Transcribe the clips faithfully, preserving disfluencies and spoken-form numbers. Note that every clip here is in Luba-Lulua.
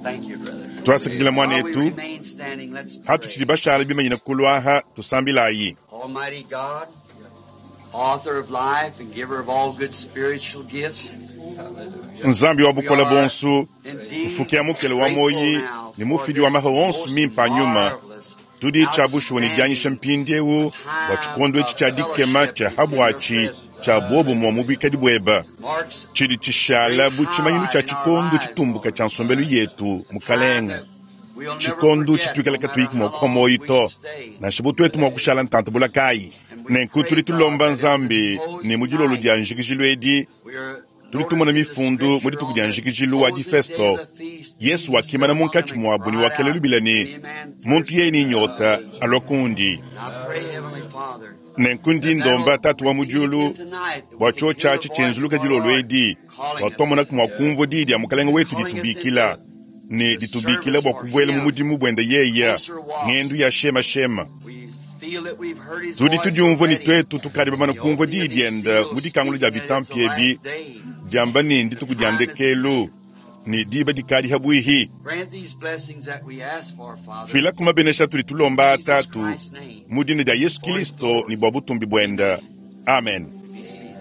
Thank you, brother. Twasakidila While we mwanetu remain standing, let's hatutshidi pray. bashala bimanyina kulwaha tusambilayi. Almighty God, author of life and giver of all good spiritual gifts, Nzambi wa we bukola are bonsu indeed mfuki mukele wa grateful moyi now ni for mufidi wa this maho onsu most mimpa nyuma marvelous, tudi tshiabushuwa ne dianyisha outstanding mpindiewu bua time tshikondo etshi of tshia dikema fellowship tshia in your habwatshi presence. tshia bobumwa mu bwikadi bweba Marks tshidi tshishala great bu tshimanyinu tshia highlight in our tshikondo lives, tshitumbuka Lord. tshia nsombelu yetu A time mukalenga that we'll never tshikondo forget, tshituikala no matter katuiki mua how kupa long moyi we to should stay nansha bu tuetu mua today. kushala ntanta bulakayi And we nenku pray, tudi God, tulomba that at this nzambi ne closing mu dilolo night, dia njikijilu edi we are tudi tumona noticing the mifundu mu scripture dituku on dia the njikijilu wa closing day difesto of the feast. Yesu Jesus stood wakimana among them munkatshi and muabu ne cried wakela out, lubila If ne any man muntu thirst, yeye ni nyota alua kundi. And I pray, Heavenly Father, Nenku ndi that ndomba that'll tatu wa mu repeat again diulu tonight, that bua we can hear the tshiotshi voice of tshienzuluka our dilolo Lord edi calling bua us, twamonaku mua kumvua diyi dia mukalenga wetu calling us ditubikila into ne the ditubikila service bua for kubuela mu Him, mudimu buenda yeya closer walks. ng'endu ya shemashema. We feel that we've heard His Tudi voice tudiumvua ne already. tuetu tukadi bamana The kumvua opening diyi of these dienda mu seals dikangula dia speaking that it's the bitampi ebi last day. diamba ne The ndituku dia time is ndekelu near. ne diba dikadi habwihi. Grant these blessings that we ask for, Father, Fila kumabenesha tudi tulomba in Jesus tatu Christ's name, mu dina dia Yesu for His Kristo ne glory. bua butumbi buenda. Amen. Amen. Be seated.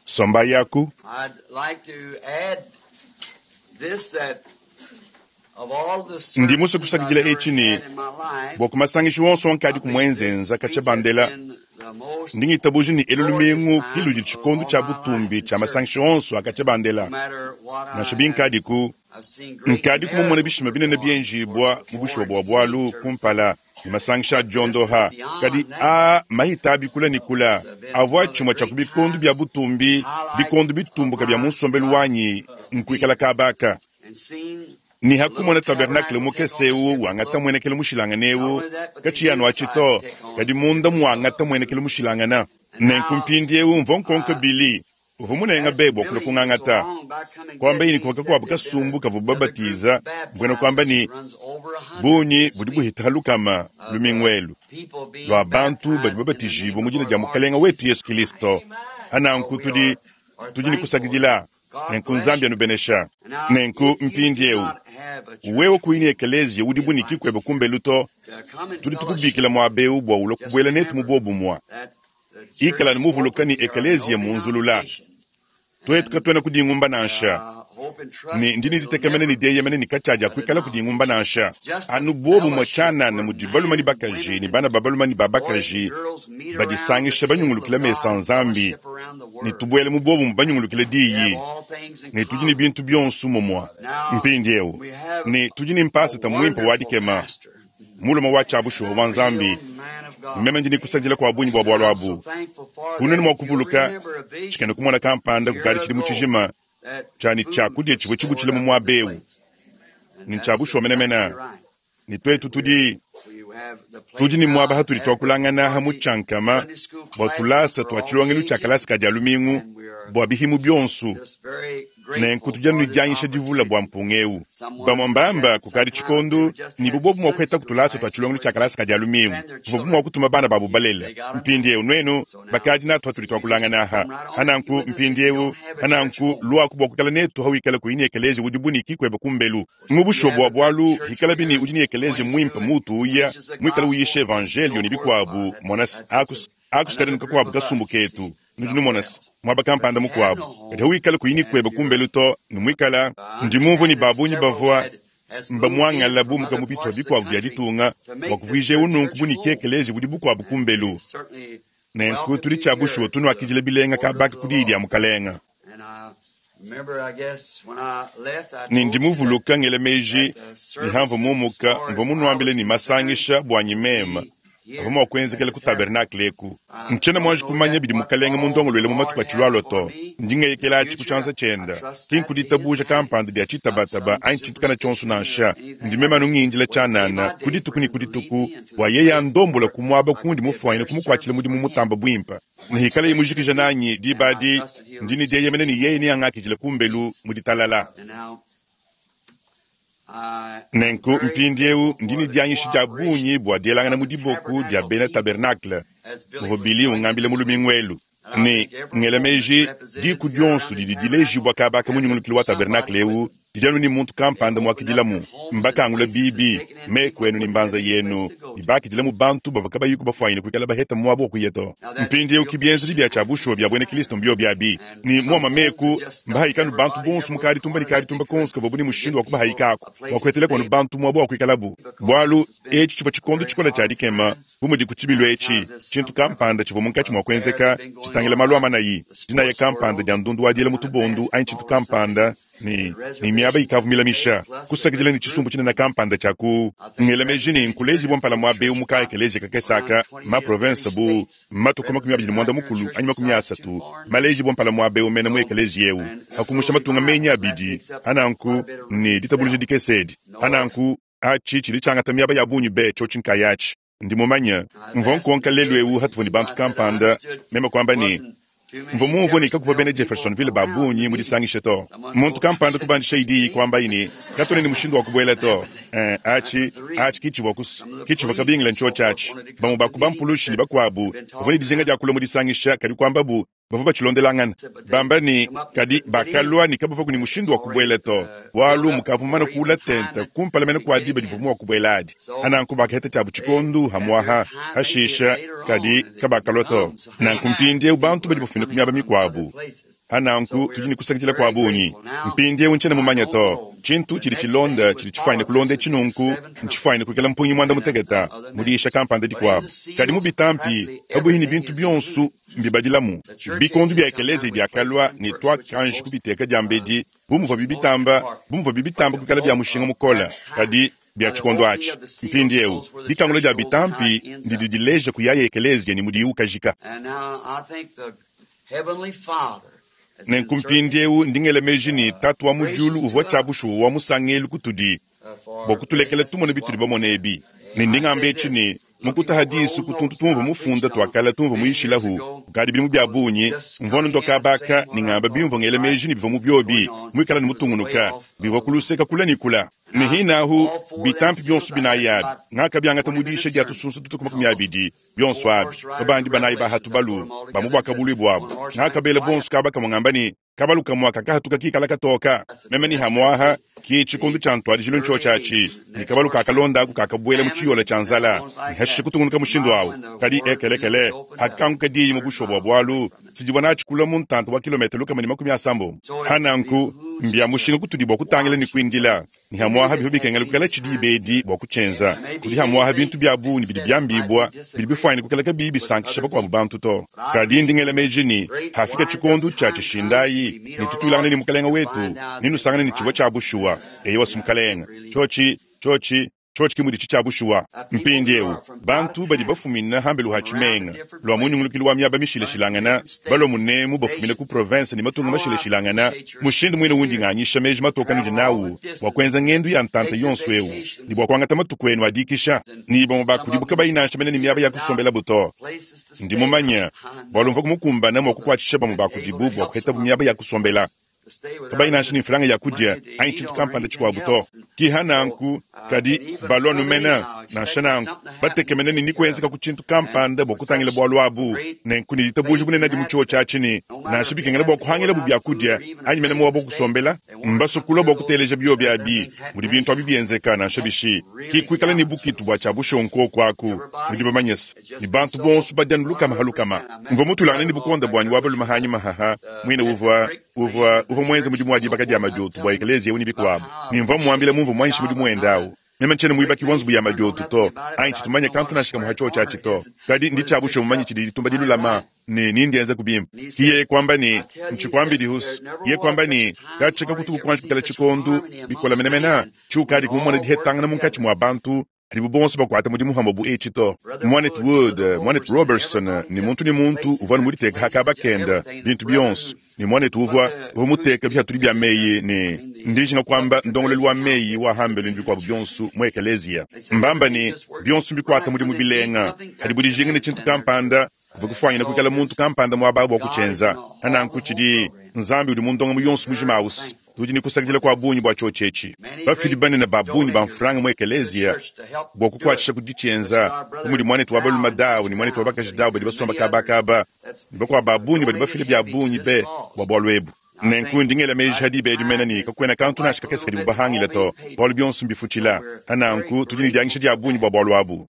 Somba yaku. I'd like to add this, that of all the Ndi musue services I've kusakidila ever etshi ne had in my life, bua kumasangisha wonso I wankadi believe this kumwenzenza katshia week has bandela been the most ndi ngitabuja ne elu glorious lumingu time kiludi of tshikondo all tshia my life butumbi in tshia masangisha service. onso akatshia No bandela matter what nansha I have, binkadiku I've seen great nkadi kumumona miracles bishima binene performed, of course, byenjibwa mu before bushuwa in bua healing bwalu services. kumpala ne masangisha a But this is diondoha kadi beyond that. a mahita abikula ne kula It's been avua one of the tshimue tshia ku great bikondo bya times, butumbi highlights bikondo of bitumbuka bya mu my nsombelu life wanyi is to be nkuikala kabaka and seeing ni the little hakumona tabernakele tabernacle take on mukese this ewu different wangata look. mwenekele mushilangana Not ewu only that, but the kachiyanu inside achito take on kadi a munda different look. mwangata mwenekele mushilangana And nenku now, mpindiewu mvo nkonka uh, bili uvu munenga as bebwa kula Billy so kung'ang'ata long by coming kwamba get ini me kuwaka said kwabu there'd been kasumbu kavu another group babatiza mbwena kwamba baptized ni that runs over a hundred bunyi this budi week buhita halukama of uh, lumingwelu people being lwa bantu badi baptized in the babatijibwa name mu of dina our dia Lord mukalenga wetu Jesus Yesu Christ. Kristo So ananku we tudi are, are tudi ni thankful and kusakidila God nenku bless nzambi you. anubenesha And now, nenku if you do mpindiewu not have a wewe church kuini home, ekelezia udi we buniki invite kweba you kumbelu to to come and tudi fellowship tukubikila mwabeu bua ula Just kubuela netu mu remember bobumwa that the church ikala ne is muvuluka open. ni There are no ekelezia munzulula denomination. tuetu And katuena kudingumba nansha uh, hope and ne trust ndi that it'll niditekemene never ni dieyemene ni katshadia a kuikala kudingumba denomination. nansha Just a anu bobumwa fellowship tshianana where mudi baluma men ni and bakaji women ni and bana ba baluma ni ba boys and bakaji girls meet around the badisangisha table of banyungulukila mesa God and nzambi fellowship around the ne Word. tubuele mu bobumwa banyungulukila We have diyi all things in ne tudi ne common. bintu bionso mumwa Now, mpindiewu we have ne tudi ne a mpasata muimpe wa wonderful dikema pastor, muluma wa tshiabushuwa wa a nzambi real man of God. meme ndi nikusadila kwa bunyi bua And bwalu I'm so abu thankful for kunene that. mua If you'll kuvuluka remember a vision tshikena kumona kampanda a year kukadi tshidi mu ago, tshijima that tshani food tshiakudia was tshivua stored tshibutshile mu up in the muaba ewu plates. And ni that's tshiabushuwa exactly menemene right. ne tuetu And we're, tudi we have the place tudi ne muaba now hatudi adequate twakulangana for ha mu the tshiankama Sunday school bua classes tulasa for tua all tshilongelu tshia ages, kalasa ka dia lumingu and we are bua bihimu bionso just very nenku grateful tudi anu for ne this dianyisha divula bua opportunity. mpunga ewu Someone bamwe mbamba said kukadi sometime if they tshikondo would just ni had bubobu mua Sunday kuheta school kutulasa tua classes tshilongelu where tshia they kalasa ka dia lumingu send their bubobu mua children, kutuma bana babu you, balele they got 'em now. mpindiewu nuenu So now, bakadi natu hatudi you just twakulangana aha come right on and be hananku with us if you mpindiewu don't have a church hananku home. lwaku bua kukala netu hawikala kuini ekelezia udi buniki kweba kumbelu If you mubushuwa have bua a good bwalu church hikala bini here udi ni ekelezia going muimpe to and mutu uya preaches the mwikala uyisha gospel and evangelio so ni forth, why, bikwabu that's, mona that's just akus a, akusikadi another nuka group kwabu of us, kasumbu you see, ketu nudi somewhere numona else. mwaba But kampanda if you have mukuabu no kadi home hawikala kuini and kweba you're kumbelu to nimwikala I ndimumvu ni understand that babunyi several bavua had has moved in mbamwangala from bumuka other mu bitwa parts of the bikwabu bya country ditunga to bua make this kuvuija their ununku church buniki home. ekelezi budi bukwabu And kumbelu we certainly nenku welcome tudi you tshiabushuwa here to tunuakidila the bilenga portals kabaki of the ku diyi dia Lord. mukalenga And I remember, I guess, when I left, I ne told you that, ndimuvuluka ngela meji that the ni hamva services, as mumuka far mva as I munuambile was ni concerned, masangisha bwanyi mema be ava here mua at kuenzekela the ku tabernacle. tabernakle eku I ntshiena don't mwanji know kumanya yet bidi what mukalenga all the mundongolwele mu Lord matuku has atshilualua for to me in the ndingeyekela atshi ku future. tshianza I tshienda trust ki that to His nkuditabuja hand, kampanda dia not tshitabataba some anyi tshintu kana tshionso superstition or nansha anything. I ndimema just nungindila wait day tshianana by day ku dituku for ne Him ku to lead dituku me into bua the yeye place andombola where ku muaba I could kundi be a mufuanyine better kumukuatshila service mudimu for Him. mutamba buimpa I'm nihikala expecting imujikija it, nanyi and I dibadi trust that He'll ndini receive dieyemene me ni yeye niyang'akijila kumbelu peace. muditalala And now, Nenku mpindieu ndi ne dianyisha dia bungi bua dielangana mu diboko dia bena tabernacle, muvua Billy ungambila mu lumingu elu. Ne ngela meji diku dionso didi dilejibua kaba aka mu nyungulukilu wa tabernacle eu didi anu ne muntu kampanda muakidilamu. Mbakangula bibi meku enu ne mbanza yenu ne bakidilamu bantu bavua kabayiku bafuanyine kuikala baheta muaba wa kuya to. Mpindieu ki bienzedi bia tshia bushuwa bia buena Kristo mbio biabi ne muama meku mbahayikanu bantu bonso mu kaditumba ne kaditumba konso kavuabu ne mushindu wa kubahayikaku bua kuhetela kuanu bantu muaba wa kuikalabu. Bualu etshi tshivua tshikondo tshikola tshia dikema bu mudi ku tshibilu etshi tshintu kampanda tshivua munkatshi mua kuenzeka tshitangila malu a manayi dinaya kampanda dia ndundu wa diela mu tubondu anyi tshintu kampanda ne ne miaba ikavumilamisha kusakidila ne tshisumbu tshinene kampanda tshia ku ngela meji ne nkulejibua mpala muaba eu mukaya ekeleziya kakese aka ma province bu matuku makumi abidi ne muanda mukulu anyi makumi asatu malejibua mpala muaba eu mene mu ekeleziya eu hakumusha matunga menyi abidi ananku ne ditabuluja dikese edi ananku atshi tshidi tshiangata miaba ya bungi be tshiotshi nkayatshi. Ndi mumanye mvua nkonka lelu eu hatuvua ne bantu kampanda meme kuamba ne mvua mumvue ne kakuvua bena Jeffersonville ba bungi mu disangisha to. Muntu kampanda kubandisha idi kuambaye ne katuena ne mushindu wa kubuela to. Eh, atshi atshi kitshivua kus kitshivua kabingila ntshiotshi atshi. Bamue ba ku bampulushi ne bakuabu bavua ne dijinga dia kulua mu disangisha kadi kuambabu bavua batshilondelangana bamba ne kadi bakalua ne kabavua ne mushindu wa kubuela to bualu mukavua mumane kuula tente kumpala mene kua diba divua mua kubuela adi. Ananku bakaheta tshiabu tshikondu hamuaha hashisha kadi kabakalua to. Nanku mpindieu bantu badi bafumina ku miaba mikuabu. Ananku tudi ne kusakidila kua bungi. Mpindieu ntshiena mumanye to. Tshintu tshidi tshilonda tshidi tshifuanyine kulonda tshinunku ntshifuanyine kuikala mpungi muanda muteketa mu diyisha kampanda dikuabu. Kadi mu bitampi pabuihi ne bintu bionso mbibadilamu. Bikondu bia ekeleziya biakalua ne tuakanji kubiteka diambedi bu muvua bibitamba bu muvua bibitamba kuikala bia mushinga mukole kadi bia tshikondo atshi. Mpindieu dikangula dia bitampi ndidi dileja kuyaya ekeleziya ne mudiyi ukajika. And now I think the Heavenly Father has been Nenku mpindieu ndi ngela meji ne tatu wa mu diulu uvua tshia bushuwa wa musangelu kutudi bua kutulekela tumone bitudi bamone ebi. Ne ndi ngamba etshi ne mukutaha disu ku tuntu tumvua mufunda tuakala tumvua muyishilahu kukadi bidimu bia bungi mvua nondoka kabaka ne ngamba bimvua ngela meji ne bivua mu biobi muikala ne mutungunuka bivua kuluseka kula ne kula. Ne hinahu bitampi bionso binayi abi ngakabiangata mu diyisha dia tusunsa tutuku makumi abidi bionso abi babandi banayi bahatu balu ba mu buakabului buabu ngakabela bonso kaba kamwe ngamba ne kabalu kamwe kakahatuka kikala katoka meme ni hamuaha ki tshikondu tshia ntuadijilu ntshiotshi atshi ne kabalu kakalondaku kakabuela mu tshiyola tshia nzala ne hashishe kutungunuka mushindu awu kadi ekelekele hakanguka diyi mu bushuwa bua bualu tshidivua natshi kula mu ntanta wa kilometelo lukama ne makumi asambombo. Hananku mbia mushinga kutudi bua kutangila ne kuindila ne hamuaha bivua bikengela kukala tshidi bedi bua kutshienza kudi hamuaha bintu bia bungi bidi biambibua bidi bifuanyine kukala kabiyi bisankisha bakuabu bantu to. Kadi ndi ngela meji ne hafika tshikondu tshia tshishindayi ne tutulangane ne mukalenga wetu ne nusangane ne tshivua tshia bushuwa eyi wasu mukalenga tshiotshi tshiotshi tshiotshi ki mudi tshia bushuwa. Mpindieu bantu badi bafumina hambelu ha tshimenga lua munyungulukilu wa miaba mishilashilangana balua munemu bafumina ku province ne matunga mashilashilangana mushindu muine wundi nganyisha meji matoka nudi nawu bua kuenza ngendu ya ntanta yonso eu ne bua kuangata matuku enu adikisha ne bamue bakudibuka bayinansha mene ne miaba ya kusombela buto. places to Ndi stay. mumanye bualu mvua kumukumbana mua kukuatshisha bamue bakudibu bua kuhetabu miaba ya kusombela kabayinansha ne mfranga ya kudia anyi tshintu kampanda tshikuabu to. Kiha nanku kadi balua numena nansha nanku batekemena ne nikuenzeka ku tshintu kampanda bua kutangila bualu abu nenku ne ditabuja bunene adi mu tshiwo tshiatshi ne nansha bikengela bua kuhangilabu biakudia anyi mene muaba wa kusombela mbasukula bua kuteleja bio abi mudi bintu abi bienzeka nansha bishi ki kuikala ne bukitu bua tshia bushuwa nkoku aku nudi bamanyese ne bantu bonso badianu lukama ha lukama. Mvua mutulangane ne bukonda buanyi wa balume hanyi mahaha muine uvua uvua uvua muenze mudimu wa dibaka dia madiotu bua ekeleziya eu ne bikuabu ne mvua muambila mumvua muanyisha mudimu wende awu. Meme ntshiena muibaki wa nzubu ya madiotu to anyi tshitumanye kantu nansha kamue ha tshiotshi atshi to kadi ndi tshia bushuwa mumanye tshidi ditumba dilulama ne nindienza kubimpa. Ki yeye kuamba ne ntshikwambidi husu ye kuamba ne katshika kutuku kuanji kukala tshikondu bikola menemene tshiukadi kumumona dihetangana munkatshi mua bantu hadibu bonso bakuata mudimu hamwe bu etshi to. Mwanetu Wood, mwanetu Robertson ne muntu ne muntu uvua ne muditeka hakaba kenda bintu bionso ne mwanetu uvua uvua muteka bihatudi bia meyi ne ndijinga kuamba ndongolelu wa meyi wa hambelu ne bikuabu bionso mu ekeleziya. Mbamba ne bionso mbikuata mudimu bilenga hadibu dijinga ne tshintu kampanda kuvua kufuanyina kuikala muntu kampanda muaba bua kutshienza. Hananku tshidi Nzambi udi mu ndongamu yonso mujima awusi Tudi ne kusakidila kua bungi bua tshiotshi etshi. Bafidi banene ba bungi ba mfranga mu ekeleziya bua kukuatshisha ku ditshienza, bu mudi muanetu wa balume Dawu ne muanetu wa bakaji Dawu badi basomba kabakaba, ne bakuabu ba bungi badi bafila bia bungi be bua bualu ebu. Nenku ndi ngela meji ha diba edi mene ne kakuena kantu nansha kakese kadibu bahangila to, bualu bionso mbifutshila. Nanku tudi ne dianyisha dia bungi bua bualu abu.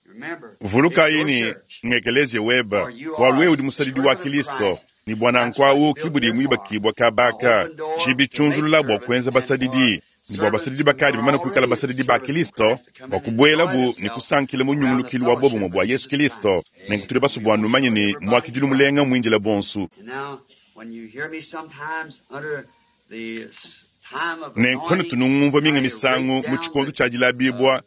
Vulukayi ne ngekeleziya weba, bualu wewe udi musadidi wa Kristo, ne bua nanku awu ki budi muibakibua kabaka, tshibi tshiunzulula bua kuenza basadidi, ne bua basadidi bakadi bamane kuikala basadidi ba Kristo, bua kubuelabu ne kusankila mu nyungulukilu wa bobumue bua Yesu Kristo. Nenku tudi basue bua numanye ne muakidilu mulenga muindila bonso. Nenku tunungumvua minga misangu mu tshikondo tshia dilabibua,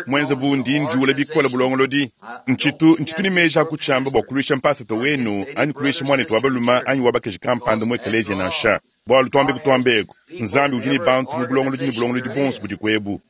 mwenze bu ndi njuula bikole bulongolodi. Ntshitu ntshitu ne meji a kutshiamba bua kuluisha mpasata wenu anyi kuluisha muanetu wa balume anyi wa bakaji kampanda mu ekeleziya nansha. Bualu tuambe kutuambeku, Nzambi udi ne bantu mu bulongolodi ne bulongolodi bonso budi kuebu.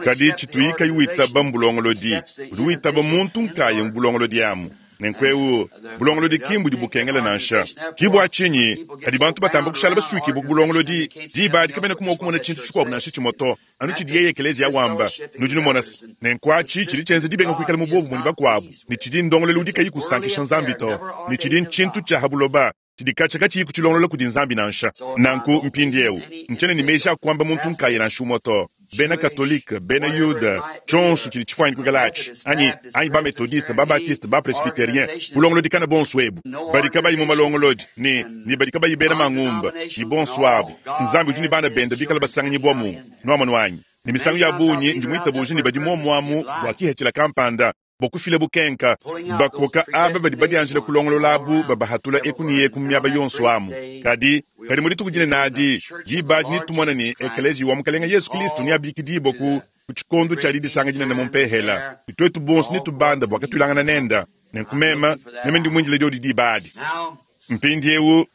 Kadi tshituyi kayi witaba mu bulongolodi, udi witaba muntu nkaya mu bulongolodi amu. Nenku eu bulongolodi ki mbudi bukengela nansha. Ki bua tshinyi kadi bantu batamba kushala basuikibua ku bulongolodi, diba adi kabena kumua kumona tshintu tshikuabu nansha tshimue to, anu tshidi yeye ekeleziya wamba. Nudi numona se, nenku atshi tshidi tshienza dibenga kuikala mu bobumue ne bakuabu, ne tshidi ndongoluelu udi kayi kusankisha Nzambi to, ne tshidi ntshintu tshia ha buloba, tshidi katshia katshiyi kutshilongolola kudi Nzambi nansha. Nanku mpindieu ntshiena ne meji a kuamba muntu nkaya nansha umue to. Bena Katolike, bena Yuda, tshionso tshidi tshifuanyine kuikala atshi, anyi anyi ba Methodiste, ba Baptiste, ba Presbyterien, bulongolodi kana bonso ebu, badi kabayi mu malongolodi ne ne badi kabayi bena mangumba, ne bonso abu, Nzambi udi ne bana bende bikala basanganyibua mu nuamonu anyi. Ne misangu ya bungi ndi muitabuja ne badi muomuamu bua kihethela kampanda, bua kufila bukenka, bakoka aba badi badianjila kulongolola abu babahatula eku ne eku mu miaba yonso amu. Kadi kadi mu dituku dinene adi, diba adi netumone ne ekeleziya wa Mukalenga Yesu Kristo neabikidibue ku ku tshikondo tshia didisanga dinene mu mpehela, ne tuetu bonso netubanda bua katuilangana nenda. Nenku meme meme ndi muindile diodi diba adi. Mpindieu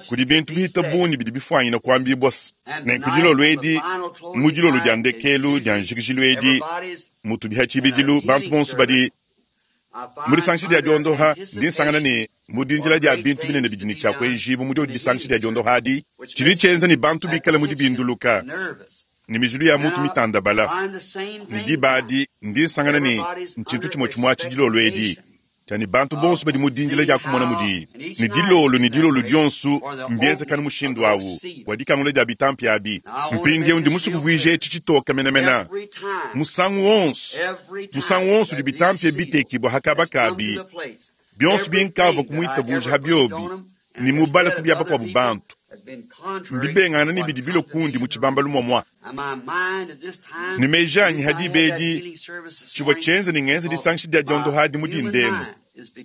kudi bintu bihita bungi bidi bifuanyina kuambibua se. Nenku dilolo edi, mu dilolo dia ndekelu dia njikijilu edi, mutu biha tshibidilu bantu bonso badi mu disangisha dia diondoha, ndi nsangana ne mu dindila dia bintu binene bidi ne tshiakuenjibu mu diodi disangisha dia diondoha adi, tshidi tshienza ne bantu bikale mu dibinduluka ne mijilu ya mutu mitandabala. Ne diba adi ndi nsangana ne ntshintu tshimue tshimue atshi dilolo edi, tshia bantu bonso badi mu dindila dia kumona mudi ne dilolo ne dilolo dionso mbienzekana mushindu awu bua dikangula dia bitampi abi. Mpindieu ndi musue kuvuija etshi tshitoka menemene. Musangu wonso, musangu wonso udi bitampi bitekibua hakabakabi, bionso binkavua kumuitabuja ha biobi ne mubala ku bia bakuabu bantu, mbibengana ne bidi bilo kundi mu tshibambalu muamua. Ne meji anyi ha diba edi tshivua tshienza ne ngenza disangisha dia diondoha adi mu dindemu,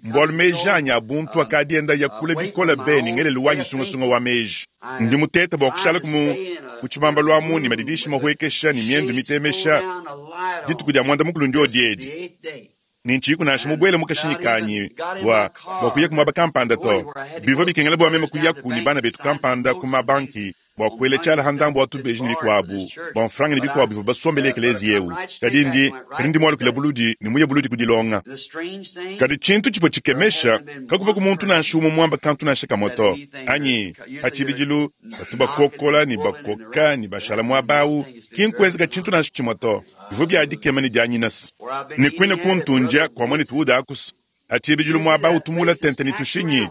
mbualu meji anyi a buntu akadi enda yakula bikole be ne ngelelu wanyi sungasunga wa meji. Ndi muteta bua kushala mu mu tshibambalu amu ne madidishi mahuekesha ne miendu mitemesha dituku dia muanda mukulu ndiodi edi. Ne ntshiyiku nansha mubuele mu kashinyi kanyi bua bua kuya ku muaba kampanda to. Bivua bikengela bua meme kuyaku ne bana betu kampanda ku mabanki bua kuela tshiala ha ndambu wa tubeji ne bikuabu bua mfranga ne bikuabu bivua basombele ekeleziya eu. Kadi ndi kadi ndi mualukila buludi ne muye buludi kudilonga. Kadi tshintu tshivua tshikemesha, kakuvua ku muntu nansha umue muamba kantu nansha kamue to. Anyi pa tshibidilu batu bakokola ne bakoka ne bashala muaba awu, ki nkuenzeka tshintu nansha tshimue to. Bivua bia dikema ne dianyinasa. Ne kuine kuntundia kua muanetu Wood akusa. Ha tshibidilu muaba awu tumula tente ne tushinyi,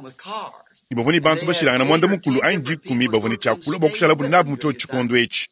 ne bavua ne bantu bashilangana muanda mukulu anyi dikumi bavua ne tshiakula bua kushalabu nabu mu tshiotshi tshikondo etshi.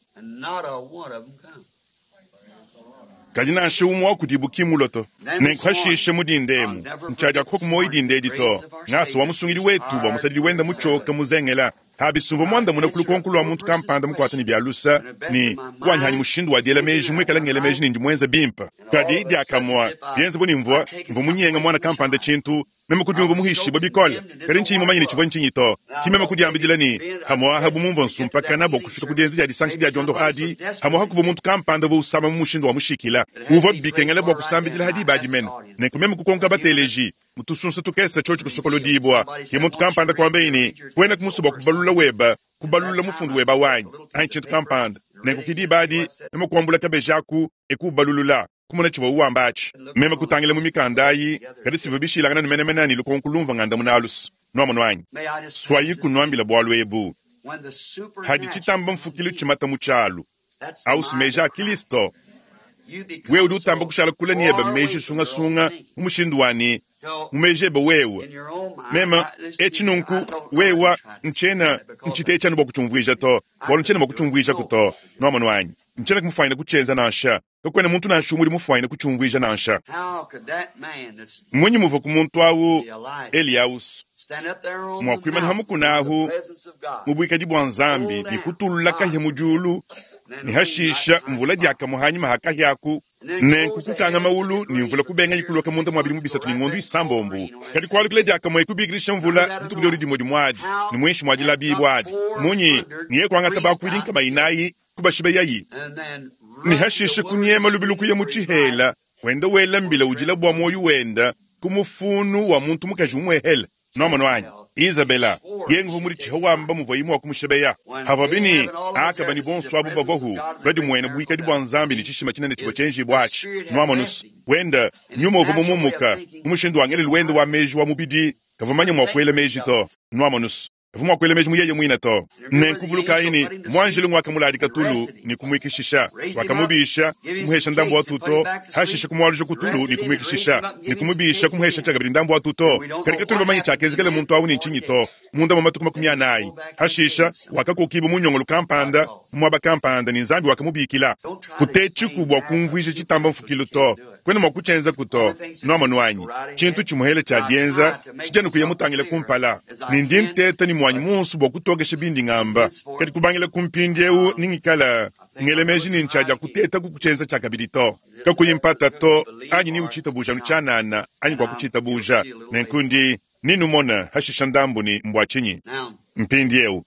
Kadi nansha umue wa kudibu ki mulue to. Nenku hashishe mu dindemu, ntshiadiakupa ku muoyo dinde edi to. Ngasa wa musungidi wetu bua musadidi wenda mutshioka muzengela. Habisumva muandamuna ku lukonko lua muntu kampanda mukuata ne bia lusa ne kuanyihanyi mushindu wa diela meji muikala ngela meji ne ndi muenza bimpe. Kadi diakamua bienza bu ne mvua mvua munyenga muana kampanda tshintu, meme kudiumva muhishibue bikole. Kadi ntshinyi mumanye ne tshivua ntshinyi to. Ki meme kudiambidila ne hamuaha bu mumvua nsumpakana bua kufika ku dienza dia disangisha dia diondoha adi, hamuaha kuvua muntu kampanda uvua usama mu mushindu wa mushikila. Uvua bikengela bua kusambidila ha diba adi mene. Nenku meme kukonka bateleji mutusunsa tukese tshiotshi kusokolodibua. Ke muntu kampanda kuambaye ne kuena kumusu bua kubalula weba, kubalula mufundu weba wanyi anyi tshintu kampanda. Nenku ki diba adi meme kuambula kabeji aku ekubalulula kumona tshivua uwamba atshi. Meme kutangila mu mikanda ayi, kadi sivua bishilangana ne menemene ne lukonko lumvua ngandamuna alusa. Nuamonu anyi? Swayi kunuambila bualu ebu. Hadi tshitamba mfukilu tshimata mu tshialu. Ausi meji a Kilisto. Wewe udi utamba kushala kule nebe meji sungasunga mu mushindu wani mu meji ebe wewe. Mema etshi nunku wewa ntshiena ntshite bua kutshiumvuija to, bualu ntshiena mua kutshiumvuija to. Nuamonu anyi? Ntshiena kumufanyina kutshienza nansha. Kakuena muntu nansha umue udi mufanyine kutshiumvuija nansha. Mmunyi muvua ku muntu awu Eliaus mua kuimana hamukuna ahu mu buikadi bua Nzambi ne kutulula kahia mu diulu ne hashisha mvula diakamue hanyima ha kahia-ku nenku kukanga maulu ne mvula kubenga ikuloka munda mua bidimu bisatu ne ngondo isambombo kadi kualukila diakamue kubikilisha mvula dituku diodi dimue dimuadi ne muinshi mua dilabi adi munyi niye kuangata bakuidi nkama inayi kubashiba yayi ne hashisha kunyema lubilu kuya mu tshihela wenda wela mbila udila bua muoyo wenda ku mufunu wa muntu mukaji umwehela nomano anyi Isabela yenguvu muri tshiha wamba muvua imwe wakumushebeya hava bini akaba ni bonso abu bavahu badi mwene buikadi bua Nzambi ni tshishima tshinene tshivua tshienjibua atshi nwamonusu wenda nyuma uvua mumumuka mu mushindu wa ngelelu wenda wa meji wa mubidi kavua manya mua kuela meji to nwamonusu kavua mua kuela meji mu yeye muine to nenkuvulukayi ni mwanjelu ngwakamuladika tulu ni kumwikishisha wakamubisha kumuhesha ndambu wa tuto hashisha kumualuja kutulu ni kumwikishisha ni kumubisha kumuhesha tshiakabidi ndambu wa tuto kadi katulu bamanye tshiakezekele muntu awu ni ntshinyi to munda mwa matuku makumi anayi hashisha wakakokiba munyongolo kampanda muaba kampanda ni Nzambi wakamubikila kutetshiku bua kumvuija tshitamba mfukilu to kwena mua kutshienza kuto nuamonu anyi tshintu tshimuhele tshia dienza tshijanu kuya mutangile kumpala ni ndi nteta ni mwanyi munsu bua kutokesha bindi ngamba kadi kubangila kumpindiewu ningikala ngele meji ni ntshaja kuteta kukutshienza tshiakabidi to kakuyi mpata to anyi ni utshitabuja nutshianana anyi kua kutshitabuja nenkundi ninumona hashisha ndambu ni mbua tshinyi mpindiewu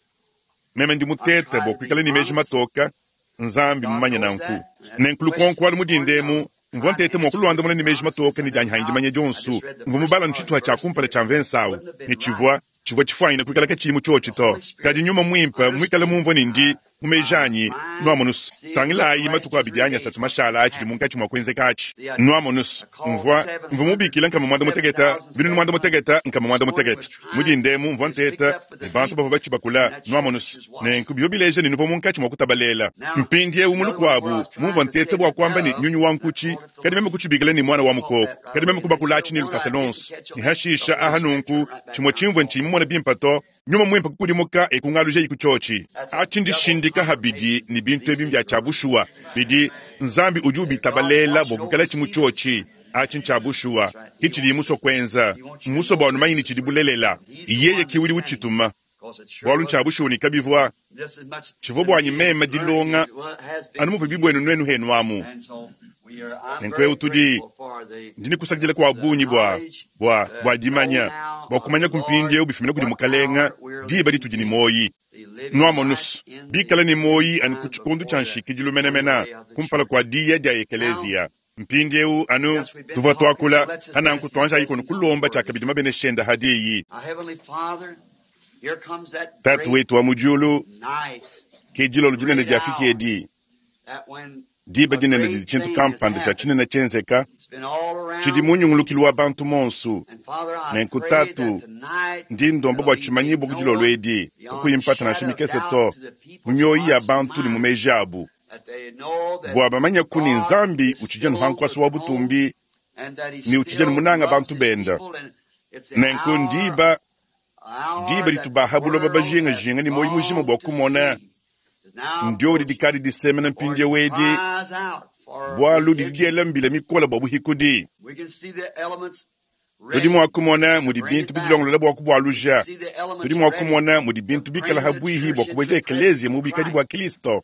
meme ndi mutete bua kuikala ni meji matoka Nzambi mumanye nanku nenkulukonko mudindemu mvua ntete mua kulwandamuna ni meji matoka ni dianyi handimanya dionsu mvua mubala ntshituha tshia kumpala tshia mvensawu ni tshivua tshivua tshifuanyina kuikala katshiyi tshiotshi to kadi nyuma muimpe muikale mumvua ni ndi mu meji anyi nuamonusu tangilayi matuku abidi anyi asatu mashala atshidi munkatshi mua kuenzeka atshi nuamonusu mvua mvua mubikila nkama muanda muteketa binunu muanda muteketa nkama muanda muteketa mudindemu mvua nteta ne bantu bavua batshibakula nuamonusu nenku bivua bileja ne nuvua munkatshi mua kutabalela mpindiewu mu lukuabu mumvua nteta bua kuamba ne nyunyu wa nkutshi kadi meme kutshibikila ne mwana wa mukoko kadi meme kubakula atshi ne lukasa lonso ne hashisha aha nunku tshimue tshimvua ntshiyi mumona bimpe to nyuma muimpe kukudimuka ekungaluja iku tshiotshi atshi ndishindika habidi ni bintu ebi mbya tshia bushuwa bidi Nzambi udi ubitabalela bua kuikala tshimu tshiotshi atshi ntshia bushuwa ki tshidi musua kuenza musua bua numanyi ni tshidi bulelela yeye ki udi utshituma bualu ntshia bushuwa ni kabivua tshivua buanyi meme dilonga anu muvua bibuenu nuenu henu amu nenku tudi ndi nikusakidila kwa bungi bua bua bua dimanya bua kumanya kumpindiewu bifumina kudi mukalenga diba ditudi ni moyi nuamonusu bikala ni moyi anu ku tshikondu tshia nshikidilu menemene kumpala kua diya dia ekeleziya mpindiewu anu tuvua tuakula ananku tuanjayi kono kulomba tshiakabidi mabeneshenda hadiyi Tatu wetu wa mu diulu ke dilolo dinene diafiki edi diba dinene didi tshintu kampanda tshia tshinene tshienzeka tshidi munyungulukilu wa bantu monsu nenku tatu ndi ndomba bua tshimanyibua ku dilolo edi kakuyi mpata nansha mikese to mu mioyi ya bantu ne mu meji abu bua bamanya ku ni Nzambi utshidi nuhankwasa wa butumbi ni utshidi munanga bantu benda nenku ndiba diba ditubaha buloba bajingajinga ni moyi mujima bua kumona ndio didikadi disemena mpindiewu edi bualu didi diela mbila mikola bua buhikudi tudi mua kumona mudi bintu bidilongolola bua kubualuja tudi mua kumona mudi bintu bikala habuihi bua kubueja ekelezia mu bikadi bua Kristo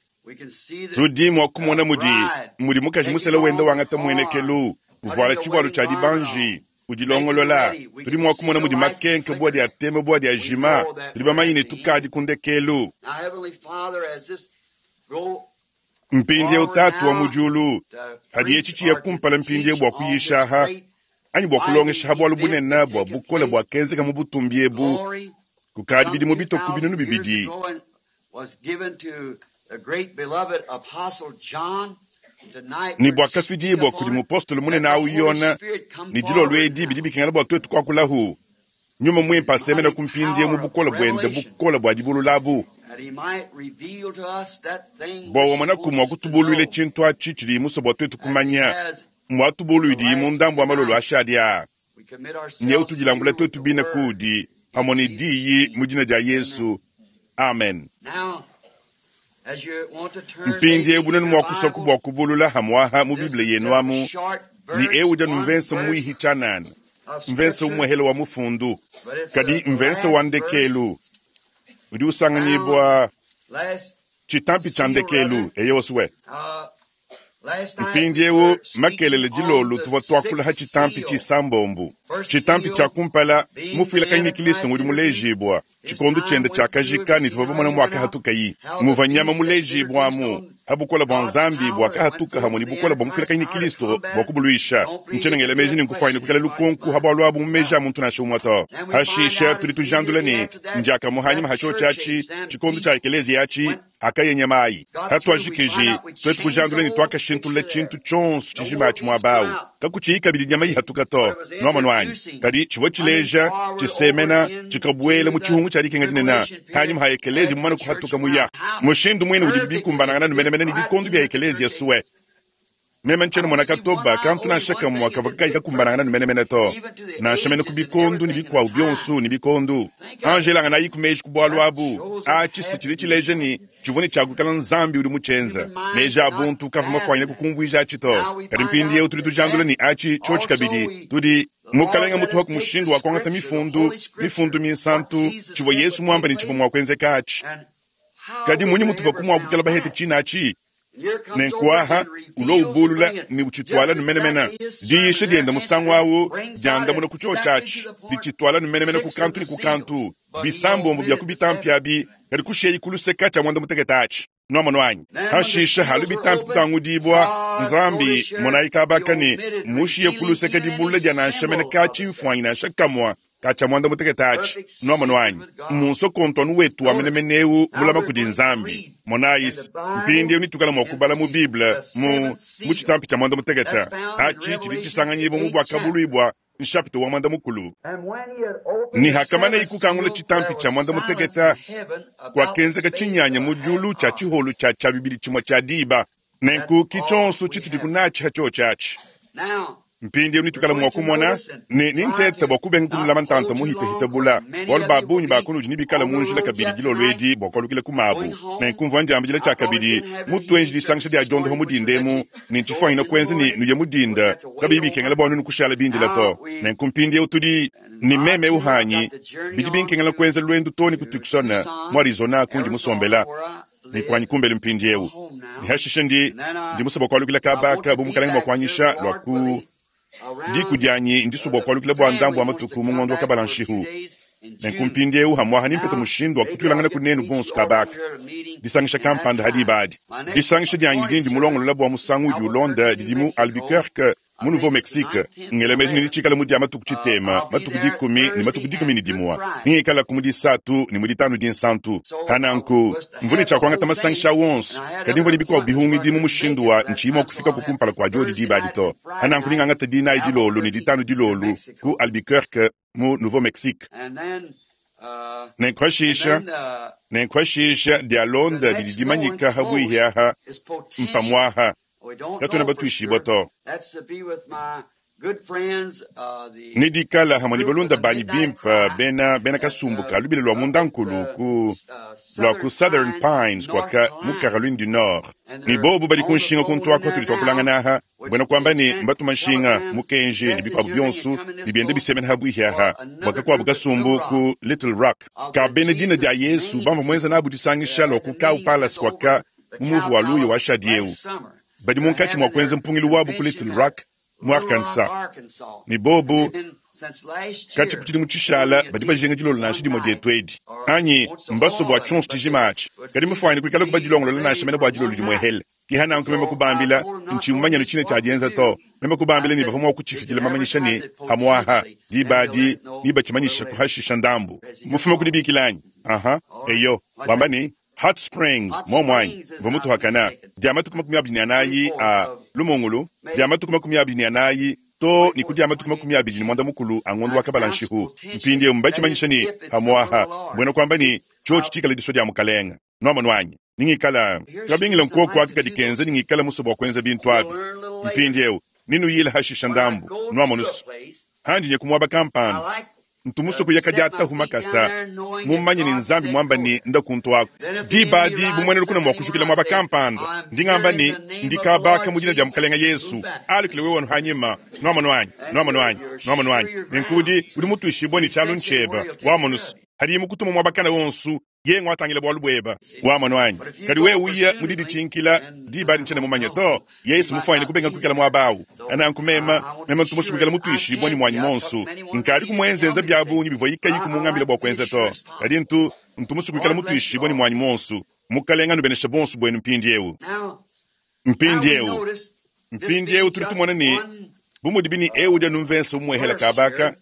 tudi mua kumona mudi mudi mukaji musela wenda wangata muenekelu uvuala tshivualu tshia dibanji udilongolola tudi mua kumona mudi makenke bua dia tema bua dia jima tudi bamanye ne tukadi kundekelu mpindiewu tatu wa mu diulu hadi etshi tshiya kumpala mpindiewu bua kuyishaha anyi bua kulongesha bualu bunene bua bukole bua kenzeka mu butumbi ebu kukadi bidimu bitoku binunu bibidi ni bua kafidibua kudi mupostolo munene awu Yona ni dilolo edi bidi bikengela bua tuetu kuakulahu Nyuma Mwimpe asemena ku mpindieu mu bukole bwende, bukole bwa dibulula abu, bwa wamonaku mwa kutubulwila tshintu atshi tshidi musue bwa twetu kumanya, mwa tubulwidi mu ndambu wa malolo ashadi aa. Nyeu tudilambula twetu bine kudi pamwe ne diyi mu dina dia Yesu. Amen. Mpindieu bunenu mwa kuswaku bwa kubulula hamwaha mu Biblia yenu amu ni eu uja numvensa mwihi tshanana, mvensa umwehele wa mufundu, kadi mvensa wa ndekelu udi usanganyibwa tshitampi tsha ndekelu eyosuwe. Mpindieu makelele dilolo tuvua tuakula ha tshitampi tshisambombu, tshitampi tshia kumpala mufuilakanyi ne Kristo ngudi mulejibwa tshikondo tshiende tshiakajika ne tuvua bamona mwakahatukayi muva nyama mulejibwamu ha bukola bwa Nzambi bwakahatuka hamwe ne bukola bwa mufuilakanyi ne Kristo bwa kubuluisha. Ntshenengela meji ne nkufwanyine kukala lukonku ha bwalu abu mu meji a muntu nansha umwe to. Hashisha tudi tujandula ne ndiakamuhanyima ha tshio tshiatshi tshikondo tshia ekelezia yatshi akayenya mayi. Hatuajikiji twetu kujandula ne twakashintulula tshintu tshionso tshijima atshi muaba awu, kakutshiyi kabidi nyama ihatuka to. Nwamonu anyi? Kadi tshivua tshileja tshisemena tshikabwela mu tshihungu tshia dikenga dinene hanyima ha ekelezia mumane kuhatuka muya. Mushindu mwine udi bikumbanangana numenemene ne bikondo bia ekelezia suwe. Meme ntshiena mona katoba kantu nansha kamwe kavua kayi kakumbanangana numenemene to, nansha mene ku bikondo ne bikuabu bionso ne bikondo. Angelanga nayi ku meji ku bwalu abu atshi si tshidi tshileja ne tshivua ne tshiakukala Nzambi udi mutshienza. Meji a buntu kavua mafuanyine kukumvuija atshi to. Kadi mpindieu tudi tujandula ne atshi tshiotshi kabidi tudi Mukalenga mutuha ku mushindu wa kuangata mifundu, mifundu minsantu, tshivua Yesu muamba ne tshivua mua kuenzeka atshi. Kadi munyi mutuvua kumwakukala bahete tshina atshi? Nenkuaha ulo ubulula ne utshitwala numenemene. Diyisha dienda musangu awu diandamuna ku tshio tshiatshi, ditshitwala numenemene ku kantu ne ku kantu, bisambombo bia ku bitampi abi, kadi kushiyayi ku luseka tshia mwanda mutekete atshi. Nwamonu anyi? Hashisha halu bitampi kutangudibwa Nzambi monayi kabaka ne mushiye ku luseka dibulula dia nansha mene ka tshimfuanyi nansha kamwa ka tshia mwanda mutekete atshi. Nwamonu anyi? Munso kontwanu wetu wa menemeneu mulama kudi Nzambi. Monayi mpindieu nitukala mua kubala mu Bible mu mu tshitampi tshia mwanda mutekete atshi tshidi tshisanganyibwa mu bwakabuluibwa nshapita wa mwanda mukulu. Ni hakamana ikukangula tshitampi tshia mwanda mutekete kwakenzeka tshinyanya mu diulu tshia tshiholu tshia tshia bibili tshimwe tshia diba. Nenku kitshonso tshitudi kunatshi ha tshio tshiatshi. Mpindieu nitukala mua kumona ne ninteta bua kubenga kunulama ntanta muhitahita bula, bualu ba bungi ba kunudi nibikala mu njila kabidi dilolo edi bua kualukila ku mabu. Nenkumvua ndiambila tshia kabidi mutuenji disangisha dia diondoha mu dindemu ne ntshifuanyine kuenza ne nuye mu dinda kabiyi bikengela bua nunu kushala bindila to. Nenku mpindieu tudi ne meme uhanyi bidi binkengela kuenza lwendu to ne ku Tucson mu Arizona kundi musombela ne kuanyi kumbelu mpindieu. Ne hashishe ndi ndi musue bua kualukila kabaka bu mukalenga mua kuanyisha lua ku diku dianyi ndisue bua kualukila bua ndambu wa matuku mu ngondo wa kabala nshihu. Nenku mpindieu hamwaha nimpete mushindu wa kutuilangana ku nenu bonso kabaka disangisha kampanda hadi ibadi. Disangisha dianyi didi ndimulongolola bua musangu udi ulonda didi mu Albuquerque mu Nouveau-Mexique. Ngela meji ne ditshikala mu dia matuku tshitema, matuku dikumi ne matuku dikumi ne dimua. Ningikala ku mu disatu ne mu ditanu dinsantu. Hananku mvua ne tshia kuangata masangisha wonso, kadi mvua ne bikuabu bihungidi mu mushindu wa ntshiyi mua kufika ku kumpala kua diodi dibadi to. Hananku ningangata dinayi dilolo ne ditanu dilolo ku Albuquerque mu Nouveau-Mexique. Nenkuhashisha, nenkuhashisha dia londa didi dimanyika ha bwihi aha mpamwaha katuena batuishibwa to. Ne dikala hamwe ne balunda banyi bimpe bena bena kasumbuka lubila lwa mundankulu ku lwa ku Southern Pines kwaka mu Caroline du Nord. Ne bobu badi ku nshinga ku ntwako tudi twakulangana aha, bwena kuamba ne mbatuma nshinga mukenji ne bikuabu bionso ne biende bisemena ha bwihi aha bwaka kuabu kasumbu ku Little Rock. Ka bena dina dia Yesu bamva mwenza nabu disangisha lwa ku Cow Palace kwaka mu muvu wa luya wa shadieu. Badi munkatshi mua kuenza mpungilu wabu ku Little Rock mu Arkansas. Ne bobu katshi ku tshidimu tshishala badi bajinga dilolo nansha dimue dietu edi. Anyi mbasue bua tshionso tshijima atshi. Kadi mufuanyine kuikala kubadilongolola nansha mene bua dilolo dimue hele. Ki hananku meme kubambila ntshiyi mumanye ne tshine tshia dienza to. Meme kubambila ne bavua mua kutshifikila mamanyisha ne hamwaha dibadi ne batshimanyisha kuhashisha ndambu. Mufume kudibikila anyi? Aha, eyo. Wamba ne Hot Springs, momwanyi, mvua mutuhakana dia matuku makumi abidi ne anayi a lumungulu, dia matuku makumi abidi ne anayi too ne ku dia matuku makumi abidi ne muanda mukulu a ngondo wa kabala-nshihu. Mpindieu mbatshimanyishe ne pamu'apa mbuena kuamba ne tshiotshi tshikale disua dia Mukalenge. Nuamonu anyi? Ningikala kabingila nkuoku aka kadi kenza ningikala musue bua kuenza bintu abi. Mpindieu ninuyile hashisha ndambu. Nuamonu se handi nye ku muaba kampanda ntu musue kuya kadiatahu makasa mumanye ne Nzambi muamba ne nda kuntu aku. Diba adi bumuenenu lukuna mua kujukila muaba kampanda ndingamba ne ndikabaka mu dina dia Mukalenge Yesu alukile wewe wanu hanyima. Nuamonu anyi? Nuamonu anyi? Nuamonu anyi? Nenkudi udi mutuishibue ne tshialu ntsheba wamonusu hadi mukutuma muaba kana wonsu yengo atangila bualu bueba wamono anyi. Kadi wewe uya mu didi tshinkila diba adi ntshiena mumanye to. Yesu mufuanyine kubenga kuikala muaba awu. Ananku mema mema ntu musue kuikala mutuishibue ne muanyi monsu. Nkadi kumuenzenza bia bungi bivua ikayi kumungambila bua kuenza to. Kadi ntu ntu musue kuikala mutuishibue ne muanyi monsu. Mukalenge anubeneshe bonso buenu mpindieu. Mpindieu mpindieu tudi tumona ne bu mudi bini eu udi anumvensa umuehela kabaka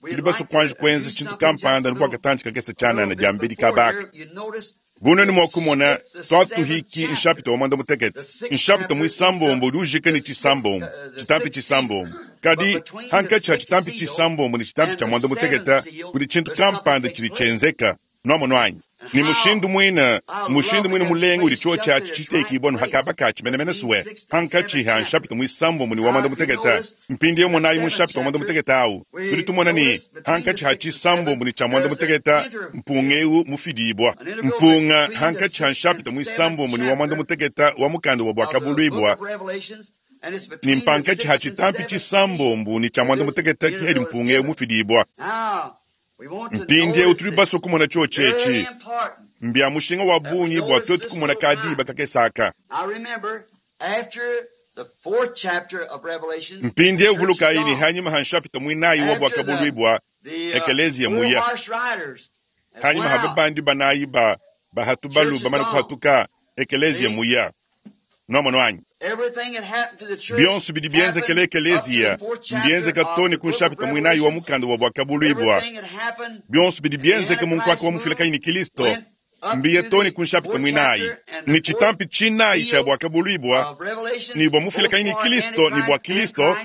tudi basue kuanji kuenza tshintu kampanda bua katanji kakese tshianana dia mbedi kabaka. Bunene mua kumona twatuhiki nshapita wa mwanda mutekete nshapita muisambombo udi ujika ne tshisambombo tshitampi tshisambombo. Kadi hankatshi ha tshitampi tshisambombo ne tshitampi tshia mwanda mutekete kudi tshintu kampanda tshidi tshienzeka. Nuamonu anyi? Ni mushindu mwina mushindu mwina mulenga udi tshiotshi atshi tshitekibua nu hakaba katshi menemene suwe hankatshi ha nshapita muisambombo ne wa mwanda mutekete. Mpindieu monayi mu nshapita wa mwanda mutekete awu tudi tumona ne hankatshi ha tshisambombo ne tshia mwanda mutekete mpunga eu mufidibua. Mpunga hankatshi ha nshapita muisambombo ne wa mwanda mutekete wa mukanda wa Buakabuluibua ni mpankatshi ha tshitampi tshisambombo ne tshia mwanda mutekete kihedi mpunga eu mufidibua. Mpindieu tudi basue kumona tshiotshi etshi mbia mushinga wa bungi bua tuetu kumona kadiba kakesaka. Mpindieu vulukayi ne hanyima ha nshapita muinayi wa Buakabuluibua ekeleziya muya. Hanyima ha babandi banayi ba bahatu balu bamane kuhatuka ekeleziya muya. Nuamonu anyi? Bionso bidi bienzekele ekeleziya mbienzeka too ne ku nshapita muinayi wa mukanda wa Buakabuluibua. Bionso bidi bienzeka mu nkuaka wa mufilakayi ne Kristo mbiye too ne ku nshapita muinayi. Ni tshitampi tshinayi tshia Buakabuluibua ni bua mufilakayi ne Kristo ni bua Kristo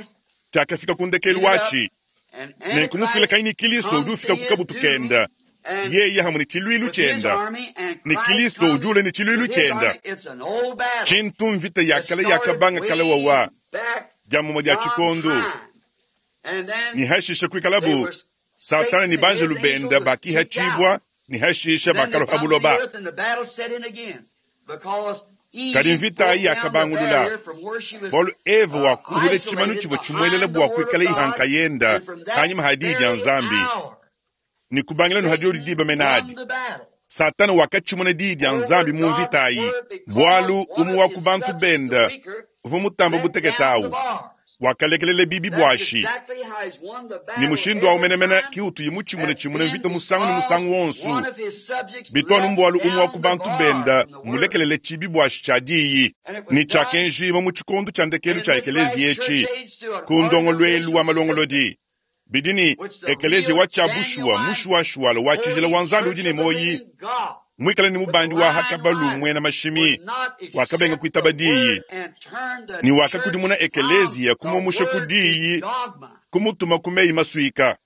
tshiakafika ku ndekelu watshi. Nenku mufilakayi ne Kristo udi ufika ku kabutu kenda. Yeye hamwe ne tshiluilu tshienda ne Kristo udi ule ne tshiluilu tshienda. Tshintu mvita ya kale yakabanga kale wawa dia mumue dia tshikondu ni hashisha kuikalabu Satana ni banjelu benda bakihatshibua ni hashisha bakaloha buloba. Kadi mvita ayi yakabangulula bualu Eva wakuhula tshimanu tshivua tshimuelela bua kuikala ihanka yenda hanyima ha diyi dia Nzambi. Ni kubangila nu hadiodi diba menadi. Satana wakatshimuna diyi dia Nzambi mu mvita ayi bualu umue wa ku bantu benda uvua mutamba butekete awu wakalekelela bibi buashi. Ni mushindu awu menemene ki utuyi mutshimuna tshimuna mvita musangu ne musangu wonsu. Bitwanu mbualu umue wa ku bantu benda mulekelele tshibi buashi tshia diyi ni tshiakenjima mu tshikondu tshia ndekelu tshia ekeleziya etshi ku ndongoluelu wa malongolodi. Bidi ni ekeleziya wa tshia bushuwa mushuwashuwala wa tshijila wa Nzambi udi ne moyi mwikale ni mubandi wa hakabalu mwena mashimi wakabenga kuitaba diyi ni wakakudimuna ekeleziya kumumusha ku diyi kumutuma ku meyi masuika.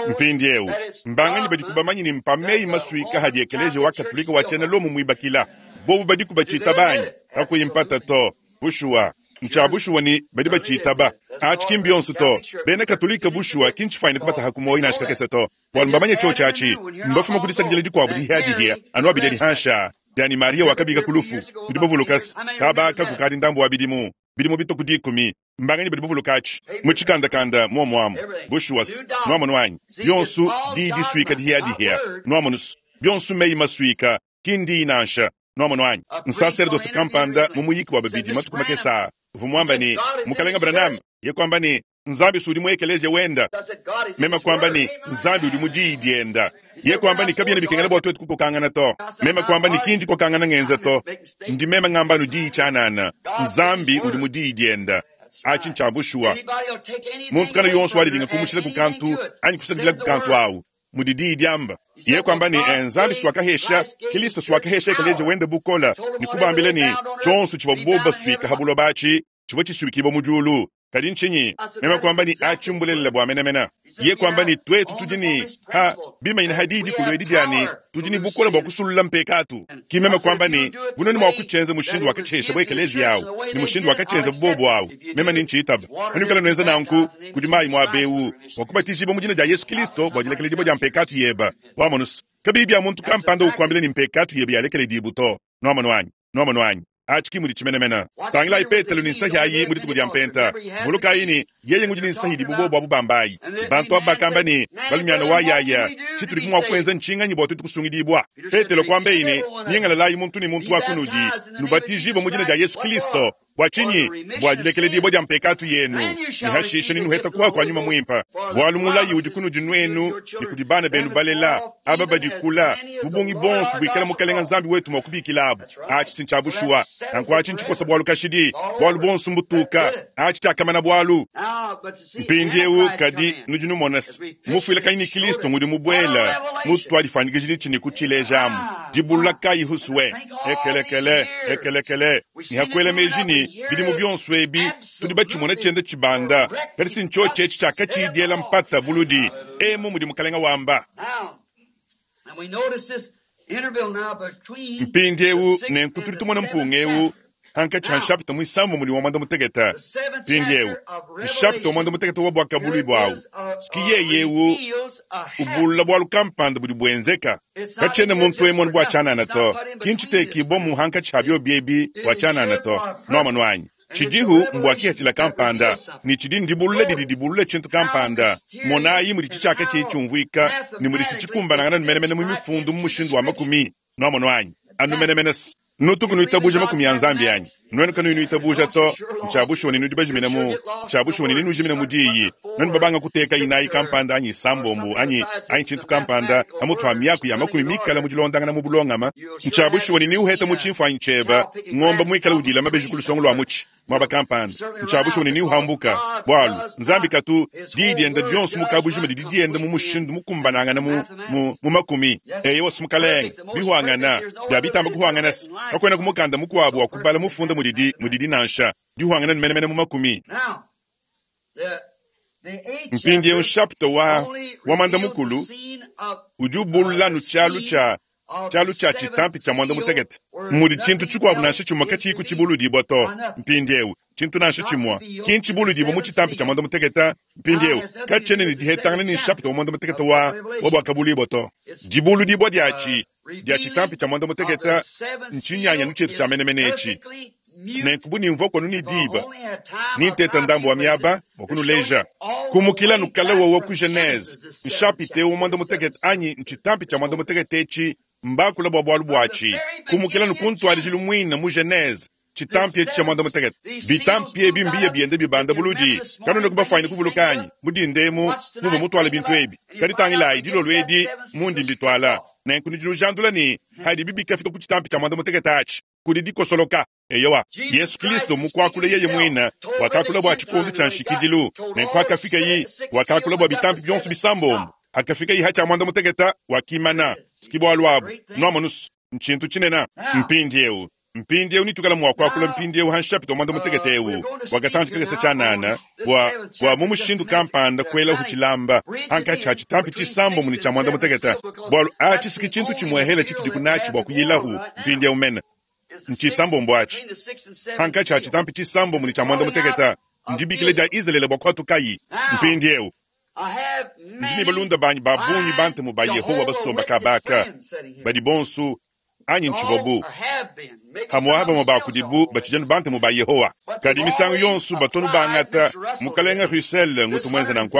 Mpindieu mbanganyi badi kubamanyi ni mpa meyi masuika hadi ekeleziya wa Katolika wa tshiena Lomo muibakila bobu badi kubatshita banyi kakuyi mpata to. Bushuwa ntshia bushuwa ni badi batshitaba atshi ki mbionso to. Bena Katolika bushuwa ki ntshifuanyine kubataha ku moyi nansha kakese to. Bualu mbamanye tshiotshi atshi mbafuma ku disakidila dikuabu dihia-dihia anu abidi adi hansha diani Maria wakabika ku lufu tudi bavulukasi kabaka kukadi ndambu wa bidimu bidimu bituku dikumi mbanganyi badi bavuluka atshi mu tshikandakanda muomuamu bushuwa nuamonu anyi bionso diyi disuika dihia-dihia nuamonusu bionso meyi masuika ki ndiyi nansha. Nuamonu anyi? Nsaserdosi kampanda mu muyiki wa babidi matuku makese uvua muamba ne Mukalenge Branham ye kuamba ne Nzambi udi mu ekeleziya wenda. Mema kuamba ne Nzambi udi mu diyi dienda. Ye kuamba ne kabiena bikengela bua tuetu kukokangana to. Mema kuamba ne kindi kokangana ngenza to. Ndi mema ngamba nu diyi tshianana. Nzambi udi mu diyi dienda. Atshi ntshia bushuwa. Muntu kana yonso walidinga kumushila ku kantu anyi kusakidila ku kantu awu mudi diyi diamba. Ye kuamba ne Nzambi swakahesha Kristo swakahesha ekeleziya wenda bukola ni kubambila ne tshionso tshivua boba suika ha buloba atshi tshivua tshisuikibua mu diulu Kadi ntshinyi? Meme kuamba ne, Aci mbulelela bua menemene. Yeye kuamba ne, Tuetu tudi ne, ha, bimanyine ha diyi dikulu edi dia ne, tudi ne bukole bua kusulula mpekatu. Ki meme kuamba ne, Bu nuenu mua kutshienza mushindu wakatshihesha ekeleziya awu, ne mushindu wakatshienza bobo awu, meme nentshitaba. Panuikala nuenza nanku, kudi mayi muaba eu, bua kubatijibua mu dina dia Yesu Kilisto bua dilekeledibua dia mpekatu yeba. Wamonu se, kabiyi bia muntu kampanda ukuambila ne mpekatu yebe yalekeledibu to. Nwamonu anyi? Nwamonu anyi? Aci ki mudi tshimenemene. Tangilayi Petelo ne nsahi ayi mu dituku dia Mpenta. Vulukayi ne, yeye ngudi ne nsahi idibu bobu abu bamba ayi. Bantu abu bakamba ne, Balumiana wa yaya, tshitudi mua kuenza ntshinganyi bua tuetu kusungidibua? Petelo kuambaye ne, Nyingalalayi muntu ne muntu wa kunudi, nubatijibue mu dina dia Yesu Kilisto. Bua tshinyi? Bua dilekeledibua dia mpekatu yenu, ne hashishe nenuheta kuha kua Nyuma Muimpe. Bualu mulayi udi kunudi nuenu ne kudi bana benu balela, aba badi kula, mu bungi bonso buikala Mukelenge Nzambi wetu mua kubikilabu. Atshi si ntshia bushuwa. Nanku atshi ntshikosa bualu kashidi, bualu bonso mbutuka. Atshi tshiakamana bualu. Mpindieu kadi nudi numona se, mufuilakanyi ne Kilisto ngudi mubuela mutuadifuanyikijilitshi ne kutshilejamu. Dibulula kayi husue? Ekelekele, ekelekele, ne hakuela meji ne bidimu bionso ebi tudi batshimona tshienda tshibanda, kadi si ntshiotshi etshi tshiakatshiyi diela mpata buludi. Emu mudi Mukalenga wamba. Mpindieu nenku tudi tumona mpunga eu hankatshi ha nshapita muisambombo ne wa muanda mutekete. Mpindieu nshapita wa muanda mutekete wa buakabuluibua buawu ski yeye eu ubulula bualu kampanda budi buenzeka. Katshiena muntu emonu bua tshianana to, ki ntshitekibua mu hankatshi ha biobi ebi bua tshianana to. Nuamonu anyi? Tshidihu mbua kihatshila kampanda, ne tshidi ndibulula didi dibulula tshintu kampanda. Monayi mudi tshitshiaka tshiyi tshiumvuika, ne mudi tshikumbanangana menemene mu mifundu mu mushindu wa makumi. Nuamonu anyi? Anu menemene se. Nutuku nuitabuja makumi a Nzambi anyi? Nuenu kanuyi nuitabuja to, ntshia bushuwa ne nudi bajimine mu, ntshia bushuwa ne nenujimine mu diyi. Nuenu babanga kuteka inayi kampanda anyi isambombo anyi, anyi tshintu kampanda pamutu ha miaku ya makumi mikala mu dilondangana mu bulongama, ntshia bushuwa ne neuheta mu tshimfuanyi tshieba ngomba muikala udila mabeji ku lusongo lua mutshi muaba kampanda. Ntshia bushuwa ne neuhambuka, bualu Nzambi katu diyi dienda dionso mu kabujima didi dienda mu mushindu mukumbanangana mu, mu, mu makumi. Eyowa Mukalenge, bihuangana bia bitamba kuhuangana se kakuena ku mukanda mukuabu wa kubala mufunda mudidi mudidi nansha dihuangana menemene mu makumi. Mpindieu nshapita wa wa muanda mukulu udi ubulula anu tshialu tshia tshialu tshia tshitampi tshia muanda mutekete mudi tshintu tshikuabu nansha tshimue katshiyi kutshibuludibua to. Mpindieu tshintu nansha tshimue ki ntshibuludibua mu tshitampi tshia muanda mutekete. Mpindieu katshiena ne dihetangana ne nshapita wa muanda mutekete wa wa buakabuluibua to. Dibuludibua diatshi dia tshitampi tshia muanda mutekete ntshinyanyanu tshietu tshia menemene etshi. Nenku bu nimvua kuanu ne diba ninteta ndambu wa miaba bua kunuleja kumukila nukala wowo ku Genese nshapite wa muanda mutekete anyi ntshitampi tshia muanda mutekete etshi mbakula bua bualu buatshi kumukila nukuntwadijilu muina mu Genese tshitampi etshi tshia muanda mutekete. Bitampi ebi mbiye biende bibanda buludi kanuena kubafwanyine kuvuluka anyi mudindemu muvua mutwala bintu ebi. Kadi tangilayi dilolo edi mundi mbitwala. Nenku nudi nujandula ne hadibi bikafika ku tshitampi tshia muanda mutekete atshi kudi dikosoloka. Eyowa, Yesu Kilisto mukuakula yeye muina wakakula bua tshikondo tshia nshikidilu. Nenku hakafikayi wakakula bua bitampi bionso bisambombo. Hakafikayi ha tshia muanda mutekete wakimana. Ski bualu abu nwamonu ntshintu tshinene. Mpindieu mpindieu nitukala mua kuakula mpindieu ha nshapita wa muanda mutekete eu wakatanji kakese tshianana bua bua mu mushindu kampanda kuelahu tshilamba hankatshi ha tshitampi tshisambombo ne tshia muanda mutekete, bualu atshi siki tshintu tshimuehela tshitudi kunatshi bua kuyilahu mpindieu mene ntshisambombo atshi hankatshi ha tshitampi tshisambombo ne tshia muanda mutekete ndibikila dia Izalele bua kuatukayi. Mpindieu ndi ne balunda banyi ba bungi bantemu ba Yehowa basomba kabaka badi bonso anyi ntshivuabu hamwa bamwe ba kudibu batshijanu bantemu ba Yehowa. Kadi misangu yonso batonu bangata Mukalenga Russell ngutu muenza nanku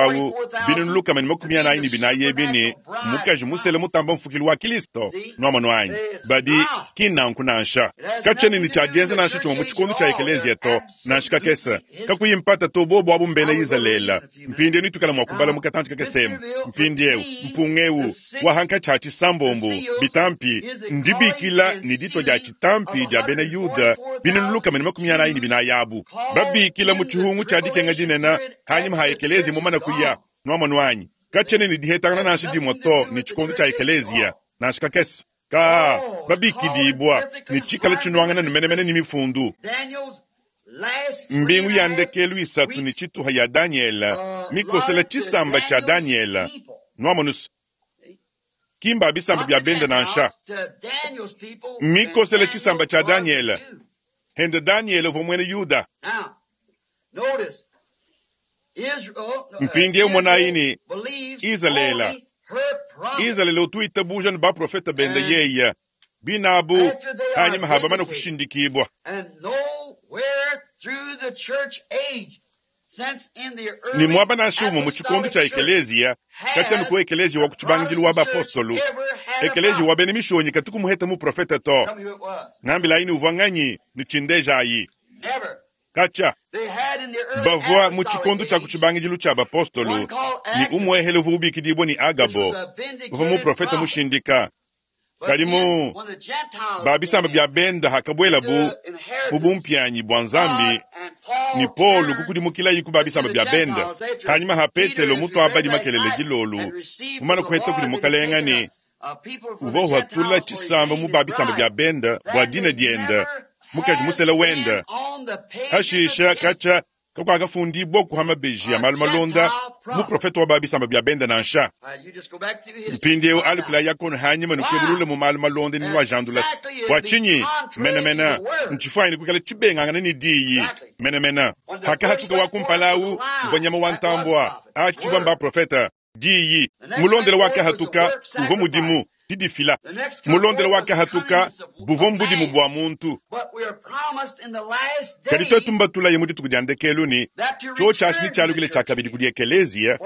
binunu lukama ne makumi anayi ne binayi ebi ne mukaji musele mutamba mfukilu wa Kilisto nwamonu anyi badi ki nanku nansha katshiena ne tshiadienza nansha tshimue mu tshikondo tshia ekeleziya to nansha kakese kakuyi mpata to bobo abu mbena Izalele. Mpindieu nitukala mua kubala mu katanji kakesemu. Mpindieu mpunga eu wa hankatshi ha tshisambombo bitampi ndibikila ne ditwa dia tshitampi dia bena Yuda binunu lukama ne makumi anayi ne binayi abu babikila mu tshihungu tshia dikenga dinene hanyima ha ekeleziya mumana kuya. Nwamonu anyi katshiena ne dihetangana nansha dimue to ne tshikondo tshia ekeleziya nansha kakese ka babikidibwa ne tshikala tshinuangana ne menemene ne mifundu. Mbingu ya ndekelu isatu ne tshituha ya Daniela mikosela tshisamba tshia Daniela. Nwamonusa kimba bisamba bya benda nansha mikosela tshisamba tshia Daniela hende Daniela uvua muena Yuda. Mpindieu monayi ne Izalele Izalele utuitabuja ne baprofeta benda yeya binabu hanyuma habamana kushindikibwa. Ni mwaba nansha umwe mu tshikondo tshia ekeleziya katshianu ku ekeleziya wa ku tshibangidilu wa bapostolu ekeleziya wa bena mishonyi katukumuheta muprofeta to ngambilayi ni uvua nganyi ni tshindejayi katsha bavua mu tshikondo tshia ku tshibangidilu tshia bapostolu ni umwehele uvua ubikidibwa ni Agabo uvua muprofeta mushindika kadi mu babisamba bya benda hakabwelabu mu bumpianyi bua Nzambi ni Paulo kukudimukilayi ku babisamba bya benda hanyuma ha Petelo mutuabadi makelele dilolu mumana kuheta kudi mukalenga ni uvua uhatula tshisamba mu babisamba bya benda bua dina dienda mukaji musela wenda hashisha katsha kakuakafundibwa kuhama beji ya malu malonda muprofeta wa babisamba bya benda nansha mpindieu alukila yakono hanyuma nukebulula mu malu malonda ni nwajandulasi bua tshinyi menamena ntshifuanyine kuikala tshibengangana ni diyi menamena hakahatuka wa kumpalawu uvua nyama wa ntambua atshibwa mbaprofeta diyi mulondela wakahatuka uvua mudimu didifila mulondela wakahatuka buvua mbudimu bua muntu kadi twetu mbatulaye mu dituku dia ndekelu ni tshio tshiashi ni tshialukile tshia kabidi kudi ekeleziya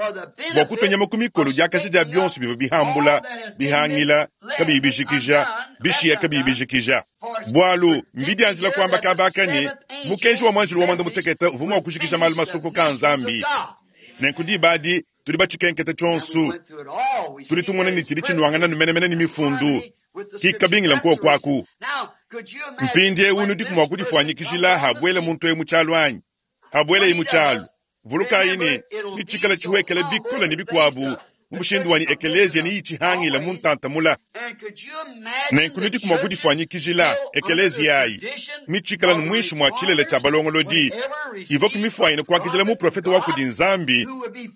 bua kutunyama ku mikolo diakasha dia bionso bivua bihambula bihangila kabiyi bijikija bishiya kabiyi bijikija bualu mbidianjila kuamba kabaka ni mukenji wa mwanjilo wa mwanda mutekete uvua mua kujikija malu masuku ka Nzambi nenku dibadi tuli batshikenketa tshionso tuli tumona ni tshidi tshinuangana numenemene ni mifundu kikabingila nkuo kwaku mpindieu nudiku mua kudifuanyikijila habwele muntu eyu mutshialu anyi habwele yi mutshialu vulukayi ni nitshikala tshiwekela bikola ni bikuabu mu mushindu wani ekeleziya ni yitshihangila mu ntantamula nenku nudiku mua kudifuanyikijila ekeleziya ayi mitshikala nu muinshi mua tshilele tshia balongolodi ivua kumifuanyina kuakidila muprofeta wa kudi Nzambi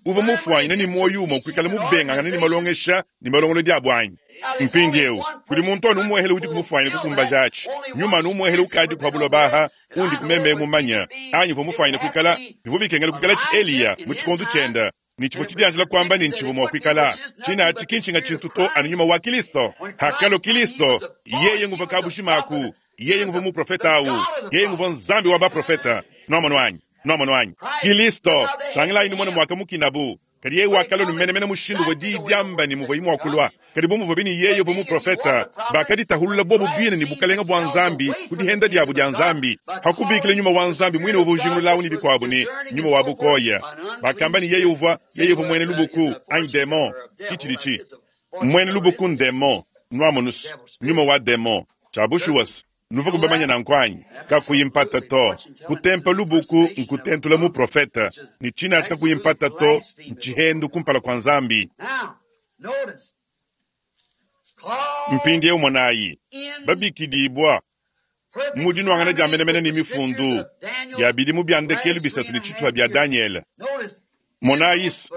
uvua mufuanyina ni muoyo umue kuikala mubengangana ni malongesha ni malongolodi abu anyi mpindieu kudi muntu anu umuehele udi kumufuanyina kukumbaja atshi nyuma anu umuehele ukadi kuhabulwa baha undi kumeme mumanya anyi uvua mufuanyina kuikala bivua bikengela kuikala tshi Eliya mu tshikondo tshienda ni tshivua tshidianjila kuamba ni ntshivua mua kuikala tshina atshi kinshinga tshintu to anu nyuma wa Kilisto hakalo Kilisto yeye nguva kabushimaku yeye nguva muprofeta awu yeye nguva Nzambi wa baprofeta nomono anyi nomono anyi Kilisto tangilayi ni mwana mwaka mukinabu kadi yeye wakalo numenemene mushindu wa diyi diamba ni muvua imuakulwa kadi bu muvua bini yeye uvua muprofeta bakaditahulula bobu bine ni bukalenga bua Nzambi ku dihenda diabu dia Nzambi hakubikila nyuma wa Nzambi mwine uvua ujingululawu ni bikuabu ni nyuma wa bukoya bakamba ni yeye uvua yeye uvua mwene lubuku anyi demon kitshiditshi mwene lubuku ndemon nwamonus nyuma wa demon tshiabushuwasi nuva kubamanya nankwanyi kakuyimpata to kutempa lubuku nkutentula muprofeta ni tshina atshi kakuyimpata to ntshihendu kumpala kua Nzambi mpindieu monayi babikidibwa mu dinuangana dia menemene ni mifundu ya bidimu bya ndekelu bisatu ni tshituha bya Daniele monayisi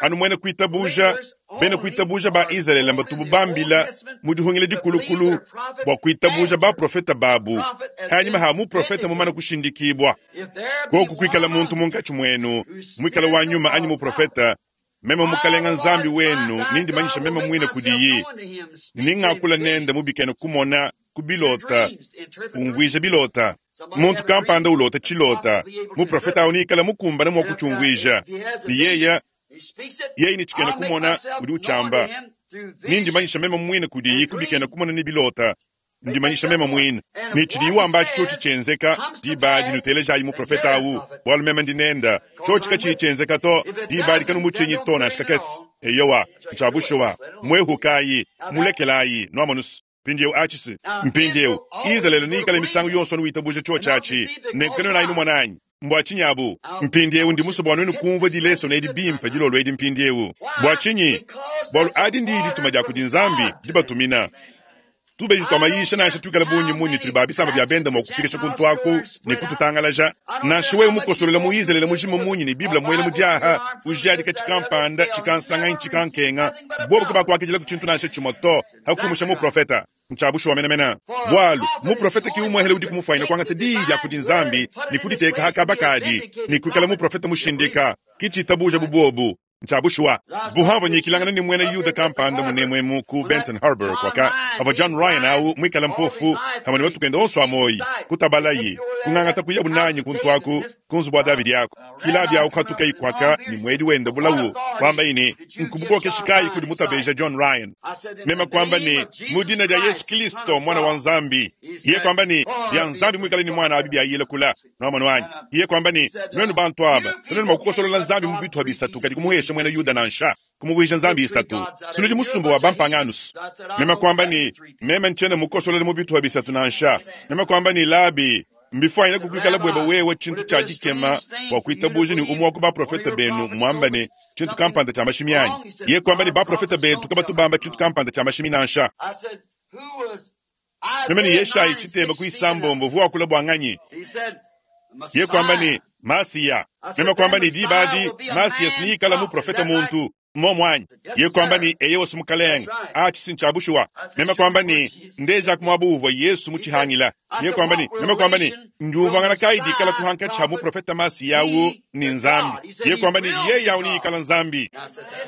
anu mwene kuitabuja bene kuitabuja ba Izalele mbatubu bambila mu dihungila dikulukulu bua kuitabuja baprofeta babu hanyuma ha muprofeta mumana kushindikibwa koku kuikala muntu munkatshi muenu muikala wa nyuma anyi muprofeta meme mukalenga Nzambi wenu nindimanyisha meme mwine kudiyi ningakula nende mubikene kumona kubilota umvuija bilota muntu kampanda ulota tshilota muprofeta awu nikala mukumbana mua kutshiumvuija ni yeya yeye ni tshikena kumona udi utshamba nindimanyisha meme mwine kudiyi kubikena kumona ni bilota ndimanyisha meme mwine ni tshidi wamba atshi tshotshi tshienzeka dibadi nutelejayi muprofeta awu bualu meme ndinenda tshotshi katshiyi tshienzeka to dibadi kanumutshinyi to nansha kakese eyowa ntshiabushuwa mwehukayi mulekelayi nuamonusu mpindieu atshisi mpindieu Izalele niikala misangu yonso anuwitabuja tshio tshiatshi nenkukenenayi numwananyi mbua tshinyi abu mpindieu ndi muso bua nuenu kumvua dileso edi bimpe dilolo edi mpindieu bua tshinyi bualu adi ndi dituma dia kudi Nzambi dibatumina Tubeji twa mayisha nansha twikala bunyi munyi tuli ba bisamba bya benda mwa kufikisha kuntu aku ne kututangalaja. Nansha wewe mukosolela mu Izraeli mujima munyi ne Biblia mwele mudiaha ujadika chikampanda chikansanganyi chikankenga bobo kubakwakijila kuchintu nansha chimoto hakumusha mu profeta nchabushu wamenamena bwalu muprofeta kiumwehele udi kumufwaina kwangata diyi lya kudi nzambi ni kuditeka hakabakadi ni kwikala muprofeta mushindika kichitabuja bubobu nchabushuwa buhamva nyikilangana ni mwene yuda kampanda munemwemu ku Benton Harbor kwaka ava John Ryan au mwikala mpofu hamani watukenda onso amoyi kutabalayi kung'ang'ata kuya bunanyi kuntwaku kunzu bwa Davidi yako kila bya ukhatuka ikwaka ni mwedi wenda bulawu kwamba ini nkubukoke shikayi kudi mutabeja John Ryan mema kwamba ni mudina lya Yesu Kristo mwana wa Nzambi iye kwamba ni lya Nzambi mwikala ni mwana abi byayile kula nomano wanyi iye kwamba ni nwenu bantu aba tunenu makukosolola Nzambi mu bitu habisatu kadi kumuhesha mwena Yuda nansha kumuvuisha Nzambi isatu sinudi musumba wa bampanganus mema kwamba ni mema nchene mukosolole mu bitu habisatu nansha mema kwamba ni labi mbifwanyina kukwikala bweba wewe chintu cha dikema bwa kuitabuja ni umwe wa ku baprofeta benu mwambane chintu kampanda cha mashimi anyi ye kwamba ni baprofeta betu kabatubamba chintu kampanda cha mashimi nansha meme ni Yeshayi chitema kuisambombo vuwakula bwanganyi ye kwamba ni Masiya meme kwamba ni dibadi Masiya siniyikala muprofeta muntu momwanyi ye kwamba ni eye wasi mukalenga achi sinchabushuwa meme kwamba ni ndeja kumwabuvwa Yesu muchihangila ye kwamba ni meme kwamba ni ndiuvangana kaidi kala kuhanka cha muprofeta Masiya wu ni Nzambi ye kwamba ni ye yawu ni ikala Nzambi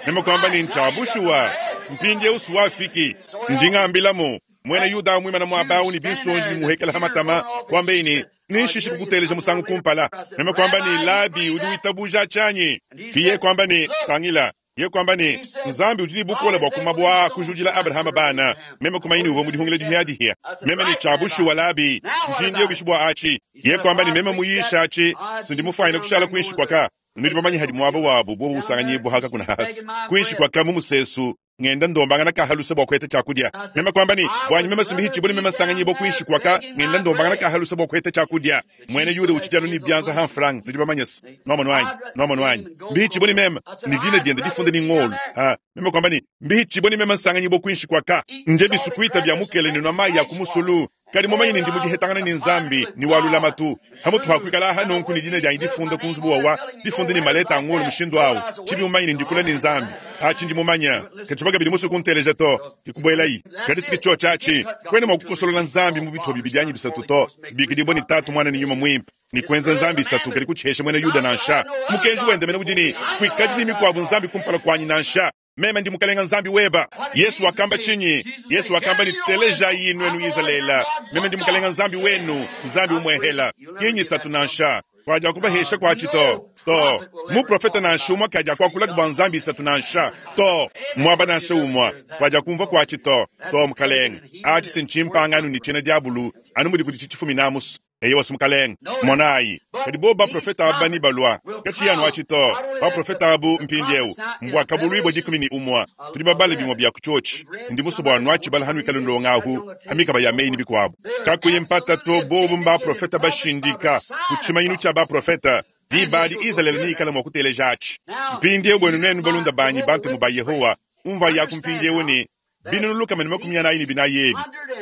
meme kwamba ni nchabushuwa mpindie usu wafiki nding'ambilamu mwene Yuda mwimana mwabawu ni binsonji ni muhekela hamatama kwamba ini nishishi kukuteleja musangu kumpala meme kwamba ni labi udi witabuja chanyi kiye kwamba ni tangila ye kwamba ni Nzambi udi bukola bwa kumabwa kujudila Abrahama bana meme kumaini uva mudihungile dihia meme ni chabushu walabi mpindie bishibwa achi ye kwamba ni meme muyisha achi sindi mufwaina kushala kuinshi kwaka nudi bamanyi hadi mwaba wabu bobu usanganyibwa haka kuna hasi kuinshi kwaka mumusesu ngenda ndombangana kahalusa bwa kweta chakudya mema kwamba ni bwanyi mema simbihi chibuli mema sanganyibwa kuinshi kwaka ngenda ndombangana kahalusa bwa kweta chakudya mwene Yuda uchijano ni byanza hanfrang nudi bamanyesi nomo wanyi nomo wanyi mbihi chibuli mema ni dina dienda difunde ni ngolu ha mema kwamba ni mbihi chibuli mema sanganyibwa kuinshi kwaka nje bisukuita bya mukele ni nwamayi ya kumusulu kadi mumanyi ndi mudihetangana ni Nzambi ni walulama tu hamutu hakwikala aha nonku ni dina lyanyi difunda kunzubu wawa difunda ni maleta angolo mushindu awu chibi mumanyi ndi kula ni Nzambi achi ndi mumanya kachivaga bili musu kunteleja to ikubwelayi kadi siki cho chachi kwene mwakukosolola Nzambi mu bitho bibi byanyi bisatu to bikidibwa ni tatu mwana ni nyuma mwimpe ni kwenza Nzambi isatu kadi kuchihesha mwene Yuda nansha mukenji wende mene udini kwikadi ni mikwabu Nzambi kumpala kwanyi nansha meme ndi mukalenga Nzambi weba Yesu wakamba chinyi Yesu wakamba ni teleja yinu enu Israela meme ndi mukalenga Nzambi wenu Nzambi umwehela kinyi satu nansha kwaja kubahesha kwachi to to muprofeta nansha umwa kaja kwakula kubwa Nzambi isatu nansha to mwaba nansha umwa kwaja kumva kwachi to to mukalenga achi sinchimpanganu ni china diabulu anu mudi kudi chichifumi namusu eye wasi mukalenga monayi kadi bo baprofeta aba ni balwa kachiyanu achi to baprofeta abu mpindiewu mbwakabulwibwa dikumi ni umwa tuli babale bimwa bya kuchochi ndi musu bwa nwachi bala hanu ikale ndongahu hamikaba ya meini bikwabu kakuye mpata to bobu mbaprofeta bashindika kuchimanyinu cha baprofeta dibadi Israeli ni ikala mwa kuteleja achi mpindiewu bwenu nenu balunda banyi bantemu ba Yehowa umva yaku mpindiewu ni binunu ni makumi anayi ni binayi ebi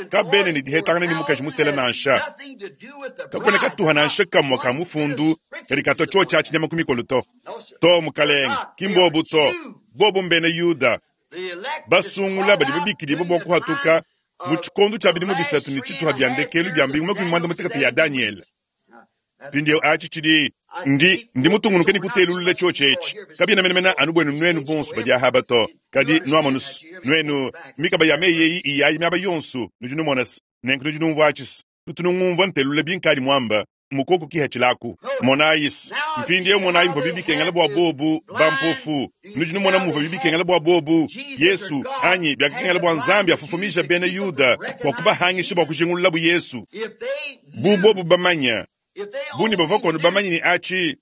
kabene ni dihetangana ni mukaji musela nansha kakwene katuha nansha kamwa ka mufundu kadi kato cho chachi nyama kumikolo to to mukalenga kimbobu to bobu mbene Yuda basungula badi babikidibwa bwa kuhatuka mu chikondo cha bidimu bisatu ni chituha bya ndekelu bya mbingu makumi mwanda mutekete ya Daniel pindiyo achi chidi ndi ndi mutungunuke ni kutelulula cho chechi kabina menemena anu bwenu nwenu bonso badi ahaba to kadi nwamonusu nwenu mikaba ya meyeyi iyayi myaba yonsu nudi numonasi nenku nudi numvwa achisi tutunungumvwa ntelula binkali mwamba mukoko kihachilaku monayisi mpindiyo monayi mva bibikengela bwa bobu bampofu nudi numona muva bibikengela bwa bobu Yesu anyi byakakengela bwa Nzambi afufumisha bene Yuda kwa kubahangisha bwa kujingulula bu Yesu bubobu bamanya buni bava kono bamanyi ni achi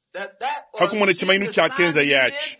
hakumona chimainu cha kenza yachi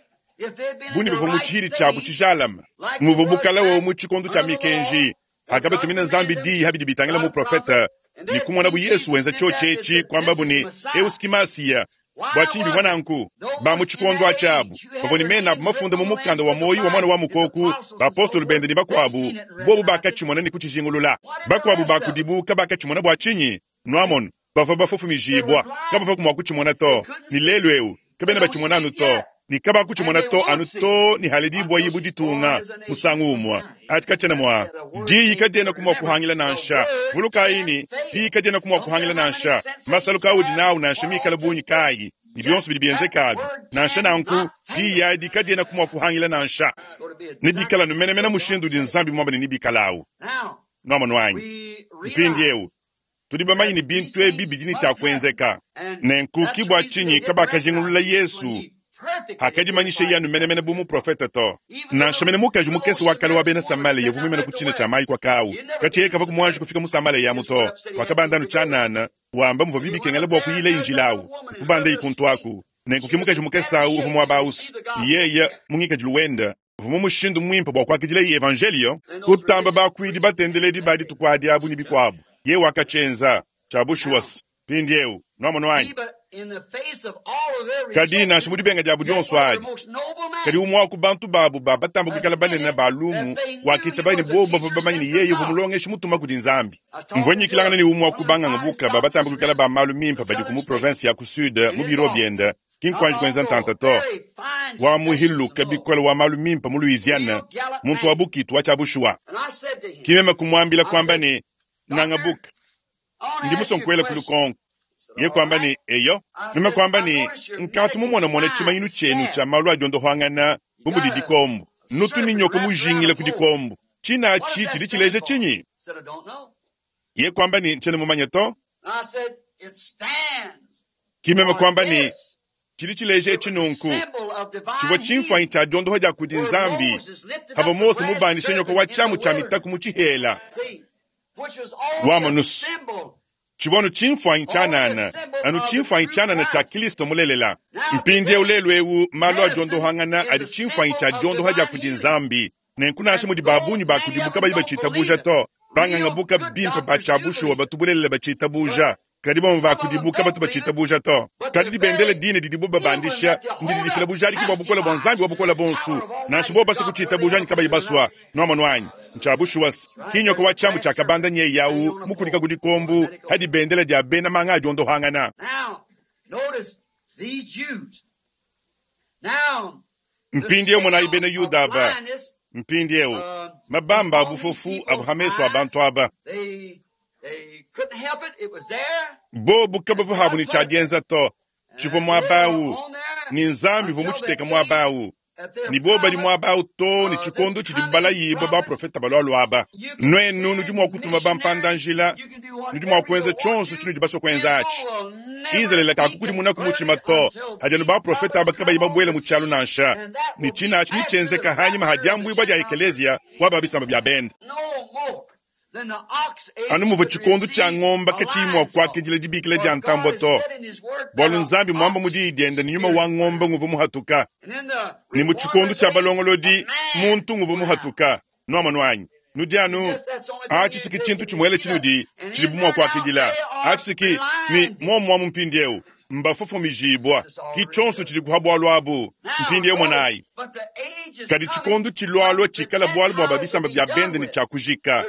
buni bava mu chihiri chabu chijalama muva bukala wo mu chikondo cha mikenji akabe tumina Nzambi di habidi bitangela mu profeta ni kumona bu Yesu wenza cho chechi kwamba buni euskimasiya Bua tshinyi bivua nanku? Ba mu tshikondo atshi abu bavua ne mena abu mafunda mu mukanda wa muoyo wa Muana wa Mukoko, bapostolo bende ne bakuabu, bobu bakatshimona ne kutshijingulula. Bakuabu ba kudibu kabakatshimona bua tshinyi? Nuamonu, bavua bafofomijibua, kabavua mua kutshimona to. Ne lelu eu kabena batshimona anu to, ne kabakutshimona to anu to ne haledibua ibu ditunga musangu umue. Ati katshiena mua diyi kadienaku mua kuhangila nansha. Vulukayi ne diyi kadienaku mua kuhangila nansha. Masalu kaudi nawu nansha mikala bungi kayi, ne bionso bidi bienzekabi nansha nanku, diyi adi kadienaku mua kuhangila nansha. Ne bikala numenemena mushindu udi Nzambi muambe ne nibikalawu. Nuamonu anyi? Mpindiewu tudi bamanye ne bintu ebi bidi ne tshia kuenzeka. Nenku ki bua tshinyi kabakajingulula Yesu hakadimanyisha yeye menemene bu muprofete to. Nansha mene mukaji mukese wa kale wa bena Samalia yavua muimane ku tshina tshia mayi kwa kawu, katshiye kavua kumuanji kufika mu Samalia yamu to. Wakabanda anu tshianana wamba muvua bibikengela bua kuyila injila awu, kubanda ikuntu aku. Nenku ki mukaji mukese awu uvua muaba awusi, yeye mu ngikadilu wenda uvua mu mushindu muimpe bua kuakidila evangelio, kutamba bakuidi batendeledi ba dituku adi abu ne bikuabu. Ye wakatshienza tshia bushuwa. Mpindiewu nuamonu anyi? Kadi nansha mu dibenga diabu dionso adi, kadi umue wa ku bantu babu ba batamba kuikala banene ba lumu wakitaba ne bobu bavua bamanye ne yeye uvua mulongeshi mutuma kudi Nzambi. Mvua nyikilangana ne umue wa ku banganga buka ba batamba kuikala ba malu mimpe badi ku mu province ya ku sud mu biro biende, ki nkuanji kuenza ntanta to. Wa muhiluka bikole wa malu mimpe mu Louisiana, muntu wa bukitu wa tshia bushuwa. Ki meme kumuambila kwamba ne nganga buka ndi musonkuela ku lukonko. Ye kwamba ne eyo, meme kwamba ne nkatu mumonamona tshimanyinu tshienu tshia malu a diondohangana bu mudi dikombo. Nutu ne nyoka mujingila ku dikombo. Tshina atshi tshidi tshileja tshinyi? Ye kwamba ne ntshiena mumanye to. Ki meme kwamba ne tshidi tshileja etshi nunku, tshivua tshimfuanyi tshia diondoha dia kudi Nzambi havua Mose mubandishe nyoka wa tshiamu tshia mitaku mu tshihela. Wa nusu tshivua anu tshimfuanyi tshianana, anu tshimfuanyi tshianana tshia Kristo mulelela. Mpindiewu lelu ewu malu a diondohangana adi tshimfuanyi tshia diondoha dia kudi Nzambi. Nenku nansha mudi babunyi ba kudibu kabayi batshitabuja to, banganga buka bimpe ba tshia bushuwa batu bulelela batshitabuja, kadi bamue ba kudibu kabatu batshitabuja to. Kadi dibendele dine didibu babandisha ndidi difila bujadiki bua bukole bua Nzambi wa bukole bonso, nansha bobu basue kutshitabuja anyi kabayi basua. Nuamonu anyi? Ntsha bushuwa ki nyoka wa tshiamu tshia kabanda nye yawu mukulika ku dikombo hadi bendela dia bena manga a diondohangana. Mpindiewu monayi bena Yuda aba. Mpindiewu mabamba a bufofu avua hameso a bantu aba. Bobu kabavua habu ne tshia dienza to, tshivua muaba awu ne Nzambi uvua mutshiteka muaba awu. Ni bobu badi muaba awu to ne tshikondo tshidi balayibua baprofeta balualua aba. Nuenu nudi mua kutuma bampanda-njila, nudi mua kuenza tshionso tshinudi basue kuenza atshi. Izalele kakukudimuna ku mutshima to, hadi anu baprofeta aba kabayi babuela mu tshialu nansha. Ne tshina atshi netshienzeka hanyima ha diambuibua dia ekeleziya wa ba bisamba bia bende. Anu muvua tshikondo tshia ngomba katshiyi mua kuakidila dibikila dia ntambua to, bualu Nzambi muamba mu diyi diende ne nyuma wa ngomba nguvua muhatuka. Ne mu tshikondo tshia balongolodi muntu nguvua muhatuka. Nuamonu anyi? Nudi anu atshi siki tshintu tshimuele tshinudi tshidibu mua kuakidila. Atshi siki ni muomuamu mpindiewu mbafofomijibua ki tshionso tshidi kuha bualu abu. Mpindiewu monayi, kadi tshikondo tshilualua tshikala bualu bua babisamba bia bende ne tshia kujika.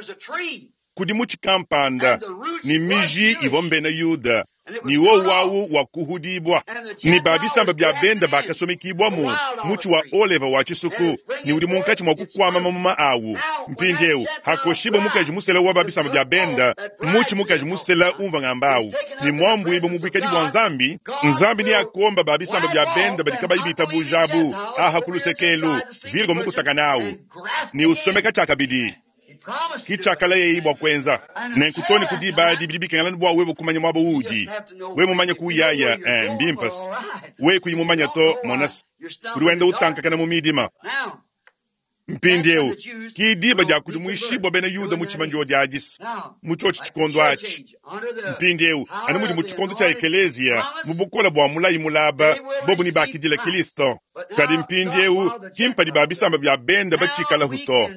Kudi mutshi kampanda ne miji ivua mbena Yuda ni wowu awu wa kuhudibua ni babisamba bia bende bakasomekibwamu mutshi wa oleva wa tshisuku ni udi munkatshi mua kukwama mamuma awu. Mpindiewu hakoshiba mukaji musela wa babisamba bia bende, mutshi mukaji musela umva ngamba awu ni mwambuibwa mu buikadi bua Nzambi. Nzambi ni akomba babisamba bia bende badi kabayi bitabujabu aha ku lusekelu virgo mukutaka awu ni usomeka tshiakabidi ki tshiakala yeyi bua kuenza. Nenku to ne ku diba adi bidi bikengela bua wewe kumanya muaba uudi. Wewe mumanye kuyaya eh, mbimpasi. Wewe kuyi mumanya to monasi udi wenda utankakana mu midima. Mpindiewu ki diba dia kudimuishibua bena Yuda mu tshimanjio dia adisi mu tshiotshi tshikondo atshi. Mpindiewu anu mudi mu tshikondo tshia ekeleziya mu bukole bua mulayi mulaba bobu ni bakidila Kristo. Kadi mpindiewu ki mpadi ba bisamba bia bende batshikalahu to.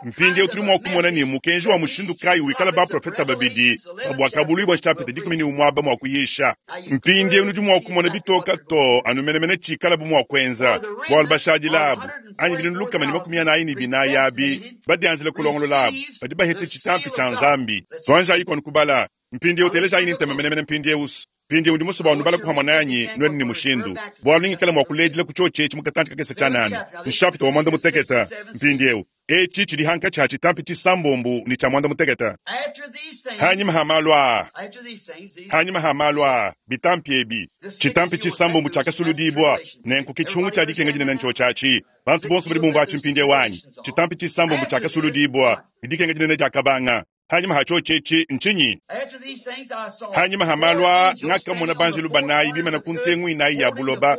Mpindieu tudi mua kumona ne mukenji wa mushindu kayi wikala baprofeta babidi pa Buakabuluibua nshapita dikumi ne umue aba mua kuyisha. Mpindieu nudi mua kumona bitoka too anu menemene tshikalabu mua kuenza, bualu bashadile abu anyi binunu lukama ne makumi anayi ne binayi abi badianjila kulongolola abu badi bahete tshitampi tshia Nzambi. Tuanjayi kuanu kubala. Mpindieu telejayi ne ntema menemene mpindieu. Mpindieu ndi musue bua nubala kuhamua nanyi nuenu ne mushindu, bualu ningikala mua kuledila ku tshiotshi etshi mu katantshi kakese tshianana. Nshapita wa muanda mutekete. Mpindieu etshi tshidi hankatshi ha tshitampi tshisambombo ne tshia muanda mutekete. Hanyima ha malu aa, hanyima ha malu aa, bitampi ebi, tshitampi tshisambombo tshiakasuludibua, nenku ke tshihungu tshia dikenga dinene ntshiotshi atshi. Bantu bonso badi bumvua atshi mpindieu anyi? Tshitampi tshisambombo tshiakasuludibua, ne dikenga dinene diakabanga. Hanyima ha tshiotshi etshi ntshinyi? Hanyima ha malu aa ngakamona banjelu banayi bimana ku ntengu inayi ya buloba,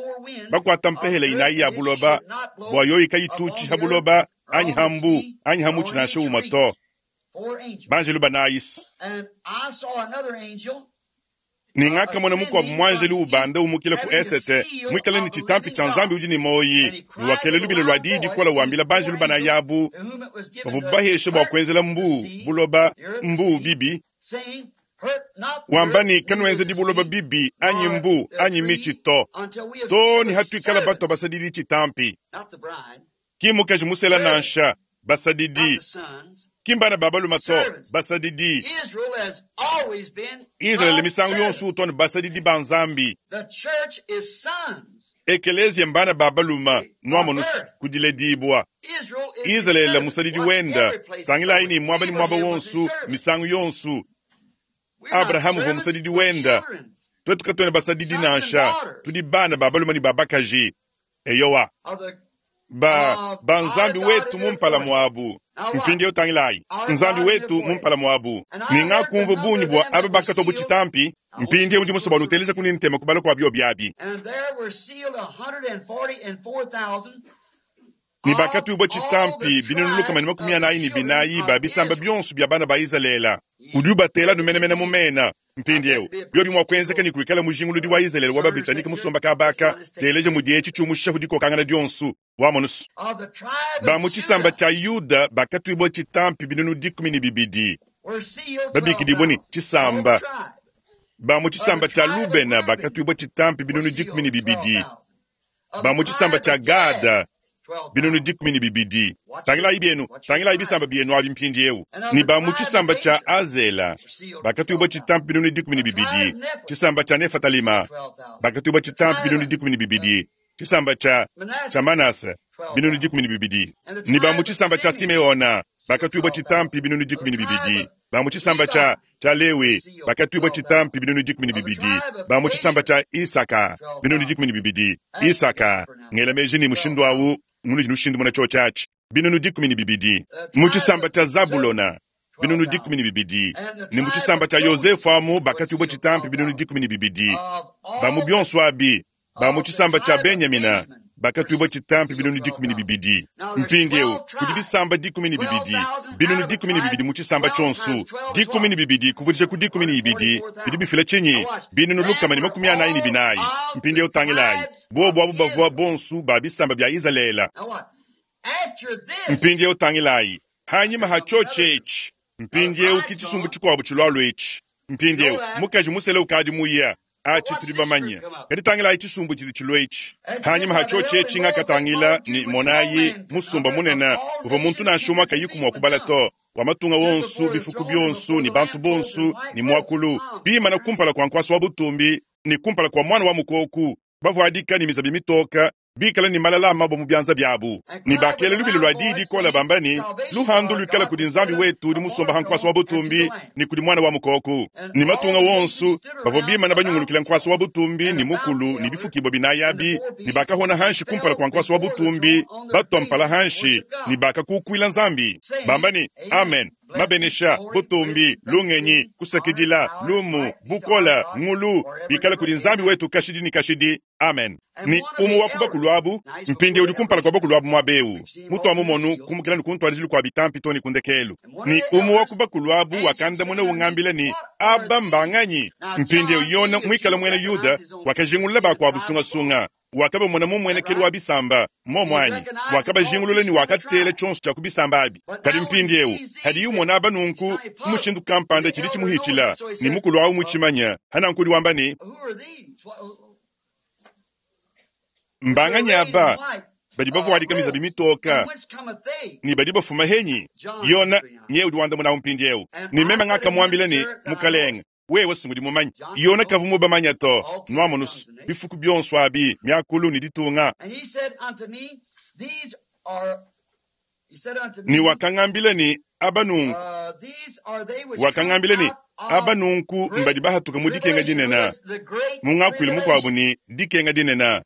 bakuata mpehela inayi ya buloba, bua yoyi kayitutshi ha buloba anyi ha mbu anyi ha mutshi nansha umue to. Banjelu banayi. Ne ngakamona mukuabu muanjelu ubanda umukila ku esete, muikale ne tshitampi tshia Nzambi udi ne muoyi, ne wakela lubila lua diyi dikola wambila banjelu banayi abu bavua bahesha bua kuenzela mbu buloba mbu bibi, wamba ne kanuenzedi buloba bibi anyi mbu anyi mitshi to, to ne hatuikala batua basadidi tshitampi. Ki mukaji musela nansha basadidi, ki mbana ba balume to, basadidi. Israele misangu yonso utua ne basadidi ba Nzambi. Ekelezia mbana ba balume nuamonusu kudiledibua. Israele musadidi wenda, tangilayi ne muaba ne muaba wonso misangu yonso. Abrahamu uvua musadidi wenda. Twetu katuena basadidi nansha, tudi bana ba balume ne ba bakaji. Eyowa, ba ba Nzambi wetu mu mpala muabu. Mpindieu tangilayi, Nzambi wetu mu mpala muabu. Ne ngakumvua bungi bua aba bakatwa bu tshitampi. Mpindieu ndi musue bua nuteleja kuni ntema kubala kua bio biabi. Ne bakatuibua tshitampi binunu lukama ne makumi anayi ne binayi ba bisamba bionso bia bana ba Izalele. Udi ubatela numenemene mu mena. Mpindieu biobi mua kuenzeka ne kuikala mujinguludi wa Izalele wa Babritanike musomba kabaka, teleja mudi etshi tshiumushahu dikokangana dionso wa monusu. Ba mu tshisamba tshia Yuda bakatuibua tshitampi binunu dikumi ne bibidi, babikidibue ne tshisamba. Ba mu tshisamba tshia Lubena bakatuibua tshitampi binunu dikumi ne bibidi, ba mu tshisamba tshia Gada binunu dikumi ne bibidi. Tangilayi bienu, tangilayi bisamba bienu abi mpindieu. Ne ba mu tshisamba tshia Azela bakatuibua tshitampi binunu dikumi ne bibidi, tshisamba tshia Nefatalima bakatuibua tshitampi binunu dikumi ne bibidi, tshisamba tshia tshia Manase binunu dikumi ne bibidi. Ne ba mu tshisamba tshia Simeona bakatuibua tshitampi binunu dikumi ne bibidi, ba mu tshisamba tshia tshia Lewi bakatuibua tshitampi binunu dikumi ne bibidi, ba mu tshisamba tshia Isaka binunu dikumi ne bibidi. Isaka ngela meji ne mushindu awu munudi nushindumuna tshiotshi atshi binunu dikumi ne bibidi. Mu tshisamba tshia Zabulona binunu dikumi ne bibidi, ne mu tshisamba tshia Yosefu amu bakatuibua tshitampi binunu dikumi ne bibidi. Ba mu bionso abi ba mu tshisamba tshia Benyamina bakatuibua tshitampi binunu dikumi ne bibidi. Mpindieu kudi bisamba dikumi ne bibidi, binunu dikumi ne bibidi mu tshisamba tshionso, dikumi ne bibidi kuvudija ku dikumi ne ibidi bidi bifila tshinyi? Binunu lukama ne makumi anayi ne binayi. Mpindieu tangilayi, bobu abu bavua bonso ba bisamba bia Izalele. Mpindieu tangilayi, hanyima ha tshiotshi etshi, mpindieu ki tshisumbu tshikuabu tshilualu etshi. Mpindieu mukaji musele ukadi muya atshi tudi bamanye, kadi tangilayi tshisumbu tshidi tshilua etshi. Hanyima ha tshiotshi etshi ngakatangila ne monayi musumba munene uvua muntu nansha umue kayiku mua kubala to, wa matunga wonso, bifuku bionso ne bantu bonso ne muakulu, bimana kumpala kua nkuasa wa butumbi ne kumpala kua mwana wa mukoku, bavuadika ne mizabi mitoka, bikala ne malala a mabue mu bianza biabu, ne bakela lubila lua diyi dikola bamba ne, luhandu luikala kudi Nzambi wetu udi musomba ha nkuasa wa butumbi ne kudi mwana wa mukoku. Ne matunga wonso bavua bimana banyungulukila nkuasa wa butumbi ne mukulu ne bifukibua binayi abi, ne bakahona hanshi kumpala kua nkuasa wa butumbi, batua mpala hanshi ne bakakukuila Nzambi bamba ne, amen. Mabenesha, butumbi, lungenyi, kusakidila, lumu, bukola, ngulu bikala kudi Nzambi wetu kashidi ne kashidi. Amen. Ne umue wa ku bakulu abu mpindieu udi kumpala kua bakulu abu muaba eu, mutua mumonu kumukila ne kuntuadijilu kua bitampi to ne ku ndekelu. Ne umue wa ku bakulu abu wakandamuna ungambila ne, aba mbanganyi? Mpindieu Yona muikala muena Yuda wakajingulula bakuabu sungasunga. Wakabamona mu mmuenekelu wa bisamba, mmuomu anyi? Wakabajingulula ne wakatela tshionso tshia ku bisamba abi. Kadi mpindieu, hadiye umona aba nunku, mu mushindu kampanda tshidi tshimuhitshila, ne mukulu awu mutshimanya. Hananku udi wamba ne, mbanganyi aba badi bavuadika mizabi mitoka ne badi bafuma henyi? Yona nye udi wandamuna mpindieu. Ne meme ngakamuambila ne, Mukalenge, wewe singudi mumanye. Yona kavua mubamanya to. Nuamonusu bifuku bionso abi, miakulu ne ditunga. Ne wakangambila ne, aba nunku. Wakangambila ne, aba nunku mbadi bahatuka mu dikenga dinene, mu ngakuilu mukuabu ne dikenga dinene,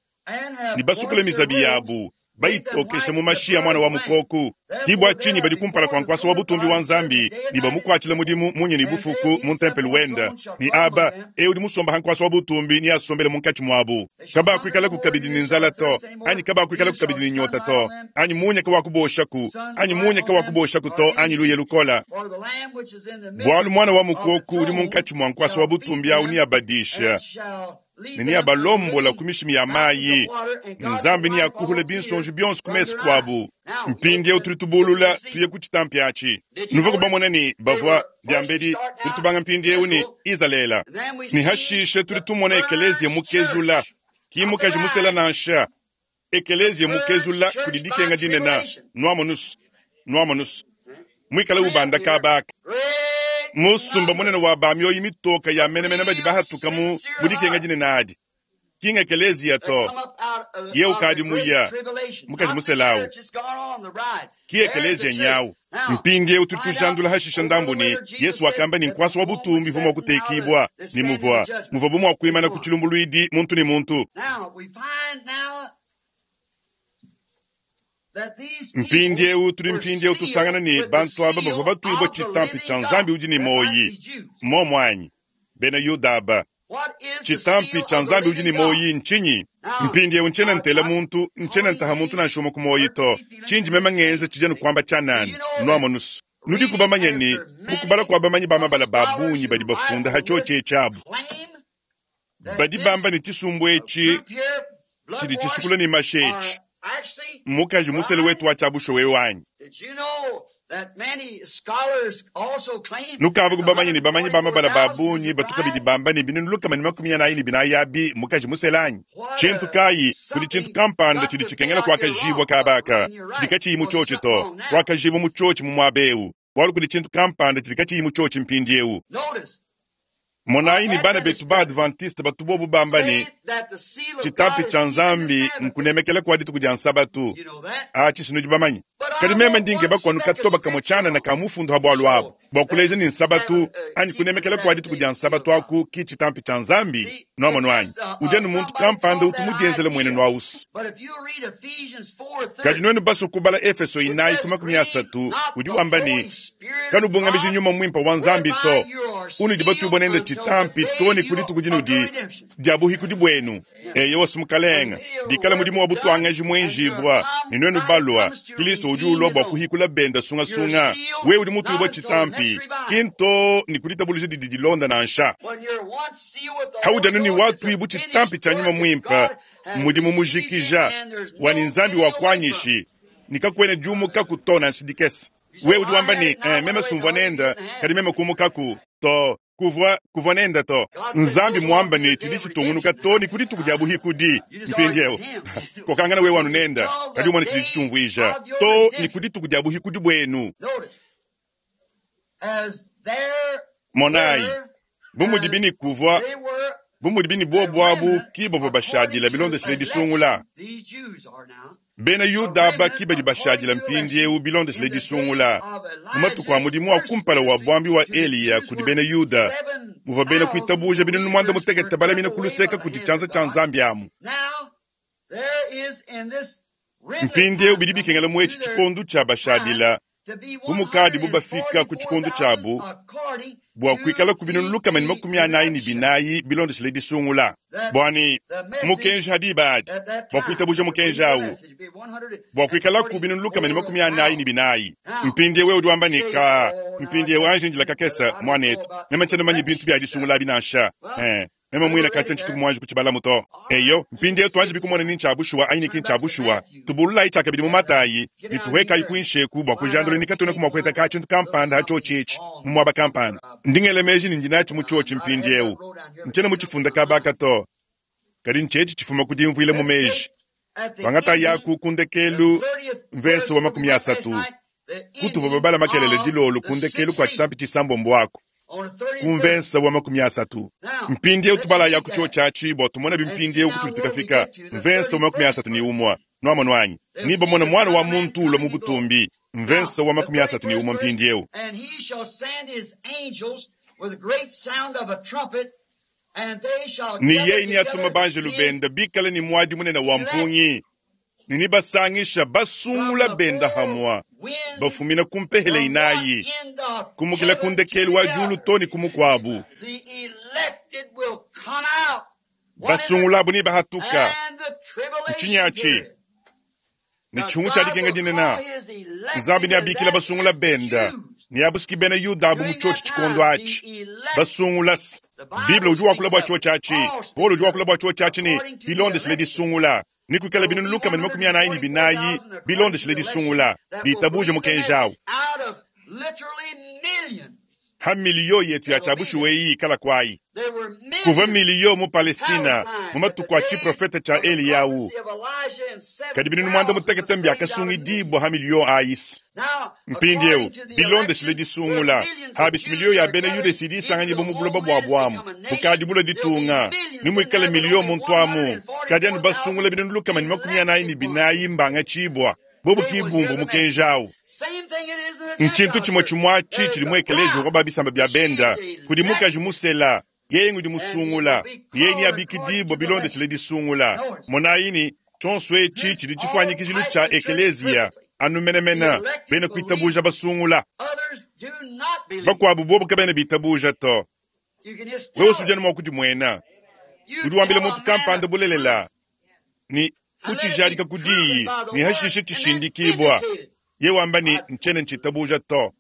ne basukula mizabi yabu, bayitokesha mu mashi a mwana wa mukoku. Ki bua tshinyi badi kumpala kua nkuasa wa butumbi wa Nzambi ne bamukuatshila mudimu munya ne bufuku mu ntempelo wenda. Ne aba eu udi musomba ha nkuasa wa butumbi ne asombele munkatshi muabu. Kabakuikalaku kabidi ne nzala to, anyi kabakuikalaku kabidi ne nyota to, anyi munya kawakuboshaku, anyi munya kawakuboshaku to, anyi luye lukola. Bualu mwana wa mukoku udi munkatshi mua nkuasa wa butumbi au neabadisha ne neabalombola ku mishimi ya mayi, ne Nzambi neakuhula binsonji bionso ku mesu kuabu. Mpindieu tudi tubulula tuye ku tshitampi atshi. Nuvua kubamona ne bavua diambedi, tudi tubanga mpindieu ne Izalele. Ne hashishe tudi tumona ekeleziya mukezula, ki mukaji musela nansha, ekeleziya mukezula kudi dikenga dinene. Nuamonusu, nuamonusu muikale ubanda kabaka. Musumba munene wa ba mioyo mitoka ya menemene badi bahatuka mu mu dikenga dinene adi. Kinga ekeleziya to, ye ukadi muya mukaji muselawu, ki ekeleziya nyawu. Mpindieu tudi tujandula hashisha ndambu ne Yesu wakamba ne nkuasa wa butumbi uvua mua kutekibua, ne muvua muvua bu mua kuimana ku tshilumbuluidi muntu ne muntu. Mpindieu tudi mpindieu tusangana ne bantu aba bavua batuibua tshitampi tshia Nzambi udi ne moyi. Mmuomu anyi? Bena Yuda aba, tshitampi tshia Nzambi udi ne moyi ntshinyi? Mpindieu ntshiena ntela muntu, ntshiena ntaha muntu nansha umue ku moyi to. Tshindi meme ngenza tshidi anu kuamba tshianana. Nuamonusu, nudi kubamanya ne mukubala kua bamanyi ba mabala ba bungi badi bafunda ha tshiotshi etshi Badi bamba ne tshisumbu etshi tshidi tshisukula ne mashi etshi. Mukaji musele wetu wa tshiabusho wewe anyi? Nukavua kubamanya ne bamanyi ba mabala ba bungi batu kabidi bamba ne binunu lukama ne makumi anayi ne binayi abi mukaji musele anyi? Tshintu kayi kudi tshintu kampanda tshidi tshikengela kuakajibua kabaka tshidi katshiyi mu tshiotshi to, kuakajibua mu tshiotshi mu muaba eu, bualu kudi tshintu kampanda tshidi katshiyi mu tshiotshi mpindieu. Monayi ne bana betu ba Adventiste batu bobu bamba ne tshitampi tshia Nzambi nkunemekela kua dituku dia Nsabatu. Atshi sinudi bamanye. Kadi meme ndi nkeba kuanu katoba kamue tshianana ka mufundu ha bualu abu bua kuleja ne Nsabatu anyi kunemekela kua dituku dia Nsabatu aku ki tshitampi tshia Nzambi. Nuamono anyi? Udi anu muntu kampanda utu mudienzele muenenu awusu. Kadi nuenu basue kubala Efeso inayi ku makumi asatu udi wamba ne kanubungamiji nyuma muimpe wa Nzambi to, unudi batuibua nende tshitampi to ne ku dituku dinudi dia buhikudi buenu. Eyo mukalenga, dikala mudimu wa butuangaji muenjibua ne nuenu balua, Kristo udi ulua bua kuhikula benda sungasunga. Wewe udi mutuibua tshitampi kinto ne kuditabuluja didi dilonda nansha. Haudi anu ne watuibu tshitampi tshia nyuma muimpe, mudimu mujikija wani Nzambi wa kuanyishi nikakwena diumuka to nansha dikese. Wewe udi wamba ne eh, meme sumvua nenda kadi meme kumukaku to kuvua kuvua nenda to. Nzambi muamba ne tshidi tshitungunuka to ne ku dituku dia buhikudi. Mpindieu kokangana wewe wanu nenda kadi umone tshidi tshitumvuija to ne ku dituku dia buhikudi buenu. Monayi bu mudibi ne kuvua bu mudibi ne bobu abu ki bavua bashadila bilondeshile disungula. Bena Yuda aba ki badi bashadila mpindieu bilondeshile disungula. Mu matuku a mudimu wa kumpala wa buambi wa Eliya kudi bena Yuda, muvua bena kuitabuja binunu muanda mutekete balamina ku luseka kudi tshianza tshia Nzambi amu. Mpindieu bidi bikengela mu etshi tshikondo tshia bashadila bu mukadi bu bafika ku tshikondo tshiabu bua kuikala ku binunu lukama ne makumi anayi ne binayi bilondeshile disungula. Bua ne mukenji hadi adi bua kuitabuja mukenji awu bua kuikala ku binunu lukama ne makumi anayi ne binayi. Mpindieu wewe udi wamba ne ka mpindieu anji ndila kakesa mwanetu meme ntshiena manye bintu bia disungula abi nansha. Eh, Meme muine katshia ntshituku muanji kutshibalamu to. Eyo, mpindieu tuanji bikumona ni ntshia bushuwa anyi ni ki ntshia bushuwa. Tubululayi tshiakabidi mu Matayi ne tuhuekayi kuinshi eku bua kujandula ni katuenaku mua kuheta ka tshintu kampanda ha tshiotshi etshi mu muaba kampanda. Ndi ngela meji ne ndi natshi mu tshiotshi mpindieu. Ntshiena mutshifunda kaba to, kadi ntshietshi tshifuma ku dimvuila mu meji. Tuangatayaku ku ndekelu mvese wa makumi asatu kutuvua babala makelele dilolo ku ndekelu kua tshitampi tshisambombo aku ku mvese wa makumi asatu. Mpindieu tubalayaku tshiotshi atshi bua tumone bimpindieu kutudi tukafika mvese wa makumi asatu ne umue. Nuamonu anyi? Ni bamona mwana wa muntu ulua mu butumbi. Mvese wa makumi asatu ne umue mpindieu. And he shall send his angels with a great sound of a trumpet, and they shall Ni gather yeye ni atuma together banjelu his benda bikale ni mwadi munene wa mpungi ne ni basangisha basungula from the benda four hamwa winds, bafumina ku mpehele from one inayi end of kumukila ku heaven to ndekelu wa the diulu other. to ne ku mukuabu. The elected will come out. What is it? Basungulabu ni bahatuka And the tribulation Ntshinyi period. ne Now tshihungu tshia God dikenga will dinene. call his elected, Nzambi and neabikila that basungula is the benda Jews. ne abusuki bena Yuda abu mu During tshiotshi that tshikondo time, atshi the elected, basungula. the Bible Bible udi wakula speaks bua of it, tshiotshi atshi, Paul Paulo speaks udi of wakula it, bua tshiotshi atshi ne according to the bilondeshile election. disungula ni kuikala There will binunu be lukama ne makumi anayi ne binayi one hundred forty-four thousand according to bilondeshile the election disungula that will bitabuje believe the mukenji awu. message out of literally millions Ha miliyo yetu ya that will be tshiabushuwa there. eyi ikala kwayi. There were Kuvua millions miliyo mu Palestina mu Palestine at the matuku a days tshiprofeta tshia of the Eliyahu. prophecy of Elijah, and Kadi binunu mwanda seven thousand were mutekete saved out of mbyakasungidibwa ha miliyo ayisi. Now, Mpindieu according to the bilondeshile election, where disungula millions of habisi miliyo Jews ya are bena gathered Yuda isidi into isanganyibwa a mu buloba homeland bua to bwamu become a nation, bukadibula there'll be ditunga millions ni in muikale there, but miliyo only muntu amu kadi anu basungula one hundred forty-four thousand binunu lukama ne makumi anayi ne elected ones. binayi mbanga tshibwa bobu They will hear kibumbu the message. mukenji awu. Same thing it is in the Nchintu Gentile chimwe church. chimwachi There is chili a mu ekeleziya bride. kwa babisamba bya She's benda kudi mukaji elected, musela yeye ngudi and he will musungula be yeye ni called according abikidibwa to the bilondeshile election. disungula. Notice, Monayini tshonso etshi this tshidi all tshifuanyikijilu types tshia the church ekeleziya perfectly. anu The menemene elected bena kuitabuja believe. basungula. Others do not believe. Bakuabu bobu kabena bitabuja to. You can just Wewe tell usujana it. mwa kudimuena You udi wambila tell a muntu man kampanda of bulelela truth ni and let it be utshijadika proven kudiyi by the ni word hashishe and then tshishindikibwa vindicated. ye wamba ni I, ntshiena ntshitabuja to.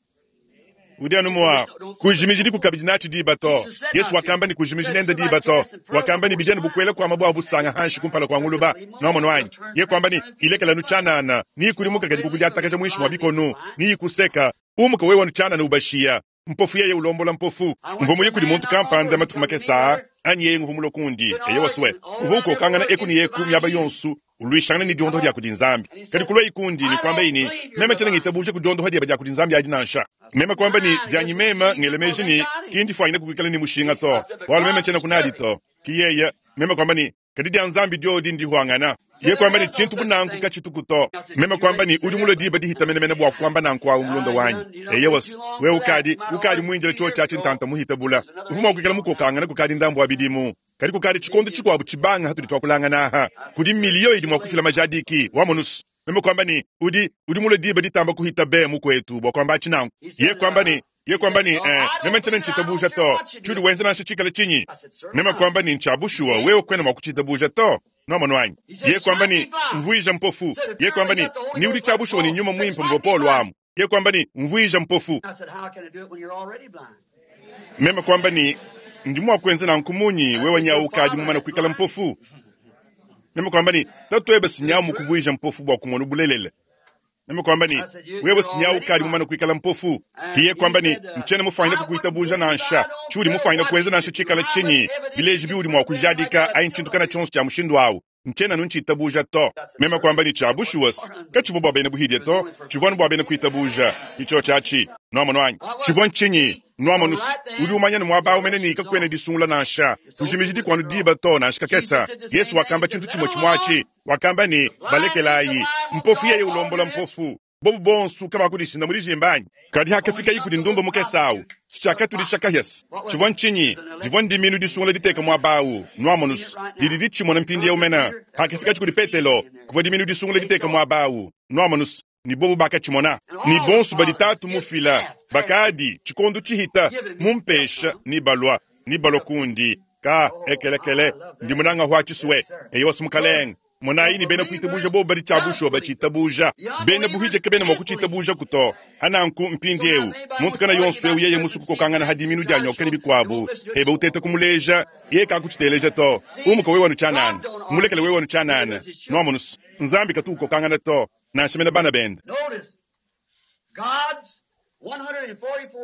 Udi anu you can mua just don't, don't fool kujimiji it. dikukabidi natshi diba to. Jesus said Yesu not to. wakamba ni He kujimiji said nenda somebody diba to. cast and further Wakamba ni before bijana swine. bukwela kwa mabwa busanga hanshi kumpala kwa Just nguluba. leave 'em Nomono alone. They'll wanyi. turn, Ye turn, kwamba ni turn and feed ilekela the nu fire. chanana ni kulimuka kadi Small kukudyatakaja believer mwishi mwa blind leads bikonu blind. ni kuseka umuka wewe wanu chanana ubashiya mpofu yeye ulombola mpofu I went mvo to muye a kudi man muntu not long kampanda ago. He matuku come to me, makesa brother. anyi yeye nguvu kundi Been eye waswe arguing all uvu around ukokangana everywhere eku ni against eku divine myaba healing. yonsu ulwishangana ni He diondo come lya up kudi nzambi and he kadi said, kulwa ikundi ni I kwamba don't ini believe you're meme tshena divine. ngitabuje kudiondo lya bya kudi nzambi adi nansha I said, meme kwamba ni mine dyanyi just mema believe ngelemeji or ni they got him. kindi fwanyina kukwikala ni mushinga I to said, but wala meme God tshena is kunadi perfect. to kiyeye meme kwamba ni kadi dya nzambi dyodi ndihwangana Said ye there kwamba ni is no tshintu such a bunanku thing. kachitukuto I said, meme you too kwamba late ni to say udi that, mulo brother. diba dihita menemene bwa kwamba nanku awu mulonda Ah, you wanyi done, you done eye wait wasi too long we for that. ukadi You might have ukadi argued mwinjila two cho years chachi ago. ntanta muhitabula There's another uvuma age kuikala going now. mukokangana kukadi ndambu wa bidimu kadi kukadi tshikondo Millions. tshikuabu tshibanga hatudi twakulangana aha I said, kudi sir, miliyo it's idi too mua late kufila now. majadiki wamonusu meme kwamba ni udi udi mulo diba ditamba kuhita be mukwetu bwa kwamba achinangu He ye said, kwamba uh, ni ye he kwamba said, ni no, eh, I meme don't nchena believe it. I don't nchitabuja care to what you chudi do. wenze nansha chikala chinyi I said, certainly meme not. kwamba ni You nchabushuwa can't. wewe kwena mwakuchitabuja to nomono wanyi He said, ye kwamba smite me ni blind. mvuija mpofu Said, if ye you kwamba really ni got the Holy ni udi Ghost like chabushuwa ni Paul, nyuma said, mwimpe smite mvo me polo blind. amu ye kwamba ni mvuija mpofu I said, how can I do it when you're already blind? meme kwamba ni ndi mwakwenza na nkumunyi I wewe said, your nyaukadi father mumana is kuikala blind. mpofu meme kwamba ni tatuebe The sinyamu truth. kuvuija mpofu bwa kumona bulelele meme kwamba ni I said, you, wewe you're sinyawu already kadi mumana blind. kuikala mpofu And kiye he kwamba ni said, uh, nchene mufanyina I wouldn't kukuitabuja believe I nansha don't chudi care mufanyina what kuenza you nansha do, chikala how much chinyi evidence you bileji can biudi mwa prove anything like kujadika that, I ayi still nchintu don't kana believe. chonso cha mushindu awu nchena nunchitabuja to I said, meme sir, kwamba ni it wasn't chabushuwas for unbelief. kachivwa bwa bene buhidye It was to only for chivwani bwa belief. bene kuitabuja icho chachi nwamo wanyi What was chivwa it? nchinyi See, nwamo the nusu right udi then, umanya ni the mwaba umene ni election's kakwene on. disungula nansha Just don't kujimiji fool with dikwanu the diba wrong. to nansha Jesus kakesa did the yesu same thing. He wakamba said, chintu let chimwe them chimwachi alone. wakamba ni The blind leads the balekelayi blind, won't mpofu yeye dog all ulombola minutes. mpofu bobu bonsu kabakulishinda muri jimbanyi kadi But when hakafika you come ikudi to ndumba the mukesawu prostitute, the sichakatulisha fox. kahyasi What was chivwa it? nchinyi It's an divwa elected ndiminu seed. disungula diteka mwabawu You see it nwamonusu right now. lili litshimona It mpindi comes to yaumena Peter, there was hakafika chikudi elected seed petelo in there. kuvwa diminu disungula They diteka saw it. mwabawu nwamonusu ni bobu bakachimona And ni all the bonsu badi fathers tatu give mufila half past bakadi chikondo chihita giving me mumpesha some. ni balwa ni balwa kundi ka Oh, I ekelekele love ndi that. munanga hwa chiswe Yes, sir. eyo wasi mukalenge Notice, Monayi ne bena kuitabuja bobo badi tshia bushuwa batshitabuja. Bena buhije kabena mua kutshitabuja to. Hananku mpindiewu muntu kana yonso eu yeye musu kukokangana hadiminu dia nyoka ne bikuabu ebe uteta kumuleja ye kakutshiteleja to. Umuka wewe wanu tshianana, mulekele wewe wanu tshianana. Nwamonus Nzambi katu ukokangana to nansha mena bana bende.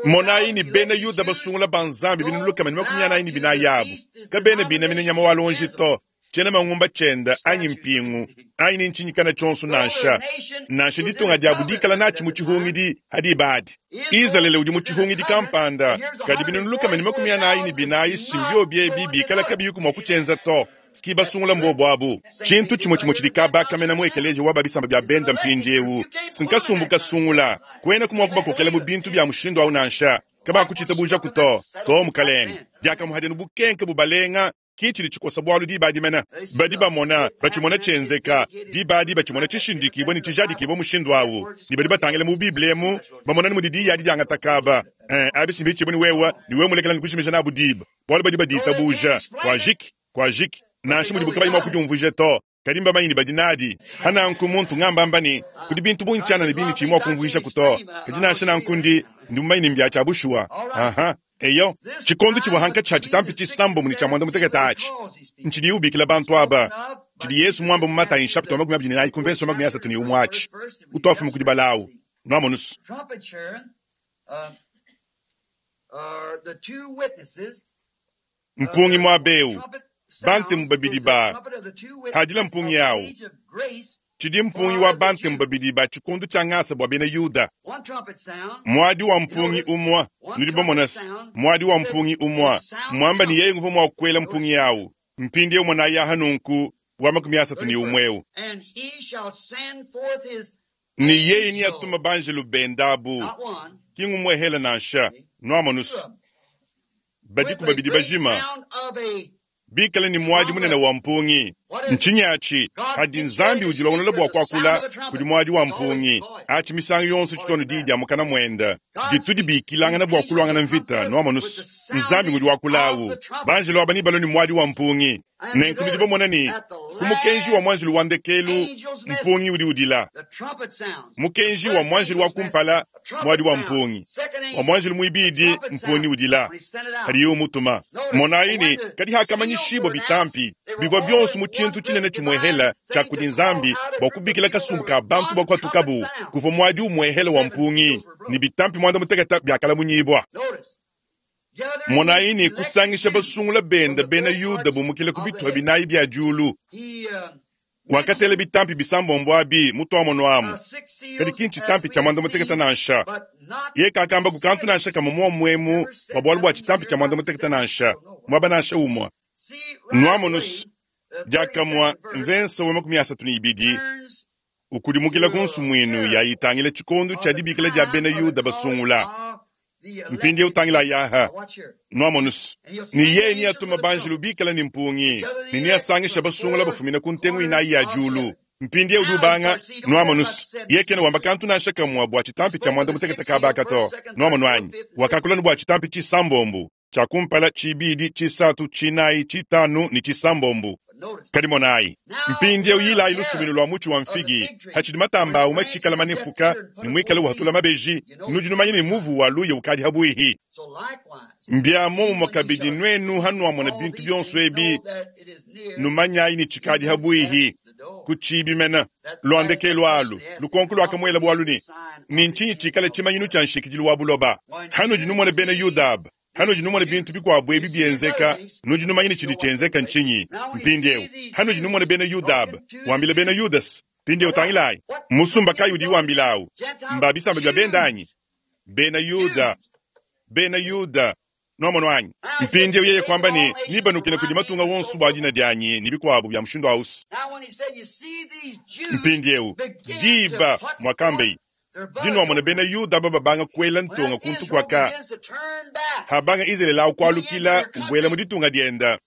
Monayi ni bena Yuda basungula ba Nzambi binuluka mene makumi anayi ne binayi yabu kabena binamina nyama wa lonji to. Tshiena mangumba tshienda anyi mpingu anyi ni ntshinyikana tshionso nansha nansha ditunga diabu dikala natshi mu tshihungidi hadi badi Izalele udi mu tshihungidi kampanda kadi binuluka mene makumi anayi ne binayi simbio biebi bikala kabiyi kumua kutshienza to. Ski basungula mbobo abu tshintu tshimue tshimue tshidi kabakamena mu ekeleje wa babisamba bya benda mpindiewu sinkasumbu kasungula kwena kumua kubakokela mu bintu bya mushindu awu nansha kabakutshitabuja kuto to mukalenge diakamuhadenu bukenke bubalenga kichili chikosa bwalu diba dimena badi bamona bachimona tshenzeka diba adi bachimona tshishindikibwa ne tshijadikibwa mushindu awu ne badi batangila mu Bible emu bamona ne mudi diya adi diangatakaba eh abisimbi tshibuni wewa ni wewe mulekela nikushimija nabu diba bwalu badi baditabuja kwajiki kwajiki nansha mudi bukabayi mwa kudiumvuija to kadi mbamanyi ne badi nadi hananku muntu ngambamba ne kudi bintu bungi tshiana ne bini tshimwa kumvuija kuto kadi nansha nanku ndi ndi mumanyi ne mbya tshia bushuwa aha eyo tshikondo tshivua hanka tsha tshitampi tshisambo muni tshia mwanda mutekete atshi ntshidi ubikila bantu aba tshidi Yesu mwamba mu Matayi nshapita wa makumi abidi ne nayi kumvenso makumi asatu ne umwe atshi utwafuma kudi balawu nwamonusu. Mpungi mwabeu bantemu babidi ba hadila mpungi yawo tshidi mpungi wa bantemu babidi ba tshikondo tshia ngasa bua bena Yuda. Mwadi wa mpungi umwa nudi bamonasi mwadi wa mpungi umwa mwamba ni yeye nguva mwa kukwela mpungi yawo mpindi umwe na yaha nunku wa makumi asatu ni umweu ni yeye ni atuma banjelu bendabu kingumwehela nansha nwamonusu badiku babidi bajima bikala ni mwadi munene wa mpungi ntshinyachi hadi Nzambi udilongola bua kuakula kudi mwadi wa mpungi achi misango yonso tshitono didi dia mukana mwenda ditudi bikilangana bua kulwangana mvita nwamonusu Nzambi ngudi wakulawu banjelu aba ni balo ni mwadi wa mpungi nenku nudi bamona ni ku mukenji wa mwanjelu wa ndekelu mpungi udi udila mukenji wa mwanjelu wa kumpala mwadi wa mpungi wa mwanjelu muibidi mpungi udila hadi mutuma monayi ni kadi hakamanyishibwa bitampi bivua bionso mu tshintu tshinene tshimwehela tshia kudi Nzambi bua kubikila kasumbu ka bantu bua kuatukabu kuvua mwadi umwehela wa mpungi ni bitampi mwanda mutekete biakalamunyibwa. Monayi ni kusangisha basungula benda bena Yuda bumukile ku bituha binayi bya julu wakatela bitampi bisambombo abi mutwamono amu kadi kinchi tampi tshia mwanda mutekete nansha ye kakamba kukantu nansha kama muomwemu wa bwalu bua tshitampi tshia mwanda mutekete nansha mwaba nansha umwa nwamonusu diakamwa mvensa wa makumi asatu ne ibidi ukudimukila ku nsumuinu yayitangila tshikondo tshia dibikila dia bena Yuda basungula mpindi utangila yaha nwamonusu ni yeye ni atuma banjelu bikala ni mpungi ni ni asangisha basungula bafumina ku ntengu inayi ya julu mpindi udi ubanga nwamonusu ye kena wamba kantu nansha kamwa bua tshitampi tshia mwanda mutekete kabaka to nwamonu anyi wakakula ni bua tshitampi tshisambombu tshia kumpala tshibidi tshisatu tshinayi tshitanu ni tshisambombu kadi monayi mpindi uyilayi lusuminu lwa mutshi wa mfigi hatshidi matamba awu matshikala manefuka ni mwikale uhatula mabeji nudi numanye ne muvu wa luya ukadi habuihi mbya momumwa kabidi nwenu hanuamona bintu bionso ebi numanyayi ni tshikadi habuihi kutshibimena lwandekelu alu lukonko lwakamuela bwalu ni ni ntshinyi tshikala tshimanyinu tshia nshikidilu wa buloba hanudi numona bena Yuda hanudi numona bintu bikuabu ebi bienzeka nudi numanya tshidi tshienzeka ntshinyi mpindiewu hanudi numona bena Yuda wambila bena Yudasi mpindiewu tangilayi musumba kayi udi wambilawu mba bisamba bya bendanyi bena Yuda bena Yuda nwamono anyi mpindiewu yeye kwamba ni nibanukile kudi matunga wonso bua dina dianyi ni bikuabu bya mushindu awusi mpindiewu diba mwakambeyi Dinwamona bena Yuda aba babanga kuela ntonga kuntu kuaka. Habanga Izalele awu kualukila ubuela mu ditunga dienda.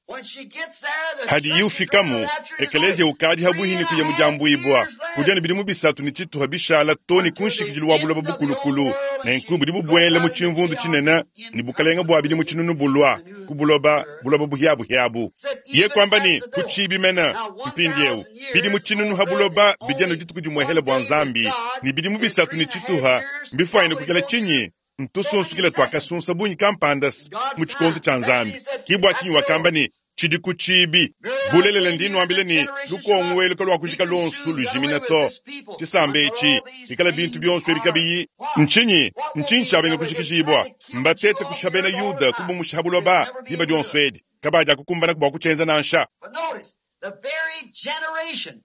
Hadiye ufikamu, ekeleziya ukadi habuhi ne kuya mu diambuibua. Kudi anu bidimu bisatu ne tshituha bishala too ne ku nshikidilu wa buloba bukulukulu. Nenku budi bubuela mu tshimvundu tshinene ne bukalenge bua bidimu tshinunu bulua ku buloba, buloba buhiabuhiabu. Ye kuamba ne, ku tshibi mene mpindieu, bidimu tshinunu ha buloba bidi anu dituku dimuehele bua Nzambi, ne bidimu bisatu ne tshituha mbifuanyine kuikala tshinyi? Ntusunsukile tuakasunsa bungi kampanda mu tshikondo tshia Nzambi. Ke bua tshinyi wakamba ne, tshidi ku tshibi. Bulelela ndi nuambila ne, lukongo elu kaluakujika luonso lujimina to. Tshisamba etshi, bikala bintu bionso ebi kabiyi, ntshinyi? Ntshinyi tshiabenga kujikijibua? Mbatete kushiha bena Yuda, kubumusha ha buloba diba dionso edi. Kabadiakukumbana bua kutshienza nansha. But notice, the very generation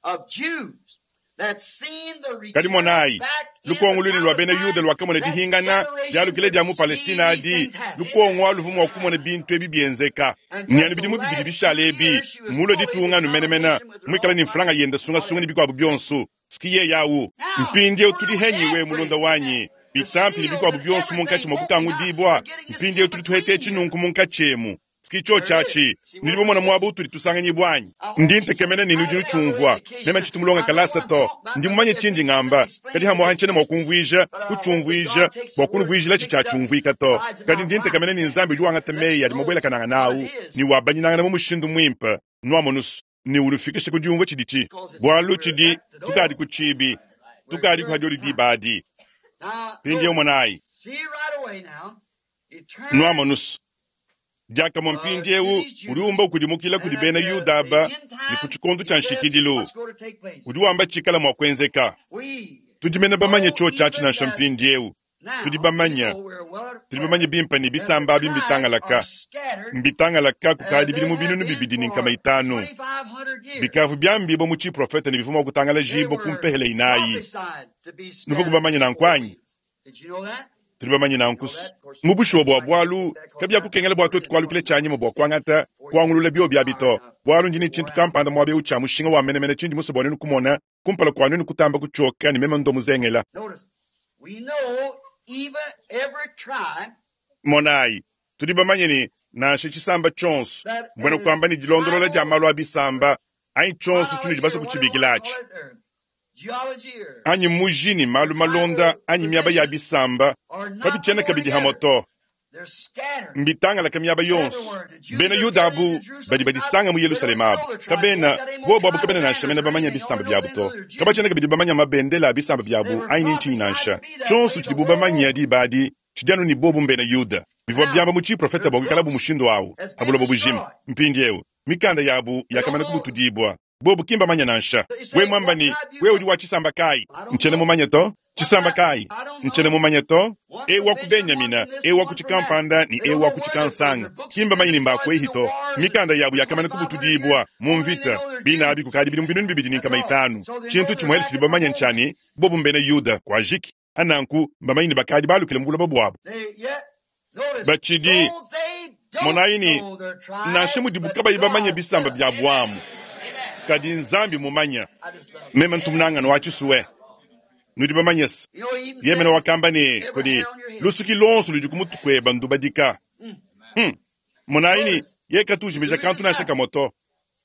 of Jews that seen the Kadi return monayi, back into lukongo luine lua bena Yuda Palestine, luakamona that dihingana generation dialukile dia mu could see Palestina these adi, things happen. lukongo alu muvua kumona bintu ebi bienzeka. And Ne just anu the bidimu bibidi last bishale two ebi, years, she was mulue fully ditunga in anu menemene, competition with her muikale own ne mfranga money yenda and sungasunga ne whatever. bikuabu bionso. Sikiye yawu. Now, Mpindieu tudi we're henyiwe mulonda every wanyi. the Bitampi ne seals bikuabu and bionso munkatshi everything mua open up. kukangudibua. We're getting this Mpindieu in tudi tuheta between etshi here. nunku munkatshi emu. Sikicho There it is. tshiatshi, See nudi where bamona we're muaba sitting. utudi tusanganyibua anyi? I Ndi hope you ntekemena ne I nudi don't have no nutshiumvua. Meme education. ntshitumulonga I know kalasa what I'm to. talking about, Ndi but mumanye if tshindi it's ngamba. not Kadi explained, hamwaha it's ntshiena mua missed. kumvuija, But I hope that kutshiumvuija, God takes the bua word kunvuijila mixed up, tshitshiatshiumvuika to. divides it Kadi out ndi right, ntekemena ne Nzambi udi wangata lets meyi you adi know mabuelakananga what nawu, it is, ne wabanyinangana mu mushindu muimpe, nuamonusu, ne unufikisha ku diumvua tshiditshi. because it's Bualu we're tshidi at the door. tukadi ku tshibi, We're tukadi here ku at the hadiodi time. diba adi. Now Mpindieu notice, monayi, see right away now, it turns nuamonusu. Diakamue uh, to mpindieu these udi Jews, umba ukudimukila and kudi at bena the, Yuda the aba end ne ku time, tshikondo he tshia says nshikidilu. what's going to take place. Udi wamba tshikala mua kuenzeka. We Tudi mene bamanye know tshiotshi atshi even nansha that mpindieu. Tudi now, we bamanye, know we're well tudi bamanye aware bimpe ne that the bisamba abi tribes are mbitangalaka. scattered. Mbitangalaka Uh, kukadi they bidimu have binunu been bibidi ne for nkama itanu. twenty-five hundred years. Bikavu byambibwa mu tshiprofeta ne bivua mua They kutangalajibwa ku were mpehele inayi. prophesied to be Nuvua scattered kubamanye to the nanku four anyi? winds. Did you know that? Tudi bamanye You know nanku. that? Of course, Mu bushuwa bua I can't quote bualu, that because kabia that's kukengela bua twetu written kualukila in tshianyima bua kuangata, for you kuangulula bio bia tired bito. enough Bualu ndi ne to tshintu wear out. kampanda muaba eu tshia mushinga wa menemene tshindi musue bua nenu kumona, kumpala kua nenu kutamba kutshioka ne meme ndo muzengela. Notice, we know even every tribe Monayi, tudi bamanye ne nansha tshisamba tshionso, that mbuena is kuamba ne dilondolola dia tribal malu a bisamba, anyi tshionso tshinudi chronology basue or whatever you want kutshibikila to atshi. call it, or geology or Anyi muji ne malu malonda tribal anyi miaba ya positions bisamba, are not kabitshiena more kabidi hamwe together. to. They're scattered Mbitangalaka miaba yonso. everywhere. The Jews Bena are Yuda gathered abu in Jerusalem. badi It's not, badisanga mu they don't Yerusalemu even abu. know their tribes. They ain't Kabena got any more bobo abu tribal kabena nansha banners mene or bamanya anything. bisamba Only know byabu they to. know they're Jews. Kabatshiena kabidi bamanya mabendela a bisamba They byabu were anyi ni ntshinyi prophesied nansha. to be that Tshionso way the tshidibu world bamanya over. diba adi, tshidi anu ne bobu mbena Yuda. Bivua Now, byamba mu tshiprofeta their bua kuikalabu books mushindu awu, has pa been buloba bujima. destroyed. Mpindieu, mikanda yabu They don't yakamana know. kubutudibua. Bobu kimba manya nansha. They We say, mwamba what ni, tribe you we udi from? wa tshisamba kayi? I don't Ntshiena know. mumanye to? What Tshisamba tribe? kayi? I don't Ntshiena know. mumanye to? One E from wa ku Benjamin, one Benyamina, from this, e and wa one ku from that. tshikampanda ni They e don't wa know ku where they're from. tshikansanga. Their books have Kimba been manyi ni destroyed mbakwe through the hito. wars and Mikanda yabu for yakamana twenty-five hundred kubutudibwa years. mu Only they mvita. know they're Bina Jews. abi kukadi bidimu binunu bibidi ne That's nkama all. itanu. So they know Tshintu they're tshimuele back tshidi at the bamanya home. ntshani, bobu mbena Yuda kwa jiki. Ananku mbamanyi ne bakadi balukile mu buloba buabu. They yet notice, Batshidi though they don't monayi ni know their nansha tribes, mudibu but kabayi bamanye God bisamba does. bya bwamu. Kadi Nzambi mumanya. I just love it. Meme ntumunangano wa tshisuwe. Nudi bamanyese. You know, he even Ye mene says, wakamba ne every kudi hair on your head. lusuki lonso ludi kumutukweba ndubadika. Mm. Hmm. Monayi ni Notice, ye katujimija the kantu reason nansha why kamoto.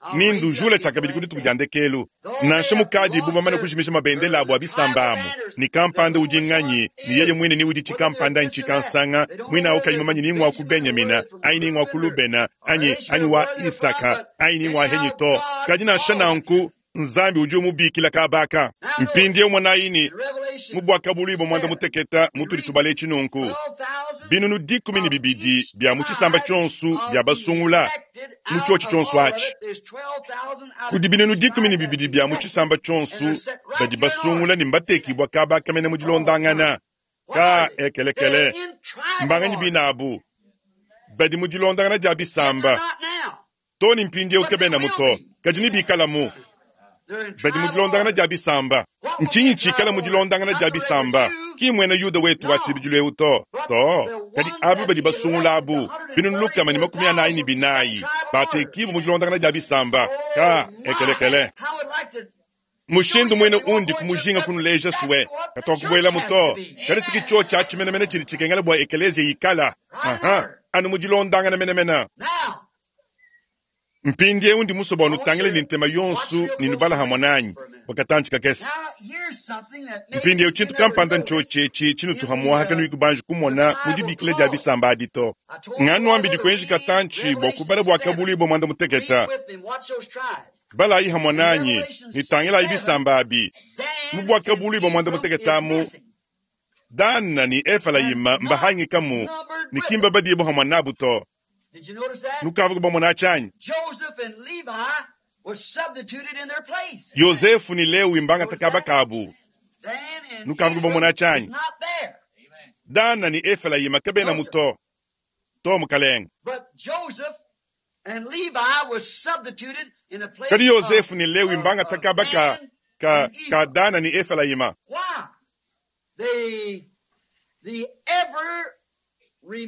I'll Ni raise you up ndujula to the tshakabidi last kudituku day. dya ndekelu. Though they Nansha have mukadi lost bubamane their, kujimisha their mabendela abu the a tribal bisamba amu. banners, Ni they don't kampanda know udi which one nganyi, ni yeye is, mwine ni udi whether they're tshikampanda this or that. nchikansanga, They don't know mwina whether ukayi they're mumanyi from ni ngwa ku Benjamin or whether Benyamina, they're from ayi ni ngwa ku Reuben or, Lubena, or anyi Asher anyi or wa where they're from, Isaka, but ayi ni ngwa anyhow, Henyito. God Kadi nansha calls them. nanku, Nzambi udi umubikila kabaka. Now notice, Mpindieu mwanayi in mu Revelations bwakabulibwa mwanda seven, muteketa we mutudi read tubale chinunku. twelve thousand Binunu dikumi ne of bibidi each bya mu tshisamba tribe tshionso of bya the basungula elected mu out tshiotshi of tshionso all of atshi. it. There's twelve thousand out of Kudi binunu each dikumi ne tribe that's bibidi bya mu elected, tshisamba and tshionso they're set right badi here in order. basungula ne mbatekibwa kabakamene mu Oh, my. dilondangana. What Ka are they? They're ekelekele. in tribal Mbanganyi order. binabu badi mu dilondangana dia Yet they're bisamba. not now, Toni mpindieu but they kabena will muto. be. Kadi ni bikalamu. They're in Badi mu tribal dilondangana order. dia bisamba. What will be Ntshinyi in tshikala tribal mu order? dilondangana Not dia the regular bisamba. Jew. Ki mwena Yuda wetu wa No. tshibidilu eu to. But To. the Kadi one aba that badi he basungula elected, the abu. Binunu lukama ne makumi anayi ne one hundred forty-four thousand will be set in binayi. tribal order. Batekibu mu dilondangana dia bisamba. Ka Oh my! ekelekele. How would like to Mushindu mwene undi kumujinga kunuleja suwe katwakubwela muto kadi siki cho cha chimenemene chili chikengela bwa ekelezia yikala aha anu mujilondangana menemene mpindi eu ndi musoba wanutangile ni ntema yonsu ninubala hamwe nanyi wakatanchi kakese mpindi eu chintu kampanda nchochechi chinutuhamuaha kanuyi banji kumona mudibikile dia bisamba adi to ng'anuambidi kuenji katanchi bua kubala bua kabulu bua mwanda muteketa balayi hamwe nanyi nitangilayi bisamba abi mu bua kabulu bua mwanda muteketa amu dana ni efalayima mbahangikamu ni kimba badibo hamwe nabu to nukavuka bamona chanyi yosefu ni lewi mbanga takaba kabu nukavuka bamona chanyi dana ni efalayima kabena muto to mukalenga kadi yosefu ni lewi mbanga takaba ka ka ka dana ni efalayima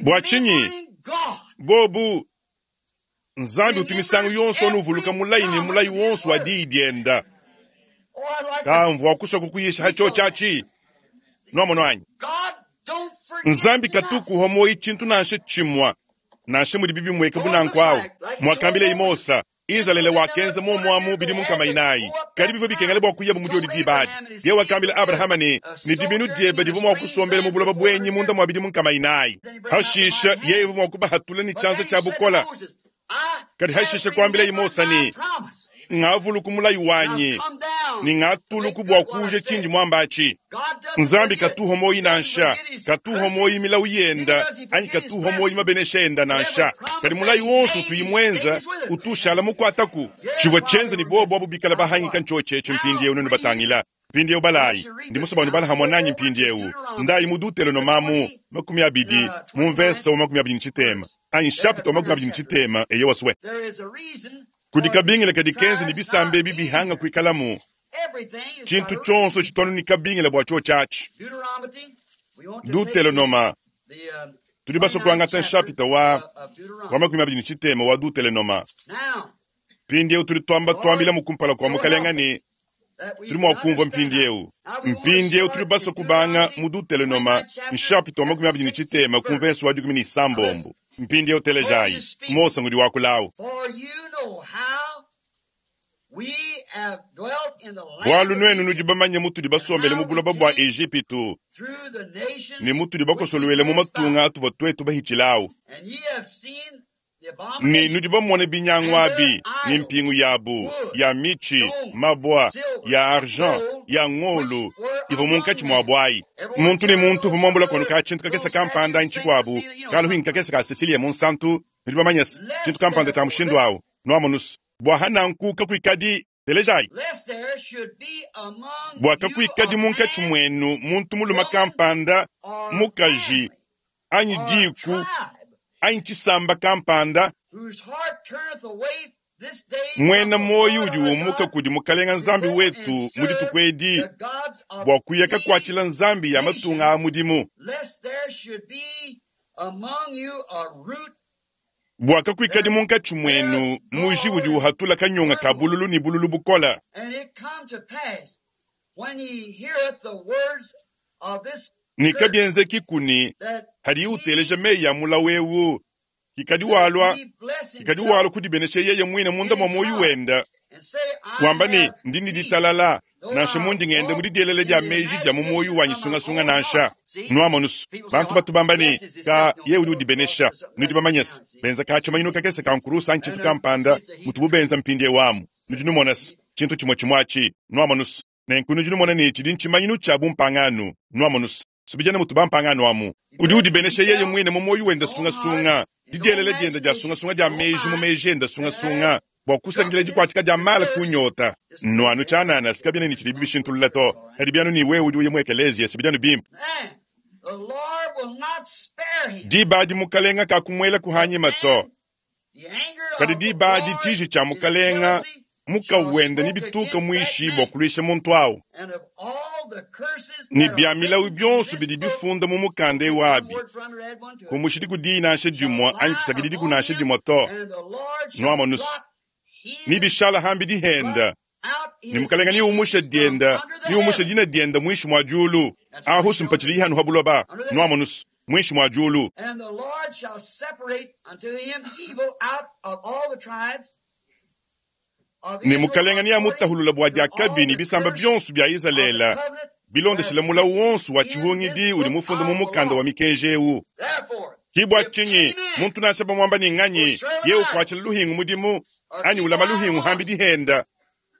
bua chinyi bobu nzambi utumisangu yonso onuvuluka mulayi ni mulayi wonso wa diyi dienda kamvua kuswa kukuyisha hacho chachi nomono anyi nzambi katukuho moyi chintu nansha chimwa nansha mudi bibi mweka bunanku awu mwakambile imosa Izalele wakenza momwamu bidi munkama inayi kadi bivyo bikengele bua kuya bumudiodi dibadi ye wakambila abrahama ne ni dibinu diebe divua mua kusombela mu buloba bwenyi munda mua bidi munkama inayi hashisha yeye uvua mua kubahatula ni chanza cha bukola kadi hashisha kuambila imosa ni ngavuluku mulayi wanyi ni ngatuluku bua kuja chindi mwambachi nzambi katuho moyi nansha katuho moyi milawu yenda anyi katuho moyi mabenesha enda nansha kadi mulayi wonso utuyimwenza utushala mukwataku chivua chenza ni bobo abu bikala bahangika nchochecho mpindi eu nenu batangila mpindi eu balayi ndi muso banu bala hamwe nanyi mpindi eu ndayi mudutelo no mamu makumi abidi mumvesa wa makumi abidi nchitema anyi chapter wa makumi abidi nchitema eyo waswe kudi kabingila kadi kenza ni bisambe ebi bihanga kuikalamu chintu chonso chitwanu ni kabingila bua cho chachi dutelenoma tudi baso kuangata nshapita wa wa makumi abidi ni chitema wa dutelenoma mpindi eu tudi twamba twambila mukumpala kwa mukalenga ni tudi mua kumvua mpindi eu mpindi eu tudi baso kubanga mu dutelenoma nshapita wa makumi abidi ni chitema kumvenso wa dikumi ni sambombo mpindi eu telejayi mosa ngudi wakulawu bwalu nwenu nudi bamanye mutudi basombele mu buloba bua Ejipitu ne mutudi bakosolwele mu matunga atuvua twetu bahichilawu ne nudi bamone binyangu abi ni mpingu yabu ya michi mabwa ya argent ya ngolu ivua munkatshi mua bwayi muntu ni muntu uvua muambula kono ka tshintu kakese kampanda nchikuabu kaluhingi kakese ka Cecilia Munsantu nudi bamanye tshintu kampanda tshia mushindu awu nuamonusu bua hananku kakuikadi telejayi bua kakuikadi munkatshi mwenu muntu muluma kampanda mukaji anyi diku anyi tshisamba kampanda mwena moyi udi umuka kudi mukalenga nzambi wetu mu dituku edi bua kuya kakuatshila nzambi ya matunga a mudimu bua kakuikadi munkatshi mwenu muji udi uhatula kanyonga ka bululu ni bululu bukola ni kabienzeki kuni hadi uteleja meyi ya mulawu ewu kikadi walwa kikadi walwa kudibenesha yeye mwine munda mwa moyi wenda wamba ni ndini ditalala nansha mundi ngende mudi dielele dia meji dia mu moyi wanyi sungasunga nansha nuamonusu bantu batu bamba ni ka ye udi udibenesha nudi bamanyese benza ka tshimanyinu kakese ka nkurusa anyi tshintu kampanda mutu bubenza mpindi ewamu nudi numonese tshintu chimwe chimwachi nuamonusu nenku nudi numona ni tshidi ntshimanyinu tshia bumpanganu nuamonusu subijana mutu bampanganu amu udi udibenesha yeye mwine mu moyi wenda sungasunga didielele dienda dia sungasunga dia meji mu meji enda sungasunga bua kusakidila dikuatshika dia mala kunyota nuanu tshianana sikabiana ni tshidi bishintulula to kadi bianu ni wewe udi uya mu ekeleziya sibidianu bimpe diba adi mukalenga kakumuela kuhanyima to kadi diba adi tshiji tshia mukalenga mukawenda ni bituka muishi bua kuluisha muntu awu ni bia milawu bionso bidi bifunda mu mukanda ewu abi kumushidi kudiyi nansha dimua anyi kusakididi kunansha dimua to nuamonusu ni bishala hambi dihenda Ne mukalenga ni umusha dienda, ni umusha dina dienda mwishi mwa julu. Ahusu mpachili hanu habuloba, nwamonusu, mwishi mwa julu. And the Lord shall separate unto him evil out of all the tribes of Ne Israel mukalenga ni amutahulula bwa according to all diakabi ni the bisamba curse byonso bya of the Izalele. covenant Bilondeshela mulawu wonso wa chihungidi uli mufunda mu mukanda wa mikenji ewu. Therefore, Kibwa if chinyi, any man muntu nansha bamwamba ni nganyi, ye ukwachila luhingu mudimu, anyi ulama luhingu hambi dihenda,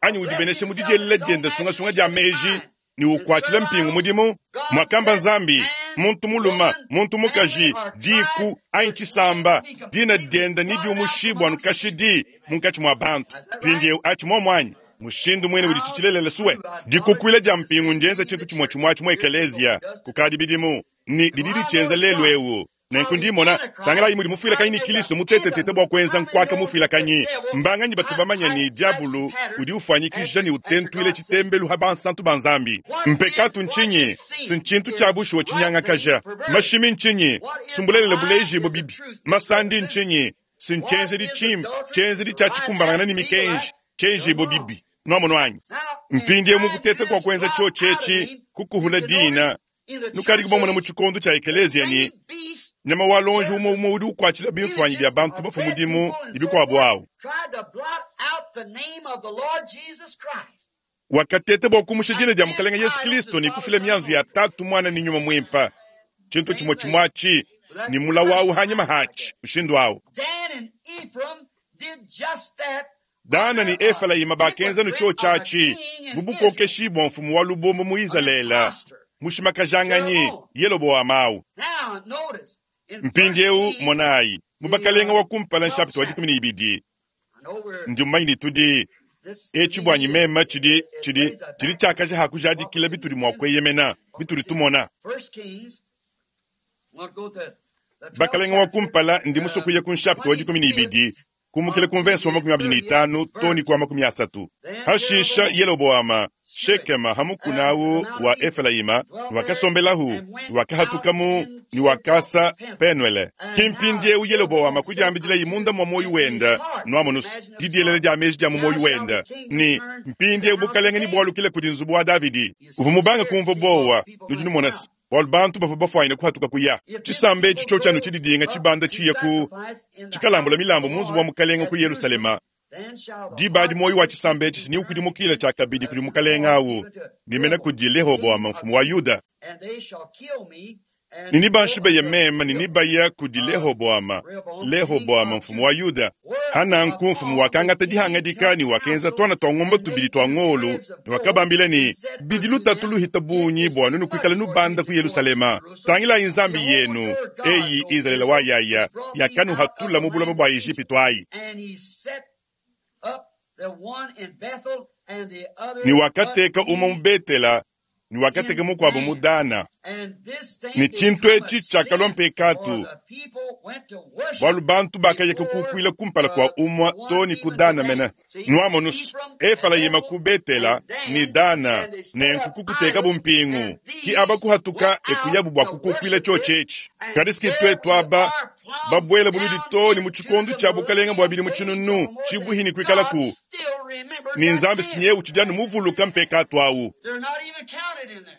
anyi udibeneshe mu dijelela dienda sungasunga dia meji, ni ukwachila mpingu mudimu, mwakamba nzambi, muntu muluma, muntu mukaji, diku, anyi chisamba, dina dienda ni diumushibwa nukashidi, munkatshi mwa bantu. Pindiewu achi momwanyi, mushindu mwene udi chichilelela suwe. Dikukwila dia mpingu ndienza chintu chimwe chimwe chimwe ekelezia, kukadi bidimu, ni dididi chenza lelu ewu. Nenku ndimona tangalayi mudi mufuilakanyi ni Kristo mutetetete bua kuenza nkwaka mufuilakanyi mbanganyi batu bamanya ni diabulu udi ufanyikija ni utentuile chitembelu ha bansantu ba nzambi mpekatu nchinyi sinchintu cha bushuwa chinyangakaja mashimi nchinyi sumbulelele buleji bo bibi masandi nchinyi sinchenzedi chimbi chenzedi cha chikumbanangana ni mikenji chenji bo bibi nwamono anyi Now, in mpindie trying to mukutete do kwa this kuenza blot cho out of chechi him, kukuhula if you dina notice, in the nukadi kubomona mu churches, chikondo cha the ekelezia ni same beast nyama wa lonji serves umwe umwe udi ukwachila bimfanyi bya images bantu of bafu dead mudimu people and ni so bikwabo forth, awo tried to blot out the name of the Lord Jesus Christ. wakatete bua kumusha dina And dia then mukalenga Yesu idols Kristo as ni father, kufila son, mianzu ya Holy Ghost. tatu mwana ni nyuma mwimpa chintu Same chimwe thing. chimwachi With that ni mulawu awu curse hanyima like hachi that. ushindu awu Dan and Ephraim did just that Dana ni under a Efraima bakenza no cho hypocrite of a chachi king in mu Israel, bukokeshi bwa mfumu wa lubombo mu an Izalele impostor, mushimakajanganye Jeroboam. Yeroboamu awu Now, notice, in First mpindiewu Kings, monayi mu the bakalenga uh, wa kumpala twelfth nshapita wa chapter, dikumi ni ibidi I know we're, ndi mmanyi tudi this eci bwanyi means mema it, chidi it, it chidi lays a chidi background chakaja to what we hakujadikila can bituli mwa depend on, kweyemena what we bituli see. tumona First Kings, we'll go to the twelfth bakalenga wa chapter, kumpala ndi uh, musokuya ku nshapita wa dikumi ni twenty-fifth ibidi kumukile up ku to mvenso wa the makumi abiri ni thirtieth itanu toni verse. kwa makumi asatu Then hashisha Jeroboam Yeroboama Shewed Shekema and the hamukunawu Mount wa of Ephraim, Efraima dwelt there, niwakasombelahu and went out niwakahatukamu into niwakasa Peniel. Penuele And now kimpindiewu Yeroboama Jeroboam said kujambijila unto imunda mwa moyo in his wenda heart, nwamonusu imagine of his didielele heart, dia meji dia mu now moyo shall the wenda king ni return to the mpindiewu house of bukalenga ni David. bwalukile kudi nzubu wa Davidi You see uvu the mubanga spirit, kumva see all the bowa people nudi running numonasi out. bwalu bantu bava bafwanyina kuhatuka kuya If this chisamba echi people cho chanu go chididinga up chibanda to chiye ku sacrifice in the chikalambula house of the milambo mu nzubu wa Lord mukalenga at ku Jerusalem, Yerusalema then shall the dibadi heart moyo of wa this chisamba people echi be siniukudimukila turned cha kabidi uh, kuli to the mukalenga Lord, awu even to nimena Rehoboam, kudi king Lehoboama of mfumu wa Judah, Yuda and they shall kill me and nini go banshibeye unto mema ninibaya kudi uh, Lehoboama Rehoboam, king Lehoboama of mfumu wa Judah. Yuda hananku mfumu Whereupon the wakangata king dihangadika took ni wakenza counsel twana twa ng'ombe and tubili made twa two ng'olu calves of ni gold wakabambila ni and said bidi unto lutatu them, luhita It bunyi is bwa too nunu much kwikala for you nubanda to ku go up to Yerusalema Jerusalem. tangilayi nzambi Jehovah yenu your God, eyi O Israeli Israel, wa yaya has brought thee out of yakanuhatula the mu bulaba land bwa of Egypt. Egypto ayi And he set up the one in Bethel and the ni other but wakateka umwe mu he Betela ni wakateka in mukwabo mu Dan. Dana And this thing ni chintu become a echi chakalwa sin, for mpekatu the people went to worship bwalu bantu bakayeka before kukwila kumpala kwa uh, the umwa one toni ku even to Dana Dan. mena See, nwamonusu Ephraim and Efraima Bethel ku Betela and ni Dan, Dana and they set nenku up kukuteka idols, bumpingu and ki these abakuhatuka went out ekuyabu bwa to kukukwila worship cho it. chechi And kadisiki there twetu we aba are plowed babwela buludi down toni mu into chikondo the cha bukalenga bwa bili mu millennium age chinunu no more than chibuhini God kwikalaku still remembers ni that nzambi sin. sinyewu chijanu muvuluka mpekatu awu They're not even counted in there.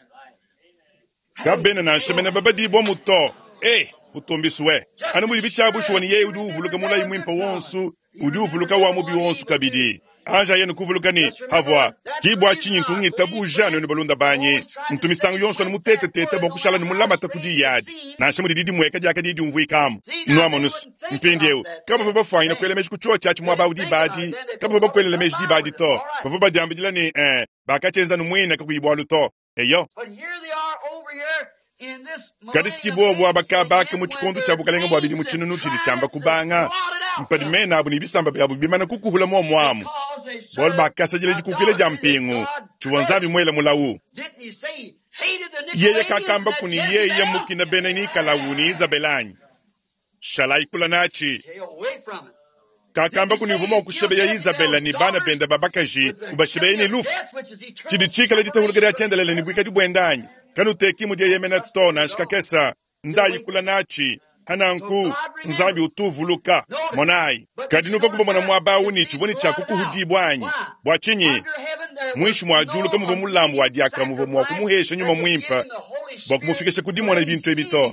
Hey, kabena na nshemena babadibwa muto eh utumbiswe just anu as muli sure bichabushiwa as ni he yeye udi remembered uvuluka mulayi their mwimpa good wonsu promise, he udi remembered uvuluka their wa mubi one wonsu evil too. kabidi anja yenu kuvuluka ni Just remember havwa that. That's the kibwa reason chinyi I ntungita believe buja friends nenu balunda banyi always try to ntumisango stay yonso with that nimutetetete word no bwakushala matter how nimulamata kudi strange it yadi seems. nansha muli didi mweka dyakadidi umvwikamu See, now they nwamonusu wouldn't think mpindiewu about that kabava then. bafwanyina Then kwela meji kuchocha achi they mwaba didn't udi think about badi it. Then they kabava thought, well, bakwelele they meji come dibadi with us. to All right. bava badiambidila ni eh bakachenza numwina kakuyibwa luto eyo But here they are over here in this kadisiki millennium bobwa age bakabaka saying mu when chikondo cha their bukalenga bwa bili mu names and chinunu chili chamba tribes have kubanga blotted out mpadi from mena abu ni bisamba byabu bimana kukuhula momwamu because they bwalu served bakasajila jikukile ja idolatry that mpingu God chiwa nzambi cursed. mwela mulawu Didn't he say he hated the yeye Nicolaitans and kakamba that kuni yeye Jezebel? mukina bene nikalawu ni Izabelanyi shalaikula nachi Stay away from it. Didn't kakamba he kuni say vuma he'd kill okushebe ya Izabela Jezebel's ni bana daughters benda babakaji with the killing ubashebeye ni of lufu death, which is eternal chidi chikala ditahulukela separation from his chendelele ni bwikadi presence? bwendanyi kanu teki mudye yemena Trust to in na God. nshikakesa Still ndayikula waiting. nachi Hananku Nzambi utuvuluka. Monayi, kadi nuvua kubamona muaba awu ne tshivua ne tshia kukuhudibua anyi? Bua tshinyi? Muinshi mua diulu kamuvua mulambu wa diaka muvua mua kumuhesha nyuma muimpe bua kumufikisha ku dimona bintu ebi to.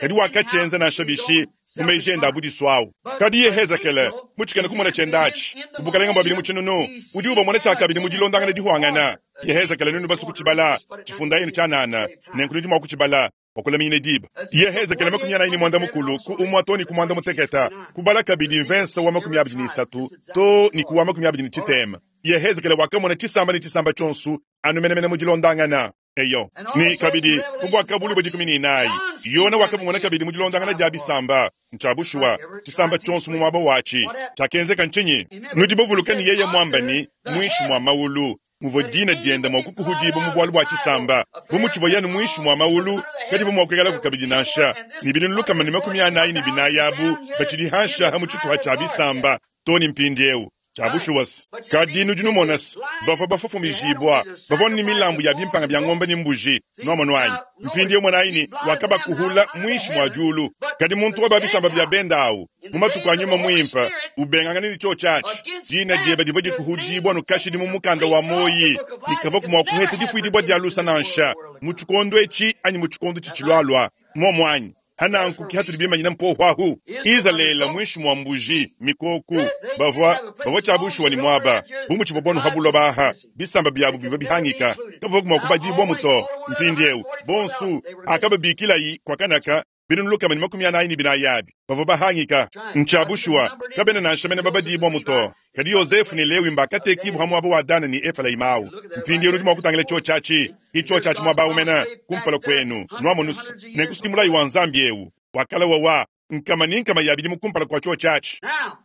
Kadi wakatshienza nansha bishi mu meji ende a budisuawu. Kadi Yehezekele mu tshikena kumona tshienda atshi ku bukalenga bua bidimu tshinunu udi ubamona tshiakabidi mu dilondangana dihuangana. Yehezekele nunu basu kutshibala tshifunda yenu tshianana, nenku nudi mua kutshibala bua kulaminyina diba. Yehezekele makumi anayi ne muanda mukulu ku umua to ne ku muanda muteketa, kubala kabidi mvensa wa makumi abidi ne isatu to ne ku wa makumi abidi ne tshitema. Yehezekele wakamona tshisamba ne tshisamba tshionso anu menemene mu dilondangana. Eyo ni kabidi mu Buakabuluibua bua dikumi ne inayi Yona wakamumona kabidi mu dilondangana dia bisamba. Ntshia bushuwa tshisamba tshionso mu muaba watshi. Tshiakenzeka ntshinyi? Nudi bavuluke ne yeye muamba ne muinshi mua maulu muvua dina diende mua kukuhudibua mu bualu bua tshisamba, bu mutshivua yanu muinshi mua maulu kadivua mua kuikalaku kabidi nansha. Ne binunu lukama ne makumi anayi ne binayi abu batshidi hanshaha mu tshituha tshia bisamba to ne mpindieu. Tshia bushuwa se, kadi nudi numona se, bavua bafofomijibua, bavua ne milambu ya bimpanga bia ngombe ne mbuji. Nuamonu anyi? Mpindieu monayi ne wakabakuhula muinshi mua diulu. Kadi muntu wa ba bisamba bia benda awu mu matuku a nyuma muimpe ubengangana ne tshiotshi atshi, dina diebe divua dikuhudibua nukashidi mu mukanda wa muoyi, likavua mua kuheta difuidibua dia lusa nansha mu tshikondo etshi anyi mu tshikondo tshitshilualua. Muomu anyi? Hananku ki hatudi bimanyina mpohu ahu. Izalele muinshi mua mbuji mikoku bavua bavua tshia bushuwa ne muaba bu mutshivua bonu ha buloba aha, bisamba biabu bivua bihangika kavua mua kubadibua muto. Mpindieu bonsu akababikilayi kwa kanaka binunu lukama ne makumi anayi ne binayi abi bavua bahangika. Ntshia bushuwa kabena nansha mene babadibua muto. Kadi Yosefu ne Lewi mbakatekibua ha muaba wa Dana ne Efrayima awu. Mpindieu nudi mua kutangila tshiotshi atshi, itshiotshi atshi muaba awu mene kumpala kwenu. Nuamonusu nenkusuki mulayi wa Nzambi ewu wakala wawa nkama ne nkama ya bidimu kumpala kwa tshiotshi atshi. Now,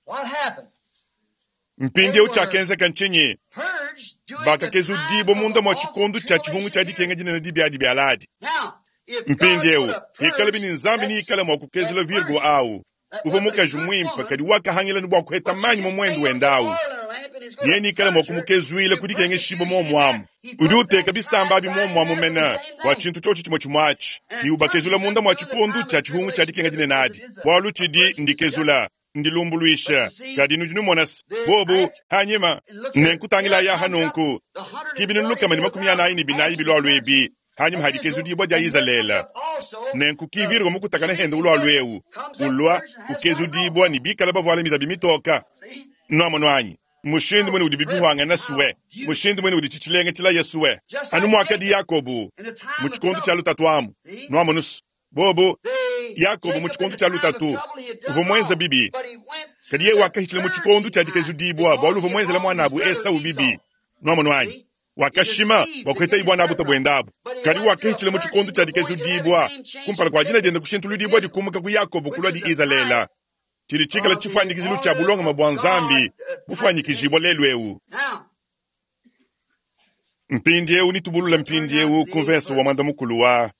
what happened? Mpindieu tshiakenzeka ntshinyi? Purged during the Bakakezudibua time munda of mua the tshikondo tshia tshihungu tshia dikenga dinene dibiadi bia ladi. Now, if God Mpindieu would have ikala bini purged Nzambi that, ni ikala mua kukezula that Virgo virgin, awu that uvua was a mukaji good muimpe woman, kadi wakahangila ne bua kuheta but she manyi mu just muendu failed wenda to awu. oil in her lamp and he's Nye going to nikala mua purge her kumukezuila through ku dikengeshibua persecution muomu and amu. that. He Udi puts uteka that bisamba tribe abi right muomu amu there with the mene same bua thing. tshintu tshiotshi tshimue tshimue atshi And ne ubakezula purges munda them mua during the tshikondo time tshia of tshihungu tshia tribulation dikenga dinene because adi. it is a, Bualu a tshidi purging ndikezula judgment. But ndilumbuluisha. you see, Kadi nudi numona se the bobu act, hanyima and look here, nenkutangila here ya comes up hanunku the hundred sikibinu and lukama ne forty-four makumi anayi thousand ne binayi after the bilwalu purging ebi hanyuma of Israel, hadikezudibua dia and here comes Izalele. up also Nenku the kivirwa mukutakana henda sixty ulwalu thousand ewu comes up ulwa purged and has white ukezudibua robes ne on. bikala bavuala mizabi mitoka. See? Nuamonu anyi? Mushindu mwene udi How bibihuangana suwe, beautiful. mushindu mwene udi tshitshilenga tshila Yesuwe. Just Anu like muakadi Jacob Yakobu in the time mu of tshikondo tshia trouble. lutatu amu. See? Nuamonu se bobu They Yakobo mu Jacob in tshikondo the tshia time of lutatu trouble he had done uvua muenza wrong, bibi, but he went kadi through yeye the wakahitshila mu tshikondo purging tshia time dikezudibua bualu because uvua he had muenzela wronged his muanabu brother Esau bibi. Esau. Nuamonu anyi? See? He Wakashima deceived bua to kuheta get his ibwana abuta birthright, bwenda abu. but he Kadi went through a wakahitshila mu tshikondo purging tshia before he could have his dikezudibua name changed kumpala from kwa dina Jacob diende to kushintuludibua Israel, dikumuka ku Yakobo which kulua is di the type Izalele. Tshidi tshikala of the tshifuanyikizilu tshia order bulongama of bua God Nzambi uh, type bufuanyikijibua today. lelu ewu. Now, Mpindieu nitubulula we'll turn now mpindieu to ku the eighth mvensa wa verse mwanda mukulu wa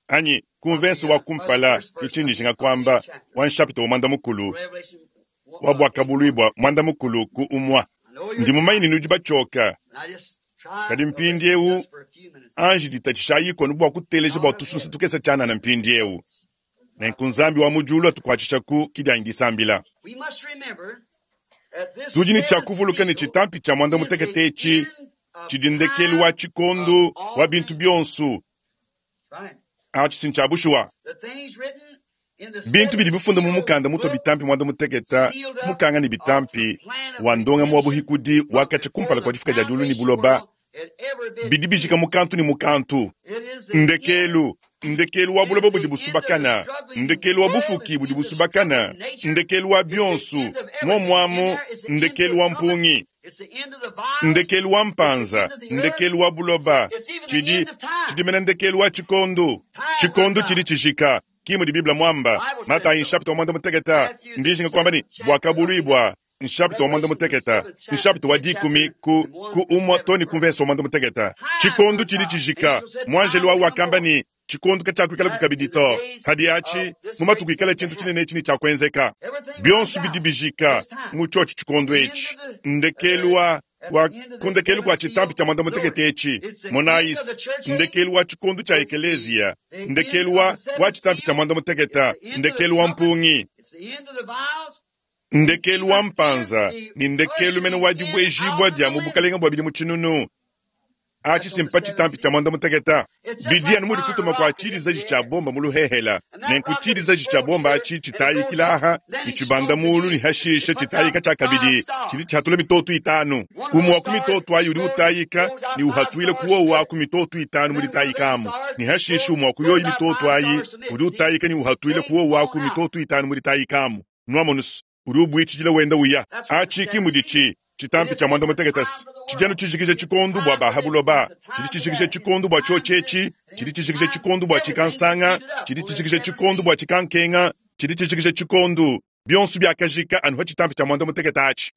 anyi ku of mvensa the wa uh, or the kumpala first verse of kitshinjishinga the, of the kwamba eighth chapter, wa nshapita wa mwanda mukulu Revelation wa uh, eight one. bwakabulwibwa mwanda mukulu ku umwa. I know you're Ndi mumanyi tired, ne nudi batshoka and I just try kadi to listen mpindieu just for a few minutes. anji ditatshisha anu bua kuteleja God bua of tusunsa heaven, tukesa tshianana mpindieu. help us. Nenku Nzambi wa mu diulu atukuatshishaku kidianyi disambila. We must remember that this Tudi ne tshia seventh kuvuluka ne seal tshitampi tshia mwanda is the mutekete etshi end of tshidi ndekelu time wa of tshikondo wa all bintu things. bionso. Right. Atshi si ntshia bushuwa. The things written in the Bintu seventh bidi bifunda mu seal mukanda mutua book bitampi mwanda muteketa sealed up mukanga ne of the bitampi plan of wa ndongamu wa redemption buhikudi from wakatsha before kumpala the kwa difika dia diulu ne foundation buloba world had ever been bidi bijika begun. mukantu ne mukantu. It is the end. Ndekelu ndekelu wa It buloba is budi the end of the busubakana, struggling ndekelu wa world. It's bufuki the budi end of busubakana, struggling nature. ndekelu wa It's the bionso end of everything. In muomuamu, there is the end to ndekelu the wa trumpets. mpungi, It's the end of the vials. ndekelu wa It's the mpanza, end of the earth. ndekelu wa It's, buloba, it's even the tshidi end of time. tshidimena ndekelu wa tshikondo. Time runs Tshikondo tshidi out. tshijika kimudi Biblia mwamba Bible says Matayi so. nshapita wa mwanda muteketa Matthew the ndijinga kwamba ni seventh chapter of the bwakabulwibwa nshapita wa mwanda Revelation, the muteketa seventh chapter, nshapita wa tenth dikumi chapter, ku and one ku through umwa seventh toni verse. kumvesa wa mwanda muteketa Time tshikondo runs tshidi out. tshijika Angel said, mwanjelu time wawu will come wakamba more. ni tshikondo katshakuikalaku That kabidi in the to days hadi atshi of this mu great matuku ikala thing to tshintu happen. tshinene tshini tshiakuenzeka Everything runs bionso bidi out. bijika This time. mu tshiotshi tshikondo The end etshi of the ndekelu uh, wa Wa ku ndekelu kua tshitampi tshia muanda mutekete etshi, monayi, ndekelu wa tshikondo tshia ekeleziya, ndekelu wa, wa tshitampi tshia muanda mutekete, ndekelu wa mpungi, ndekelu wa mpanza, ne ndekelu mene wa dibuejibua dia mu bukalenge bua bidimu tshinunu. Atshi simpa tshitampi tshia muanda mutekete. Bidi anu mudi kutuma kua tshidizaji tshia bomba mu luhehela. Nenku tshidizaji tshia bomba atshi tshitayikila aha ne tshibanda mulu ne hashisha tshitayika tshia kabidi tshidi tshihatula mitoto itanu. Umue wa ku mitoto ayi udi utayika ne uhatuila ku wowu aku mitoto itanu mu ditayikamu. Ne hashisha umue wa ku yoyi mitoto ayi udi utayika ne uhatuila ku wowu aku mitoto itanu mu ditayikamu. Nuamonus udi ubuitshidila wenda uya. Atshi ki muditshi tshitampi tshia muanda mutekete tshidi anu tshijikija tshikondu bua bahabuloba, tshidi tshijikija tshikondu bua tshiotshi, tshidi tshijikija tshikondu bua tshikansanga, tshidi tshijikija tshikondu bua tshikankenga, tshidi tshijikija tshikondu bionso biakajika anu ha tshitampi tshia muanda mutekete atshi.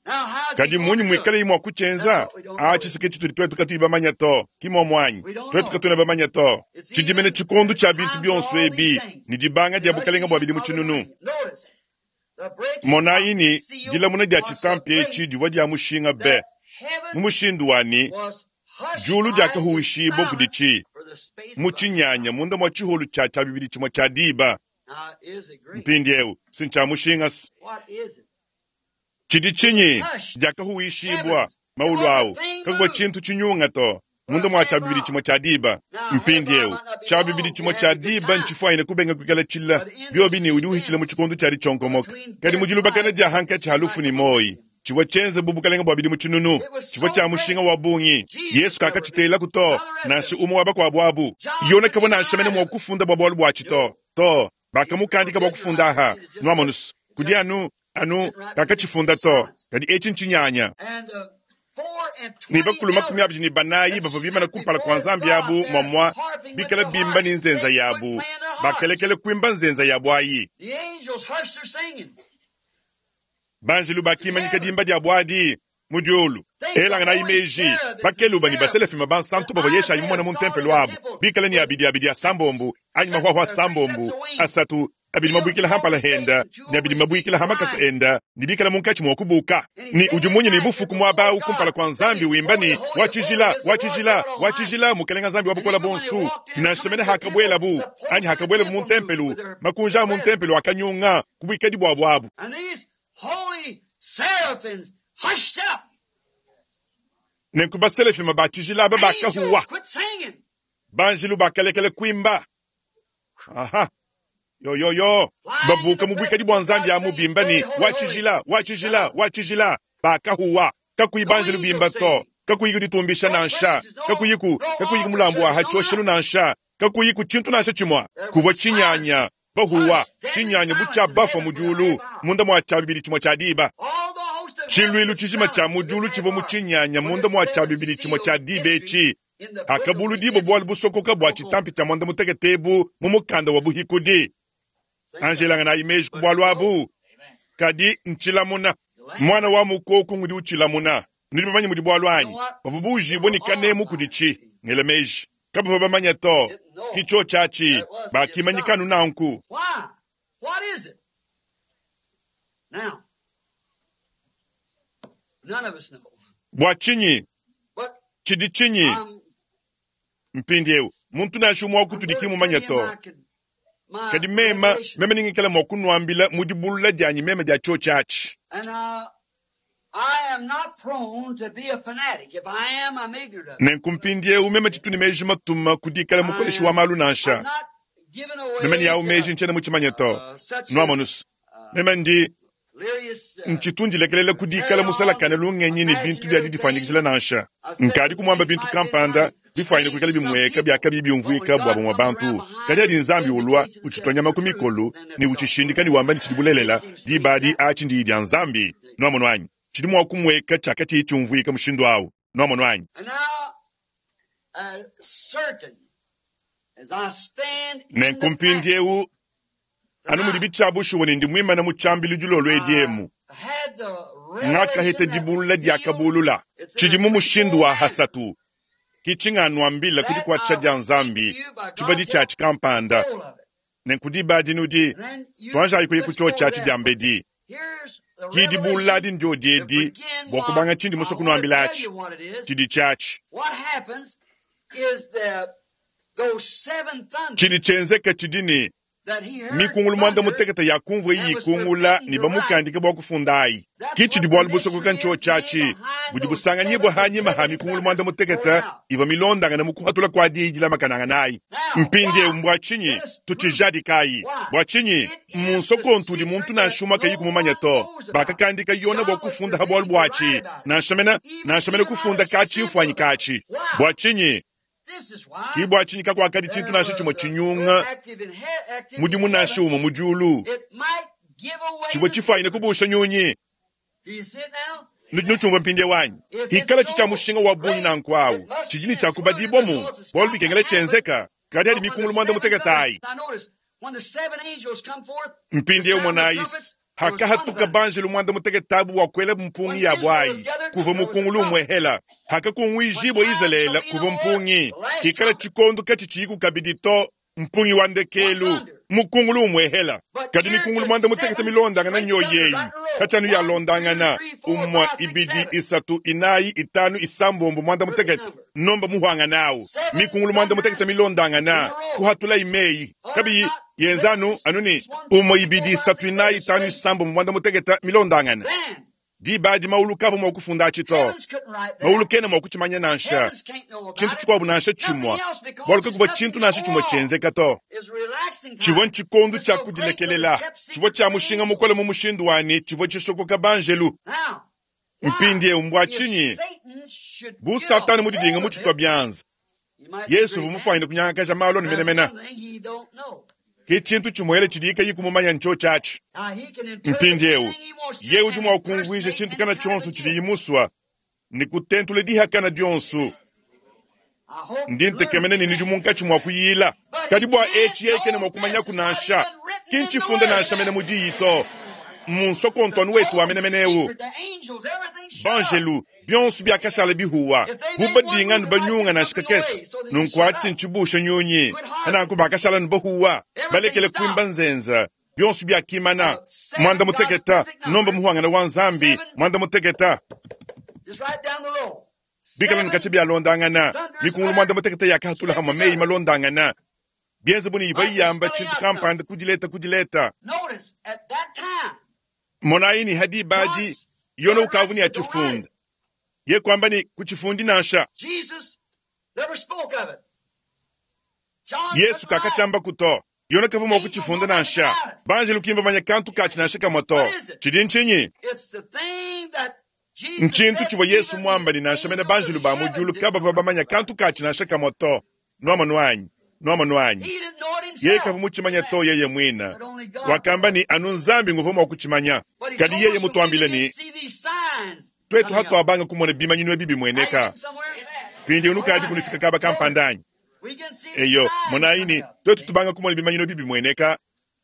Kadi munyi muikale mua kutshienza? Atshi sike tshitudi twetu katuyi bamanya to, ki muomu anyi? Twetu katuena bamanya to. Tshidi mene tshikondu tshia bintu bionso ebi ne dibanga dia bukalenge bua bidimu tshinunu. Monayi ni dilamuna dia tshitampi etshi divua dia mushinga be mu mushindu wani diulu diakahuwishibua kuditshi mu tshinyanya munda mua tshiholu tshia tshia bibidi tshimue tshia diba. Mpindiewu si ntshia mushinga tshidi tshinyi diakahuwishibua maulu awu kakuvua tshintu tshinyunga to munda mua tshia bibidi tshimue tshia diba. Mpindiewu tshia bibidi tshimue tshia diba ntshifuanyine kubenga kuikala tshila biobi ne udi uhitshila mu tshikondo tshia ditshionkomoka. Kadi mu dilubakana dia hankatshi ha lufu ne moyi tshivua tshienze bu bukalenge bua bidimu tshinunu, tshivua tshia mushinga wa bungi. Yesu kakatshitelaku to, nansha umue wa bakuabu abu. Yona kavua nansha mene mua kufunda bua bualu buatshi to to, bakamukandika bua kufunda aha. Nuamonus kudi anu anu kakatshifunda to, kadi etshi ntshinyanya. Ne bakulu makumi abidi ne banayi bavua bimana kumpala kua Nzambi yabu muamua bikala bimba ne nzenza yabu, bakelekele kuimba nzenza yabu ayi. Banjelu bakimanyika dimba dia buadi mu diulu. Elanganayi meji bakeluba ne baselafima bansantu bavua Yeshayi mumone mu ntempelo abu bikala ne abidi abidi asambombu anyi mahwahwa asambombu asatu abidi mabuikila hampala henda ne abidi mabuikila hamakasa enda ne bikala munkatshi mua kubuka. Ne udi munyi ne bufuku muaba awu kumpala kua Nzambi wimba ne wa tshijila wa tshijila wa tshijila mukalenga Nzambi wa bukola bonsu. Nansha mene hakabuelabu anyi hakabuelabu mu ntempelo, makunja a mu ntempelo akanyunga ku buikadi buabu abu. Nenku baselafima ba tshijila aba bakahuwa, banjelu bakalekela kuimba. Aha. Yo yo yo, babuka mu buikadi bua Nzambi amu bimba ne wa tshijila wa tshijila wa tshijila, bakahuwa. Kakuyi banjelu bimba to, kakuyi kuditumbisha nansha, kakuyi ku kakuyi mulambu wa hatshioshelu nansha, kakuyi ku tshintu nansha tshimue. Kuvua tshinyanya bahuwa, tshinyanya bu tshia bafua mu diulu munda mua tshia bibidi tshimue tshia diba. Tshiluilu tshijima tshia mu diulu tshivua mu tshinyanya munda mua tshia bibidi tshimue tshia diba etshi. Hakabuludibo bualu busokoka bua tshitampi tshia muanda mutekete ebu mu mukanda wa buhikudi. Anjelanganayi meji ku bualu abu, kadi ntshilamuna. Mwana wa mukoku ngudi utshilamuna. Nudi bamanye mudi bualu anyi? Bavua buujibue ne kanemu kuditshi. Ngela meji kabavua bamanya to sikitsho tshiatshi bakimanyika anu nanku. Bua tshinyi? Tshidi tshinyi? Mpindiewu muntu nansha umue wa kutudi ki mumanye to. Kadi mema meme ningikala mua kunuambila mu dibulula dianyi meme dia tshiotshi atshi. Nenku mpindiewu meme tshitu ne meji matuma ku dikala mukoleshi wa malu nansha. Meme ne yawu meji ntshiena mutshimanye to. Nuamonus meme ndi ntshitu ndilekelela ku dikala musalakane lungenyi ne bintu bia didifanyikijila nansha. Nkadi kumuamba bintu kampanda bifuanyine kuikala bimueka biakabi biumvuika bua bamue bantu. Kadi adi Nzambi ulua utshitwa nyama ku mikolo ne utshishindika ne wamba ne tshidi bulelela, diba adi atshi ndiyi dia Nzambi. Nuamono anyi? Tshidi mua kumueka tshiakatshiyi tshiumvuika mushindu awu. Nuamono anyi? Nenku mpindiewu anu mudi bitshiabushuwa ne ndi muimane mu tshiambilu dilolo edi emu, ngakaheta dibulula diakabulula tshidi mu mushindu wa hasatu. Ki tshinganuambila ku dikuatshisha dia Nzambi tshibadi tshiatshi kampanda. Nenku diba adi nudi tuanjayi kuya ku tshiotshi atshi diambedi. Ki dibulula adi ndyodi edi bua kubanga tshindi musue kunuambila atshi tshidi tshiatshi. Tshidi tshienzeka tshidi ne mikungulu muanda mutekete yakumvua iyi ikungula ne bamukandike bua kufunda ayi. Ki tshidi bualu busokoka ntshiotshi atshi budi busanganyibua hanyima ha mikungulu muanda mutekete ivua milondangane mu kuhatula kua diyi dilamakanangana ayi. Mpindieu mbua tshinyi tutshijadikayi? Bua tshinyi mu nsokontu udi muntu nansha umue kayi kumumanya to? Bakakandika Yona bua kufunda ha bualu buatshi, nansha mena nansha mena kufunda ka tshimfuanyi katshi. Bua tshinyi? Ki bua tshinyi kakuakadi tshintu nansha tshimue tshinyunga mudimu nansha umue mu diulu tshivua tshifuanyine kubusha nyunyi. Nudi nutshiumvua mpindieu anyi? Hikala tshi tshia mushinga wa bungi nanku awu tshidi ne tshiakubadibwamu bualu bikengela tshienzeka kadi adi mikungulu muanda mutekete ayi. Mpindieu monayi hakahatuka banjelu muanda mutekete abu bua kuela mpungi yabu ayi kuvua mukungulu umue hela. Hakakunguijibua Izalele kuvua mpungi hikala tshikondo katshitshiyiku kabidi to mpungi wa ndekelu mukungulu umue hela. Kadi mikungulu muanda mutekete milondangana nyoyi eyi katshianu yalondangana umue ibidi isatu inayi itanu isambombo muanda mutekete nomba muhwangana awu mikungulu muanda mutekete milondangana kuhatula imeyi kabiyi yenzanu anu ne umue ibidi isatu inayi itanu isambombo muanda mutekete milondangana. Diba adi maulu kavua mua kufunda atshi to. Maulu kena mua kutshimanya nansha tshintu tshikuabu nansha tshimue, bualu kakuvua tshintu nansha tshimue tshienzeka to. Tshivua ntshikondo tshia kudilekelela, tshivua tshia mushinga mukole mu mushindu wanyi, tshivua tshisokoka banjelu. Mpindieu mbua tshinyi bu Satane mudidinga mu tshitwa bianza, Yesu uvua mufuanyine kunyangakaja malu anu menemene. Ki tshintu tshimuele tshidi kayi kumumanya ntshiotshi atshi. Mpindieu ye udi mua kumvuija tshintu kana tshionso tshidi musua ne kutentula dihakana dionso. Ndi ntekemena ne nudi munkatshi mua kuyila. Kadi bua etshi yeye kena mua kumanyaku nansha. Ki ntshifunda nansha mene mu diyi to. Mu nsokontu wetu wa menemene eu banjelu bionso biakashala bihuwa bu badinga ne banyunga nansha kakese nunku atshi ntshibusha nyunyi kananku bakashala ne bahuwa balekele kuimba nzenza bionso biakimana mwanda muteketa nomba muhwangana wa nzambi mwanda muteketa bikala nkatshi bialondangana mikungulu mwanda muteketa yakahatula hamwe meyi malondangana bienze buni iva iyamba tshintu kampanda kudileta kudileta. Monayi ni hadi badi yona ukavu ni atshifunda ye kwamba ni kutshifundi nansha. Yesu kakatshamba kuto yona kavua mua kutshifunda nansha. Banjelu kimba manya kantu katshi nansha kamue to. Tshidi ntshinyi? Ntshintu tshivua Yesu muamba ni nansha mene banjelu ba mu diulu kabavua bamanya kantu katshi nansha kamue to. Nuamonu anyi? Nuamonu anyi? Yeye kavua mutshimanya to yeye mwina. Wakamba ni anu nzambi nguvua mua kutshimanya. Kadi yeye mutuambile ni twetu hatuabanga kumona bimanyinu ebi bimueneka. Mpindieu nukadi kunufika kaba kampanda anyi? Eyo, monayi ni twetu tubanga kumona bimanyinu ebi bimueneka.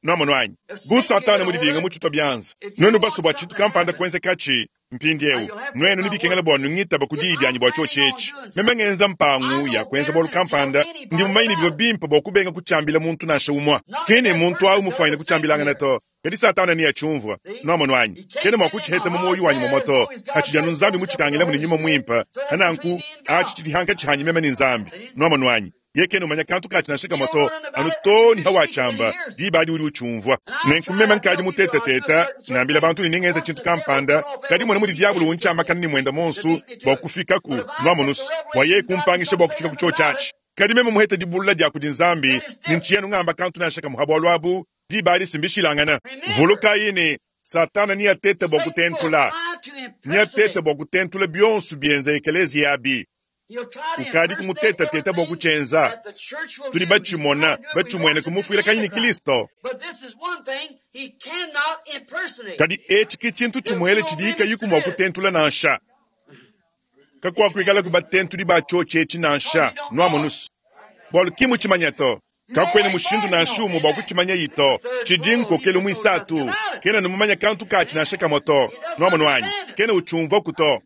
Nuamonu anyi? Bu Satana mudidinga mu tshitwa bianza. Nuenu baso bua tshintu kampanda kuenzekatshi mpindieu nuenu nibikengela bua nungitaba ku diyi dianyi bua tshiotshi etshi. Meme ngenza mpangu ya kuenza bualu kampanda ndi mumanyi ne bivua bimpe bua kubenga kutshiambila muntu nansha umue. Kene muntu awu mufuanyine kutshiambilangana to. Kadi Satana ni atshiumvua. Nuamonu anyi? Kene mua kutshiheta mu muoyo wanyi momwe to. Hatshidi anu Nzambi mutshikangilamu ne nyuma muimpe. Hananku atshi tshidi hankatshi hanyi meme ne Nzambi. Nuamonu anyi? Ye kene umanya kantu katshi nansha kamue to. Anu to ni hawatshamba diba adi udi utshiumvua. Nenku meme nkadi muteteteta nambila bantu ne ningenza tshintu kampanda kadi mona mudi diabulu untshiamakana ne muenda monsu bua kufikaku nuamonusu bua yeye kumpangisha bua kufika ku tshiotshi atshi. Kadi meme muheta dibulula dia kudi Nzambi ne ntshiyanu ngamba kantu nansha kamue ha bualu abu diba adi simbishilangana. Vulukayi ne Satana ni atete bua kutentula ni atete bua kutentula bionso bienza ekelezia abi. Ukadi kumutetateta bua kutshienza. Tudi batshimona batshimuene kumufuila kanyi ni Kristo. Kadi etshi ki tshintu tshimuele tshidi kayiku mua kutentula nansha. Kakuakuikala ku batentudi ba tshiotshi etshi nansha nuamonusu. Bualu ki mutshimanya to. Kakuena mushindu nansha umue bua kutshimanya yito. Tshidi nkokelu muisatu. Kena numumanya kantu katshi nansha kamue to. Nuamonu anyi? Kena utshiumvuaku to.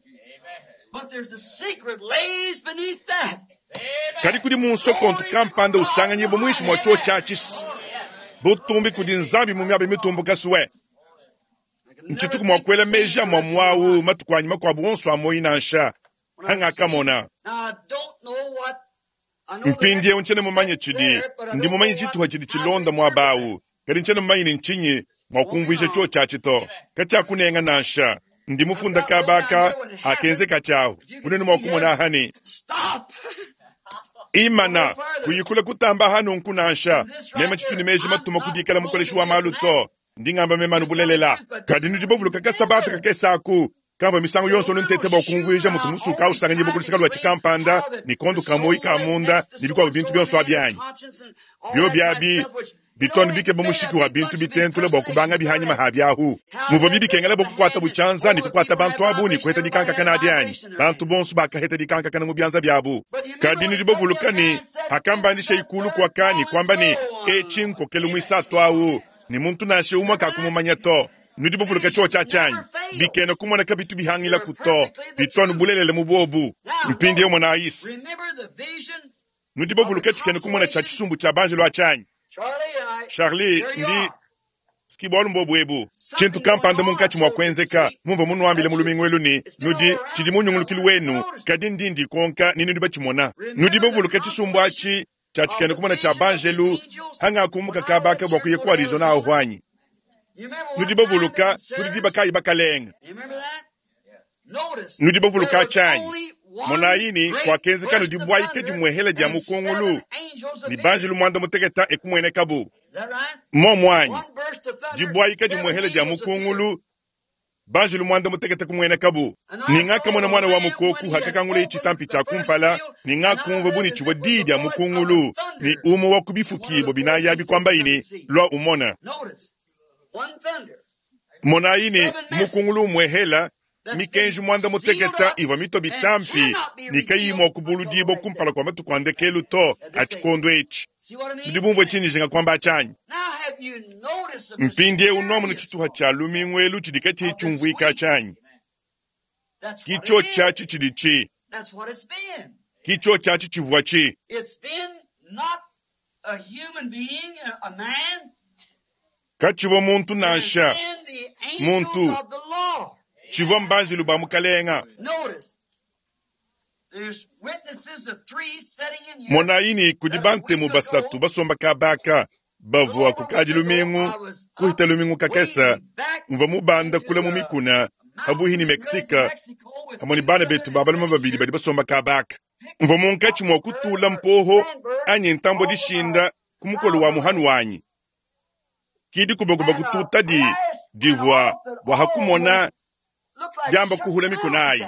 Kadi kudi munsokontu kampanda usanganyibwa muinshi mua tshiotshi atshi butumbi kudi Nzambi mu miaba mitumbuka suwe. Ntshituku mua kuela meji a muamua awu matuku anyi makuabu onso a muoyi nansha. Hangakamona. Mpindieu ntshiena mumanye tshidi, ndi mumanye tshituha tshidi tshilonda muaba awu, kadi ntshiena mumanye ne ntshinyi mua kumvuija tshiotshi to. Katshiakunenga nansha. Ndi mufunda kabaka akenzeka tshiawu. Unene mua kumona aha ne imana kuyikula kutamba hanu nkunansha mema tshitu ne meji matuma kudikala mukoleshi wa malu to. Ndi ngamba mema nubulelela. Kadi nudi bavuluka kasabata kakesa aku kamva misangu yonso nuntete bua kumvuija mutu musuka usanganyibwa kuluseka lwa tshikampanda ne kondo ka moyi ka munda ne bikuabu bintu bionso abi byo byabi bitone bikeba mushiki wa bintu bitentula bua kubanga bihanyima ha byahu muvua bibikengela bua kukuata butshianza ne kukuata bantu abu ne kuheta dikankakana adi anyi bantu bonso bakaheta dikankakana mu bianza biabu. Kadi nudi bavuluka ne hakambandisha ikulu kuaka ne kuamba ne etshi nkokelu muisatu awu ne muntu nansha umwe kakumumanya to. Nudi bavuluka tshiotshi tshianyi bikena kumona kabitu bihangila kuto bitone bulelele mu bobu. Mpindieu mwana Ayisi nudi bavuluka tshikena kumona tshia tshisumbu tshia banjelo atshianyi. Charlie ndi skibwalu mbobu ebu tshintu kampanda munkatshi mua kuenzeka mumva munuambile mu lumingu elu ne nudi tshidi munyungulukilu wenu kadi ndi ndikonka ni nudi batshimona. Nudi bavuluka tshisumbu atshi tshia tshikena kumona tshia banjelu hangakumbuka kabaka bua kuya ku Arizona aho anyi. Nudi bavuluka tudi diba kayi bakalenga. Nudi bavuluka tshianyi. Monayi kwakenzeka nudi bwaike dimwehela dia mukungulu ni banjelu mwanda muteketa ekumwenekabu. Momwanyi dibwaika dimwehela dia mukungulu banjelu mwanda muteketa kumwenekabu. Ningakamona mwana wa mukoku hakakangula ichitampi cha kumpala ningakumva buni chibwa di dia mukungulu ni umo wa kubifukibo binaya bikwamba ini lwa umona. Monayi ni mukungulu mwehela mikenji mwanda muteketa iva mito bitampi nikayimwa kubuludibo kumpala kwa matuku andekelu to atshikondo etshi. Nudi bumvue tshinyi jinga kwamba atshanyi. Mpindieu nomuna tshituha tshia lumingu elu tshidi katshi tshiumvuika atshanyi. Kitsho tshiatshi tshidi tshi. Kitsho tshiatshi tshivua tshi. Katshivua muntu nansha. Muntu. Tshivua mbanjilu ba mukalenga. Monayi kudi bantemu basatu basomba kabaka bavua kukadi lumingu kuhita lumingu kakesa mvua mubanda kula mu mikuna pabuhi ni Mexique hamwe ni bana betu babaluma babidi badi basomba kabaka. Mvua munkatshi mua kutula mpoho anyi ntambo dishinda ku mukolo wa muhanu wanyi. Kidi kubakuba kututa di divua bua hakumona diamba kuhula mikunayi.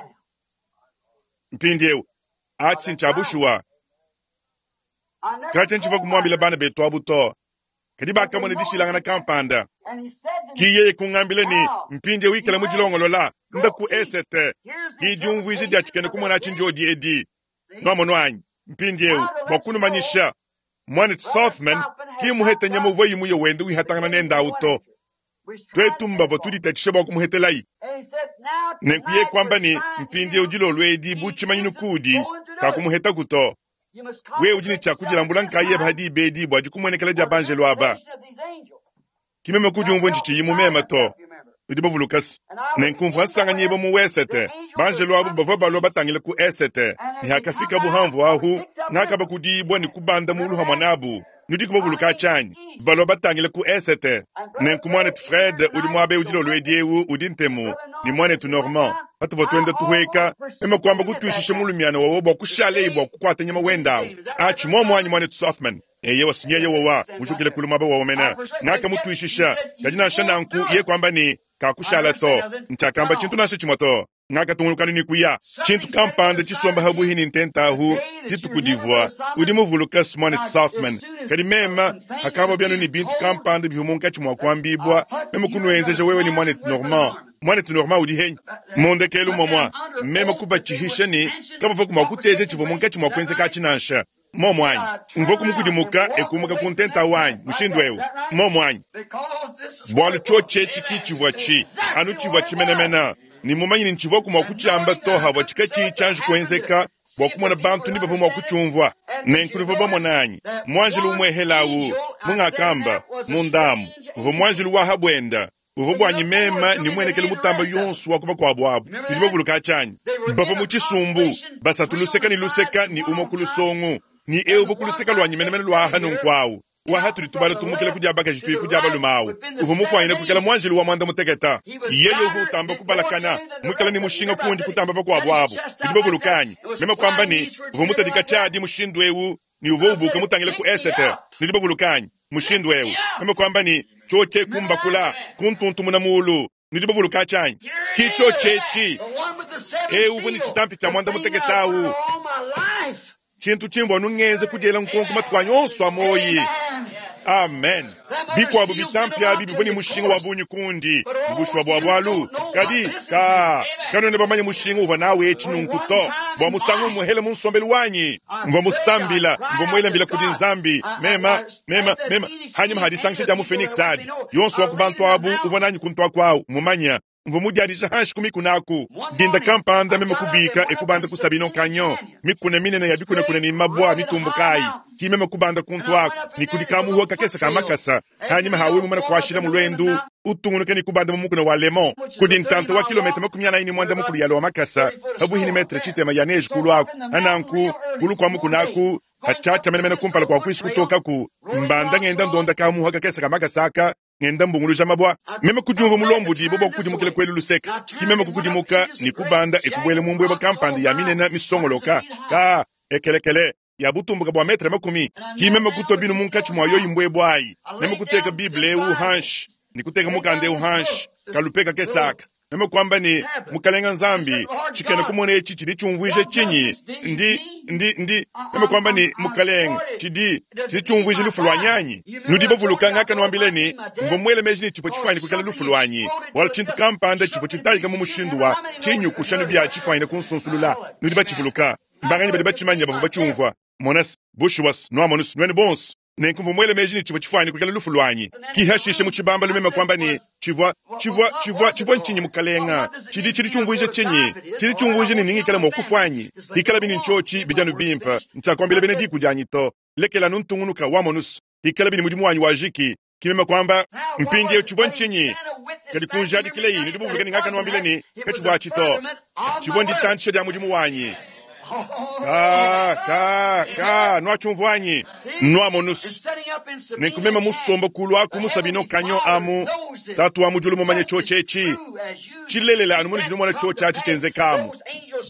Mpindieu atshi ntshabushuwa. Katshi ntshivua kumuambila bana betu abu to. Kadi bakamona dishilangana kampanda. Ki yeye kungambila ni mpindieu ikala mu dilongolola nda ku esete. Ki diumvuija dia tshikena kumona tshinjodi edi. Nwamono anyi mpindieu bua kunumanyisha mwana Southman ki muheta nyama uvua yimuye wende wihatangana nenda auto. Twetu mbavua tuditatshisha bua kumuhetelayi. Nenkuye kwamba ni mpindieu dilolo edi bu tshimanyinu kudi kakumuheta kuto. We udi ne tshia nkaye hadi bedi bua dikumuenekela dia banjelu aba. Kimeme kudiumvua ntshitshiyi mumema to. Udi bavulukasi. Nenkumvua nsanganyibwa mu wesete. Banjelu abu bavua balua batangile ku esete. Ni hakafika buhamvu ahu ngakaba kudibwa ni kubanda mulu hamwe nabu. Nudi kubavuluka tshianyi. Balua batangile ku esete. Nenku mwanetu Fred udi muabe udi lolo edi ewu udi ntemu ni mwanetu Normand. Patuvua tuenda tuhueka mema kwamba kutuishisha mulumiana wawo bua kushaleyi bua kukuata nyama wendawu. Atshi momwanyi mwanetu Softman. Eye wasinyeye wawa mujukile kulu mwaba wawomena. Ngakamutuishisha kadi nansha nanku ye kwamba ni kakushala to. Ntshiakamba tshintu nansha tshimue to. Ngakatungulukana ni kuya. Tshintu kampanda tshisomba habuhi ni ntentahu ditukudivua udi muvuluka mwanetu Softman. Kadi mema hakava byanu ni bintu kampanda bivua munkatshi mua kuambibwa mema kunuenzeja wewe ni mwanetu Normand. Mwanetu Normand udi henyi mondekelu momwa mema kubatshihisha ni kabavua mua kuteja tshivua munkatshi mua kuenzeka tshinansha. Momwanyi mvua kumukudimuka ekumuka ku ntenta wanyi mushindu ewu. Momwanyi bwalu tshiotshi ki tshivua tshi anu tshivua tshimenemena. Ni mumanyi ni ntshivua kumua kutshiamba to havua tshikatshi tshianji kuenzeka bua kumona bantu ni bavua mua kutshiumvua. Nenku bamona anyi mwanjilu umwehelawu mungakamba mundamu uvua mwanjilu wa habwenda Uvua buanyi meme ne muenekelu mutamba yonso wa ku bakuabu abu. Nudi bavuluka tshianyi? Bavua mu tshisumbu, basatu luseka ne luseka ne umue ku lusongo, ne eu uvua ku luseka luanyi menemene lua aha nunku awu. Waha tudi tubala tumukila ku dia bakaji tuye ku dia balume awu. Uvua mufuanyine kuikala muanjelu wa muanda mutekete. Yeye uvua utamba kubalakana, muikale ne mushinga kundi kutamba bakuabu abu. Nudi bavuluka anyi? Meme kuamba ne, uvua mutadika tshiadi mushindu eu ne uvua ubuka mutangile ku esete. Nudi bavuluka anyi? Mushindu eu. Meme kuamba ne, tshotshe kumbakula, kuntuntumuna muulu. Nudi bavuluka tshianyi? Ski tshotshetshi. Eu uvua ne tshitampi tshia muanda mutekete awu. Tshintu tshimvua nungenze kudiela nkonko matuku anyi onso a muoyi. Amen. Bikuabu bitampi abi bivua ne mushinga wa bungi kundi, mu bushuwa bua bualu. Kadi, ka, kanuena bamanye mushinga uvua nawu etshi nunku to. Bua musangu umuhele mu nsombelu wanyi, mvua musambila, mvua muele mbila kudi Nzambi, mema, mema, mema, hanyima ha disangisha dia mu Phoenix adi. Yonso wa ku bantu abu uvua nanyi kuntu aku awu, mumanya. Mvua mudiadije hanshi ku mikuna aku. Dinda kampanda meme kubika e kubanda ku Sabino Canyon, mikuna minene ya bikunakuna ne mabua mitumbukayi. Ki meme kubanda kuntu aku, ne kudi kamuhua kakese ka makasa. Hanyima hawe mumane kuashila mu lwendu, utungunuke ne kubanda mu mukuna wa Lemon. Kudi ntanta wa kilometa makumi anayi ne muanda mukulu ya lua makasa, pabuhi ne metre tshitema ya neige kulu aku. Ananku, kulu kua mukuna aku, hatshiatsha menemene kumpala kua kuisu kutokaku. Mbanda ngenda ndonda kamuhua kakese ka makasa aka, ngenda mbunguluja mabua. Meme kudiumva mulombodi bua kukudimukila kwelu luseka. Ki meme kukudimuka ne kubanda ekubuela mu mbweba kampanda ya minene misongoloka. Ka ekelekele ya butumbuka bua metre makumi. Ki meme kutua binu munkatshi mua yoyi mbwebwa ayi. Meme kuteka Bible eu hanshi, ne kuteka mukanda eu hanshi, kalupeka kesaka. Meme kuamba ne, Mukalenga Nzambi, tshikena kumona etshi tshidi tshiumvuija tshinyi? Ndi, ndi, ndi. Meme kuamba ne, Mukalenga, tshidi, tshidi tshiumvuija lufu lua nyanyi. Nudi bavuluka ngakanuambila ne, mvua muele meji ne tshivua tshifuanyine kuikala lufu luanyi. Bualu tshintu kampanda tshivua tshitayika mu mushindu wa tshinyukushanu bia tshifuanyine kunsunsulula. Nudi batshivuluka. Mbanganyi badi batshimanya bavua batshiumvua. Monas, bushuwas, nuamonus, nuenu bonso. Nenku mvua muele meji ne tshivua tshifuanyine kuikala lufu luanyi. Ki hashishe mu tshibambalu meme kuamba ne, tshivua, tshivua, tshivua, tshivua ntshinyi mukalenga? Tshidi, tshidi tshiumvuija tshinyi? Tshidi tshiumvuija ne ningikala mua kufuanyi. Hikala bini ntshiotshi bidianu bimpe, ntshiakuambila bena diku dianyi to. Lekela nuntungunuka wamonus. Hikala bini mudimu wanyi wajiki. Ki meme kuamba, mpindieu tshivua ntshinyi? Kadi kunjadikileyi, nudi bavuluka ne ngakanuambila ne, katshivua atshi to. Tshivua nditantshisha dia mudimu wanyi. Ka, ka, ka, nuatshiumvuanyi? Nuamonus. Nenku meme musomba kulu aku mu Sabino Canyon amu, tatu wa mu diulu mumanye tshiotshi etshi. Tshilelela anu munudi numona tshiotshi atshi tshienzekamu.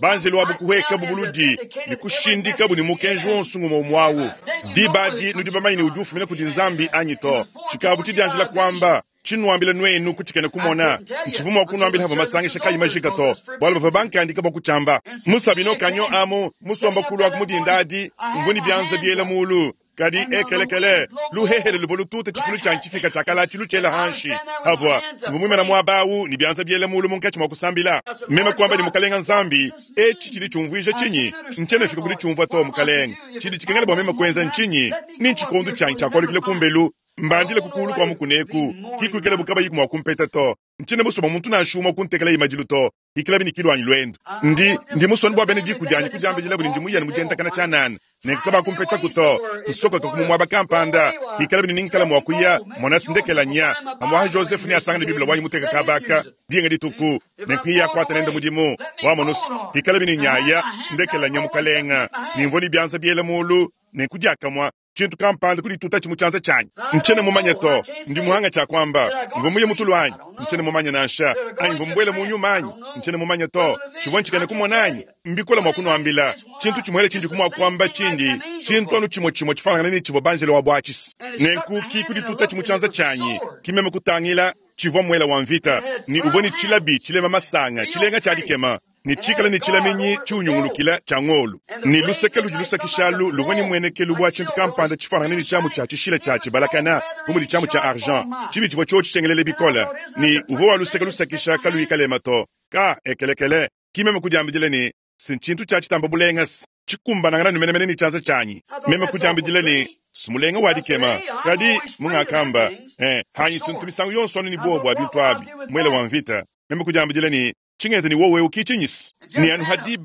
Banjelu abu kuhekabu buludi ne kushindikabu ne mukenji wonso ngumue umue awu. Diba adi nudi bamanye ne udi ufumina kudi Nzambi anyi to. Tshikavu tshidianjila kuamba. Tshinuambila nuenu kutshikena kumona. Ntshivua mua kunuambila havua masangisha kayi majika to, bualu bavua bankandika bua kutshiamba. Mu Sabino Canyon amu, musomba kulu aku mu dinda adi, mvua ne bianza biela mulu. Kadi ekelekele, luhehele luvua lututa tshifulu tshianyi tshifika tshiakala tshilu tshiela hanshi. Havua, mvua muimana muaba awu ne bianza biela mulu munkatshi mua kusambila. Meme kuamba ne Mukalenga Nzambi, etshi tshidi tshiumvuija tshinyi? Ntshiena fika kudi tshiumvua to, Mukalenga. Tshidi tshikengela bua meme kuenza ntshinyi? Ni ntshikondo tshianyi tshiakualukila kumbelu. Mbandile kukulu kua mukuneku, ki kuikala bukabayi mua kumpeta to. Ntshiena musue muntu nansha umue kuntekela imadilu to. Ikala bini kilu anyi lwendu. Ndi, ndi musue bua bena diku dianyi kudiambila ne ndi muyane mu diendakana tshianana. Nenku kabakumpeta to. Nsokoka ku muaba kampanda. Ikala bini ningikala mua kuya, mona sindekela nya. Amwaha Joseph ne asangane Biblia wanyi muteka kabaka. Dinga dituku. Nenku iya kuata nenda mudimu. Wamonus. Ikala bini nyaya, ndekela nya mukalenga. Nimvua ni bianza biela mulu. Nenku diakamua. Tshintu kampanda kudituta tshimu tshianza tshianyi. Ntshiena mumanye to, ndi muhanga tshia kuamba. Mvua muye mutulu anyi? Ntshiena mumanye nansha. Anyi mvua mbuele mu nyuma anyi? Ntshiena mumanye to. Tshivua ntshikena kumona anyi? Mbikola mua kunuambila. Tshintu tshimuele tshindi kumua kuamba tshindi. Tshintu anu tshimue tshimue tshifanangana ne tshivua banjelo wa buatshisi. Nenku ki kudituta tshimu tshianza tshianyi. Ki meme kutangila tshivua muela wa mvita. Ni uvua ne tshilabi tshilema masanga, tshilenga tshia dikema. Ne tshikala ne tshilaminyi tshiunyungulukila tshia ngolu. Ne luseke ludi lusakishalu luvua ne muenekelu bua tshintu kampanda tshifanangane ne tshiamu tshia tshishila tshia tshibalakana, bu mudi tshiamu tshia argent. Tshibi tshivua tshiotshi tshiengelele bikole. Ne uvua wa luseke lusakisha kaluyi kalema to. Ka ekelekele, ki meme kudiambidila ne, si ntshintu tshia tshitamba bulenga se, tshikumbanangana ne menemene ne tshianza tshianyi. Meme kudiambidila ne, simulenga wa dikema. Kadi, mungakamba, eh, hanyi sintu misangu yonso anu ne buowa bua bintu abi, muele wa mvita. Meme kudiambidila ne, tshingenza ne wowe ukichinyisi. Ne anu hadi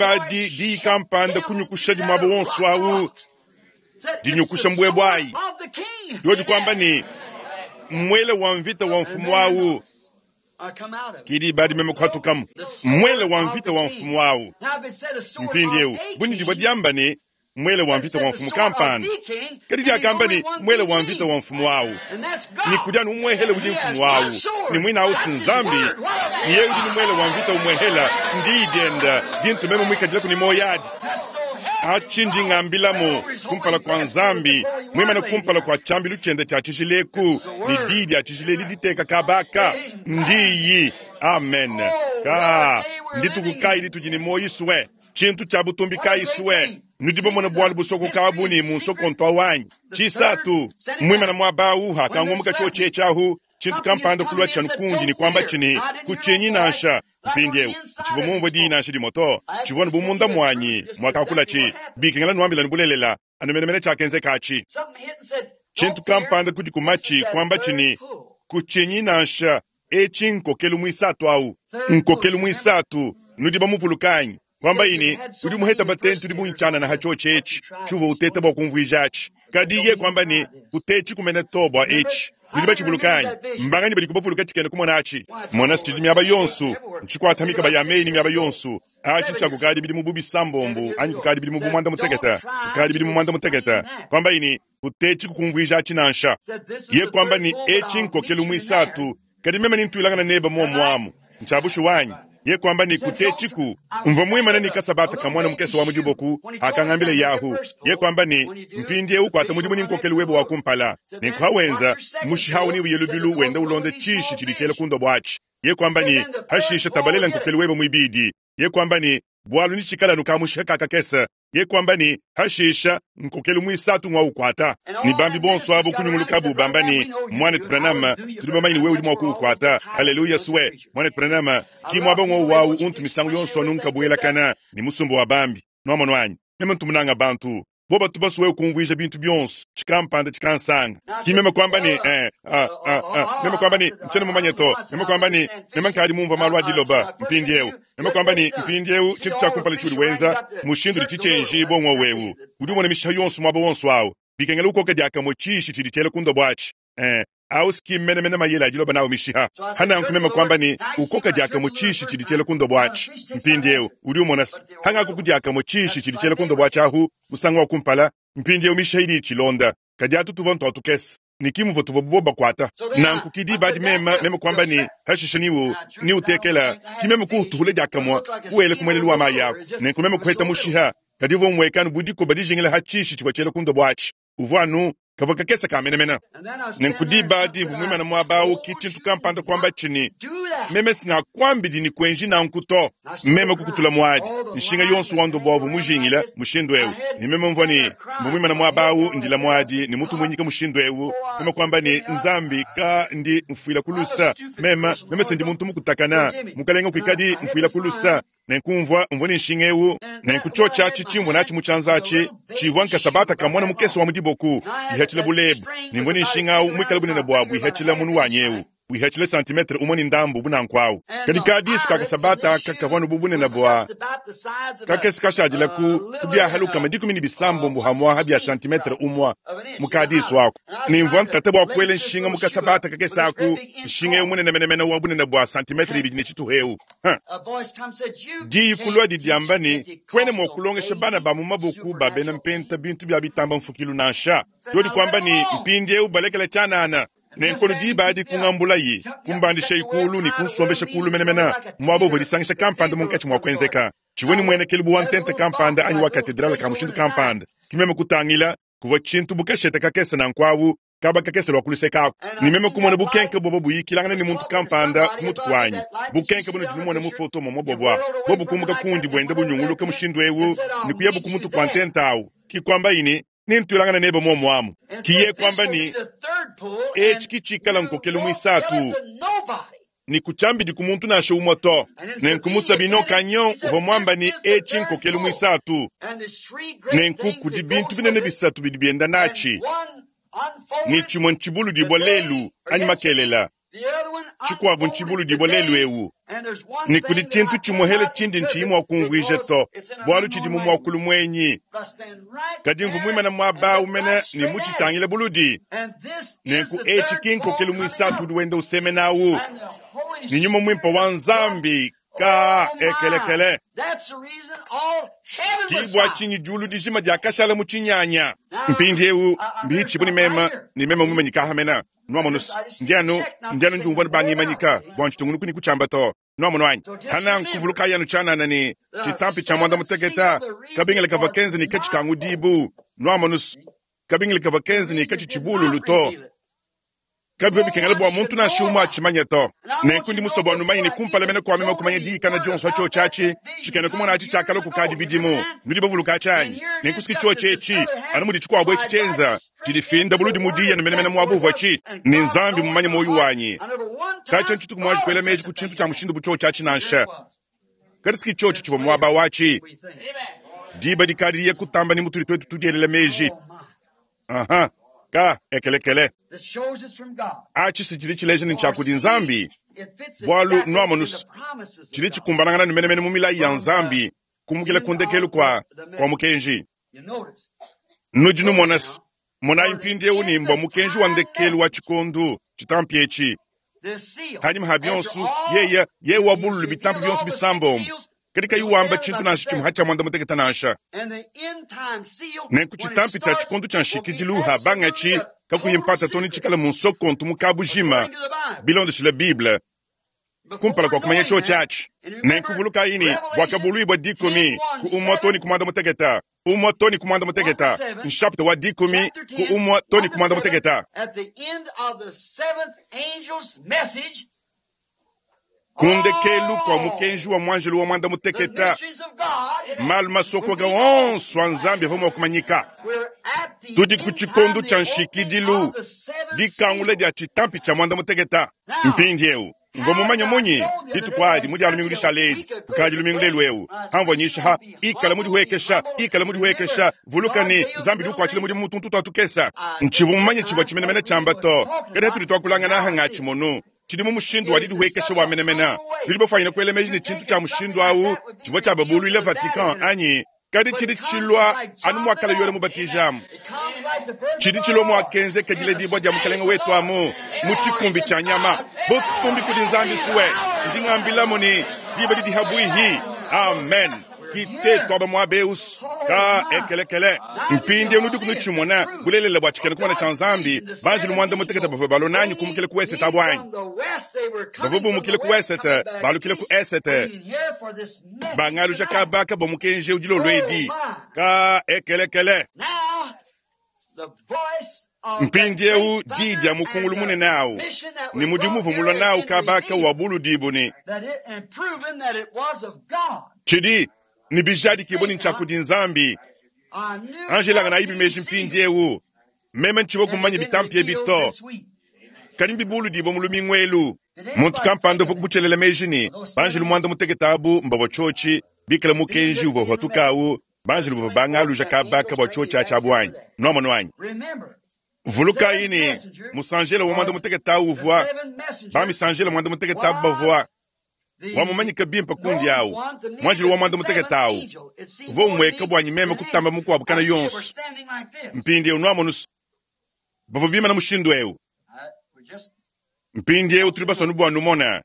di kampanda kunyukusha dimuaba wonso awu, dinyukusha mbwebwe ayi. Diodi kuamba ne, mwele wa mvita wa mfumu awu, Ke diba adi meme kuhatukamu. Muele wa mvita wa mfumu awu. Mpindiewu, bu divua diamba ne, muele wa mvita wa mfumu kampanda. Kadi diakamba ne, muele wa mvita wa mfumu awu. Ne kudi anu umuehele udi mfumu awu. Ne muine awu si Nzambi. Ne yeye udi ne muele wa mvita umuehela, ndiyi dienda dintu meme muikadilaku ne muoyo adi. Atshi ndi ngambilamu kumpala kua Nzambi, muimane kumpala kua tshiambilu tshiende tshia tshijila eku, ne diyi dia tshijila edi diteka kaba aka, ndiyi. Amen. Ka, ndituku kayi ditudi ne muoyo sue? Tshintu tshia butumbi kayi sue? Nudi bamone bualu busokoka bu ne mu nsokonto wanyi. Tshisatu, muimane muaba awu hakangumuka tshiotshi etshi ahu, tshintu kampanda kulua tshianu kundi ne kuamba tshi ne, kutshinyi nansha. Mpindiewu, tshivua mumvue diyi nansha dimue to, tshivua anu bu munda muanyi muakakula tshi, bikengela nuambila ne bulelela, anu menemene tshiakenzeka atshi. Tshintu kampanda kudi ku matshi kuamba tshi ne, kutshinyi nansha, etshi nkokelu muisatu awu. Nkokelu muisatu, nudi bamuvuluka anyi? Kuamba ne, udi muheta batente udi bungi tshianana ha tshiotshi etshi, tshiuvua uteta bua kumvuija atshi. Kadi ye kuamba ne, kutetshi kumene to bua etshi. Nudi batshivuluka anyi? Mbanganyi badi kubavuluka tshikena kumona atshi? Mona tshidi miaba yonso, ntshikuata mikaba ya meyi ne miaba yonso. Atshi ntshia kukadi bidimu bu bisambombo anyi kukadi bidimu bu muanda mutekete, kukadi bidimu muanda mutekete. Kuamba ne, kutetshi kukumvuija atshi nansha. Ye kuamba ne, etshi nkokelu muisatu, kadi meme nintuilangana nebe muomuamu. Ntshiabushu wanyi. Ye kuamba ne, kutetshi mvua muimane ne kasabata ka mwana mukese wa mudiboku akangambila yahu. Ye kuamba ne, mpindiewu kuata mudimu ne nkokelu webe wa kumpala. Nenku hawenza mushihawu ne uye lubilu wenda ulonda tshishi tshidi tshiela ku ndobo atshi. Ye kuamba ne, hashisha tabalela nkokelu webe muibidi. Ye kuamba ne, bualu nitshikala anu kamushiha kakakese. Ye kuamba ne, hashisha nkokelu muisatu ngwa ukwata. Ne bambi bonso abo kunyungulukabu bamba ne, mwana Branham, tudi bamanye ne wewe udi mua kuukwata. Haleluya swe. Mwana Branham, ki mwaba ngwo wawu untu misangu yonso anu nkabuelakana ne musumba wa bambi. Nwamonu anyi? Meme ntumunanga bantu. Boba tubasu wewe kumvuija bintu bionso, tshikampanda tshikansanga. Ki meme kuamba ne, eh, ah, ah, ah, meme kuamba ne, ntshiena mumanye to. Meme kuamba ne, meme nkadi mumvua malu a diloba mpindiewu. Meme kuamba ne, mpindiewu tshintu tshia kumpala tshiudi wenza, mushindu udi tshitshenji bongwa wewu. Udi umona mishiha yonso muaba wonso awu. Bikengela ukoka diakamue tshishi tshidi tshiela ku ndobo atshi. Eh, awu ski menemene mayele a diloba nawu mishiha. Hananku meme kuamba ne, ukoka diakamue tshishi tshidi tshiela ku ndobo atshi. Mpindiewu udi umona se, hangaku ku diakamue tshishi tshidi tshiela ku ndobo atshi ahu, musangu wa kumpala, mpindiewu mishiha idi itshilonda. Kadi atu tuvua ntua tukese. Ne kimuvua tuvua bobo bakuata. Nanku ki diba adi meme, meme kuamba ne, hashisha niwu, niutekela, ki meme kuutuhula diakamue, kuwela ku muelelu wa mayi aku. Nenku meme kuheta mushiha, kadi uvua umuekanu bu dikoba dijingila ha tshishi tshivua tshiela ku ndobo atshi. Uvua anu kavua kakese ka menemene. Nenku diba adi mvua muimane muaba awu, ki tshintu kampanda kuamba tshi ne, meme singakuambidi ne kuenji nanku to. Meme kukutula muadi, nshinga yonso wa ndobo avua mujingila mushindu ewu. Ne meme mvua ne, mvua muimane muaba awu ndila muadi ne mutu muinyika mushindu ewu. Meme kuamba ne, Nzambi ka ndi mfuila ku lusa. Meme, meme se ndi muntu mukutakana. Mukalenga kuikadi mfuila ku lusa. Nenku mvua mvua ne nshinga ewu, nenku tshiotshi atshi tshimvua natshi mu tshianza atshi, tshivua nkasabata ka mwana mukese wa mu diboku, ihatshila bulebu, ne mvua ne nshinga awu muikale bunene buabu ihatshila munu wanyi ewu, ihatshila santimetre umue ne ndambu bunanku awu. Kadi kadisu ka kasabata aka kavua anu bu bunene bua kakese kashadila ku ku biahalukama dikumi ne bisambombo hamwaha bia santimetre umue mu kadisu aku. Ne mvua ntata bua kuela nshinga mu kasabata kakese aku, nshinga ewu munene menemene wa bunene bua santimetre ibidi ne tshituha ewu. Diyi kulua didiamba ne, kuena mua kulongesha bana ba mu maboku ba bena mpenta bintu bia bitamba mfukilu nansha. Yodi kuamba ne, mpindiewu balekela tshianana. Nenkono diba adi kungambulayi, kumbandishayi kulu ne kunsombesha kulu menemene, muaba uvua disangisha kampanda munkatshi mua kuenzeka. Tshivua ne muenekelu bu wa ntenta kampanda anyi wa katedrale ka mushindu kampanda. Ki meme kutangila, kuvua tshintu bu kashete kakese nanku awu, kaba kakese lua kuluseka aku. Ne meme kumona bukenke bobo buyikilangana ne muntu kampanda ku mutu kuanyi. Bukenke bunudi numona mu foto momua bobua, bobu kumuka kundi buenda bunyunguluka mushindu ewu ne kuyabu ku mutu kua ntenta awu. Ki kuambayi ne, nintuilangana nebe muomuamu. Ki ye kuamba ne, etshi ki tshikala nkokelu muisatu, ne kutshiambidi ku muntu nansha umue to. Nenku mu Sabino Canyon uvua muamba ne, etshi nkokelu muisatu. Nenku kudi bintu binene bisatu bidi bienda natshi. Ne tshimue ntshibulu dibua lelu anyi makelela, tshikuabu ntshibulu dibua lelu ewu. Ne kudi tshintu tshimuehele tshindi ntshiyi mua kumvuija to, bualu tshidi mu muakulu muenyi. Kadi mvua muimane muaba awu mene ne mutshitangile buludi. Nenku etshi ki nkokelu muisatu udi wenda usemena awu. Ne Nyuma Mwimpe wa Nzambi ka ekelekele. Ki bua tshinyi diulu dijima diakashala mu tshinyanya. Mpindiewu mbihitshibue ne mema ne mema mumanyika ahamena. Nwamonu ndianu ndianu ndiumvua bangimanyika bua ntshitungunuku ne kutshiamba to. Nwamonu anyi hana nkuvuluka yanu tshianana ne tshitampi tshia mwanda muteketa kabingile kavua kenze ne katshi kangu dibu. Nwamonu kabingile kavua kenze ne katshi tshibululu to. Kabivua bikengela bua muntu nansha umue atshimanye to. Nenku ndi musue bua numanye ne kumpala mene kua meme kumanya diyikana dionso atshio tshiatshi tshikena kumona atshi tshiakalua kukadi bidimu. Nudi bavuluka tshianyi. Nenku siki tshiotshi etshi anu mudi tshikuabu etshi tshienza tshidifinda buludi mudiya ne menemene muabu uvua tshi ne Nzambi mumanye muoyo wanyi. Katshia ntshituku muanji kuela meji ku tshintu tshia mushindu bu tshiotshi atshi nansha. Kadi siki tshiotshi tshivua muaba watshi. Diba dikadi kutamba ne mutudi tuetu tudielela meji. Aha. Ka ekelekele. Atshi si tshidi tshileja ne tshia kudi Nzambi. Bualu nwamonu tshidi tshikumbanangana ne menemene mu milayi ya Nzambi kumukila ku ndekelu kwa kwa mukenji. Nudi numona monayi mpindiewu ne mbua mukenji wa ndekelu wa tshikondu tshitampi etshi. Hanyima ha bionso yeye yeye wabululu bitampi bionso bisambombo. Kadi kayi wamba tshintu nansha tshimue hatshia mwanda mutekete nansha. Nenku tshitampi tshia tshikondu tshia nshikidilu ha bangatshi kakuyi mpata to ne tshikala mu nsokontu mu kabujima bilondeshile Bible kumpala kua kumanya tshiotshi tshiatshi. Nenku vulukayi ne bwakabuluibua dikumi ku umue to ne ku mwanda mutekete. Umue to ne ku mwanda mutekete. Nshapita wa dikumi ku umue to ne ku mwanda mutekete. Ku ndekelu kua mukenji wa mwanjelu wa mwanda mutekete, malu masokoka onso a Nzambi avua mua kumanyika. Tudi ku tshikondu tshia nshikidilu, dikangula dia tshitampi tshia mwanda mutekete. Mpindiewu mvua mumanye munyi dituku adi mu dia lumingu dishala edi, kukadi lumingu lelu eu hamvua nyisha ha ikala mudihuekesha, ikala mudihuekesha. Vuluka ne Nzambi udi ukuatshila mudimu mutuntu tua tukesa. Ntshivua mumanye tshivua tshimenemene tshiamba to, kadi hatudi tuakulangana aha ngatshimonu tshidi mu mushindu wa didihuekesha wa menemene. Tudi bafanyine kuela meji ne tshintu tshia mushindu awu tshivua tshiababuluile Vatican anyi, kadi tshidi tshilua anu muakala Yoane Mubatijamu. Tshidi tshilua muakenzeka diledibua dia mukalenge wetu amu mu tshikumbi tshia nyama. Butumbi kudi Nzambi suwe ndi ngambilamu ne diba didi habuihi. Amen. Kite twaba muabeus ka ekelekele. Mpindiewu nudi kunutshimona bulelela bua tshikena kumona tshia Nzambi. Banjelu mwanda mutekete bavua balonanyi kumukile ku esete abu anyi. Bavua bumukile ku esete balukile ku esete. Bangaluja kabaka bua mukenji dilolo edi ka ekelekele. Mpindiewu di dia mukungulu munene awu ne mudimu uvua mulua nawu kabaka wa buludibu ne tshidi ne bijadikibua ne ntshia kudi Nzambi. Angela ngana ibi meji mpindiewu meme ntshivua kumanya bitampi ebi to, kadi mbibuludibua mu lumingu elu. Muntu kampanda uvua kubutshelela meji ne banjelu mwanda mutekete abu mbavua tshiotshi bikala mukenji uvua uhatuka awu. Banjelu bavua bangaluja kabaka bua tshiotshi atshi abu anyi. Nwamonu anyi. Vulukayi ne musanjela wa mwanda mutekete awu uvua bamisanjela mwanda mutekete abu bavua wamumanyika bimpe kundi awu. Mwanjelu wa mwanda mutekete awu uvua umweka bwanyi meme kutamba mukuabu kana yonso. Mpindiewu nwamonu bavua bimana mushindu ewu. Mpindiewu tuli basonu bua numona.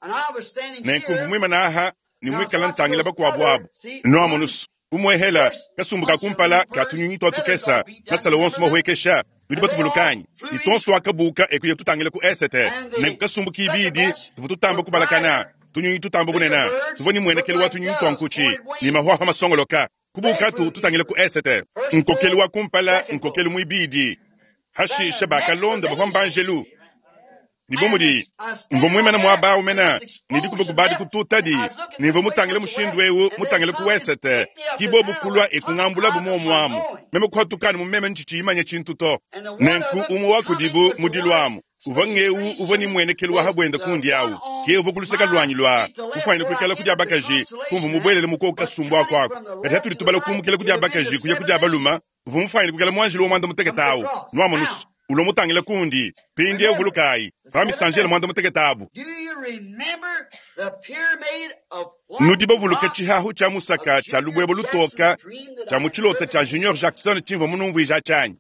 Nenku mvua muimana aha ne muikala ntangila bakuabu abu. Nwamonu umwehela kasumbu ka kumpala ka tunyunyi tua tukesa masala wonso mahuekesha. Nudi batuvulukanyi ne tonso tuakabuka ekuya tutangila ku esete. Nenku kasumbu kibidi tuvua tutamba kubalakana tunyunyi tutamba bunena tuvua ne muenekelu wa tunyunyi tua nkutshi ne mahuahua masongoloka. Kubuka tu tutangila ku esete. Nkokelu wa kumpala nkokelu muibidi hashisha bakalonda bavua mbanjelu. Ni bomudi mvua muimana muaba awu mena ne dikuba kubadi kututadi ne mvua mutangile mushindu ewu mutangile ku esete kibobu kulua ekungambulabu muomuamu meme kuhatukana mu meme ntshitshiyimanya tshintu to. Nenku umue wa kudibu mudiluamu uvua ngeu uvua ni muenekelu wa habwenda kundi awu ke uvua kuluseka lwanyi lwa kufanyina kuikala kudi abakaji kumva mubwelele mukoka kasumbu ako ako. Kadi hatudi tubala kumukila kudi abakaji kuya kudi abaluma uvua mufanyine kuikala mwanjelu wa mwanda mutekete awu. Nwamonusu ulo mutangila kundi pindiewu vulukayi bamisanjela mwanda mutekete abu. Nudi bavuluka tshihahu tshia musaka tshia lubwebo lutoka tshia mu tshilota tshia Junior Jackson tshimvua munumvuija tshianyi.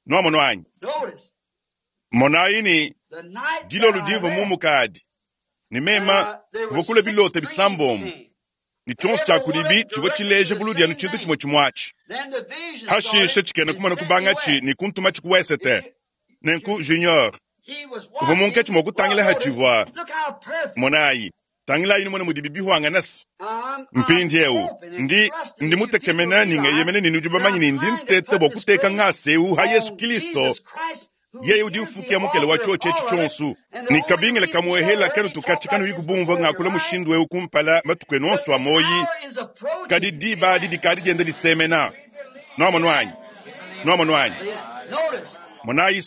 Nwamonu anyi. Monayi ne dilolo dimvua mumukadi Ne mema, kuvua kulua bilota bisambombo, ne tshionso tshia kudibi tshivua tshileja buludi anu tshintu tshimue tshimue atshi. Hashishe tshikena kumona kubangatshi ne kuntumatshi ku wesete. Nenku Junior uvua munkatshi mua kutangila hatshivua. Monayi, tangilayi numone mudibi bihuanganase. Mpindieu ndi ndi mutekemena ne ngeyemena ne nudi bamanye ne ndi nteta bua kuteka ngasa eu ha Yesu Kristo, yeye udi ufukia mukele wa tshiotshi etshi tshionso. Ne kabingila kamuehela kanu tukatshi kanuyi kubumvua ngakula mushindu eu kumpala matuku enu onso a moyi, kadi diba adi dikadi dienda disemena. Nuamonu anyi? Nuamonu anyi? Monayi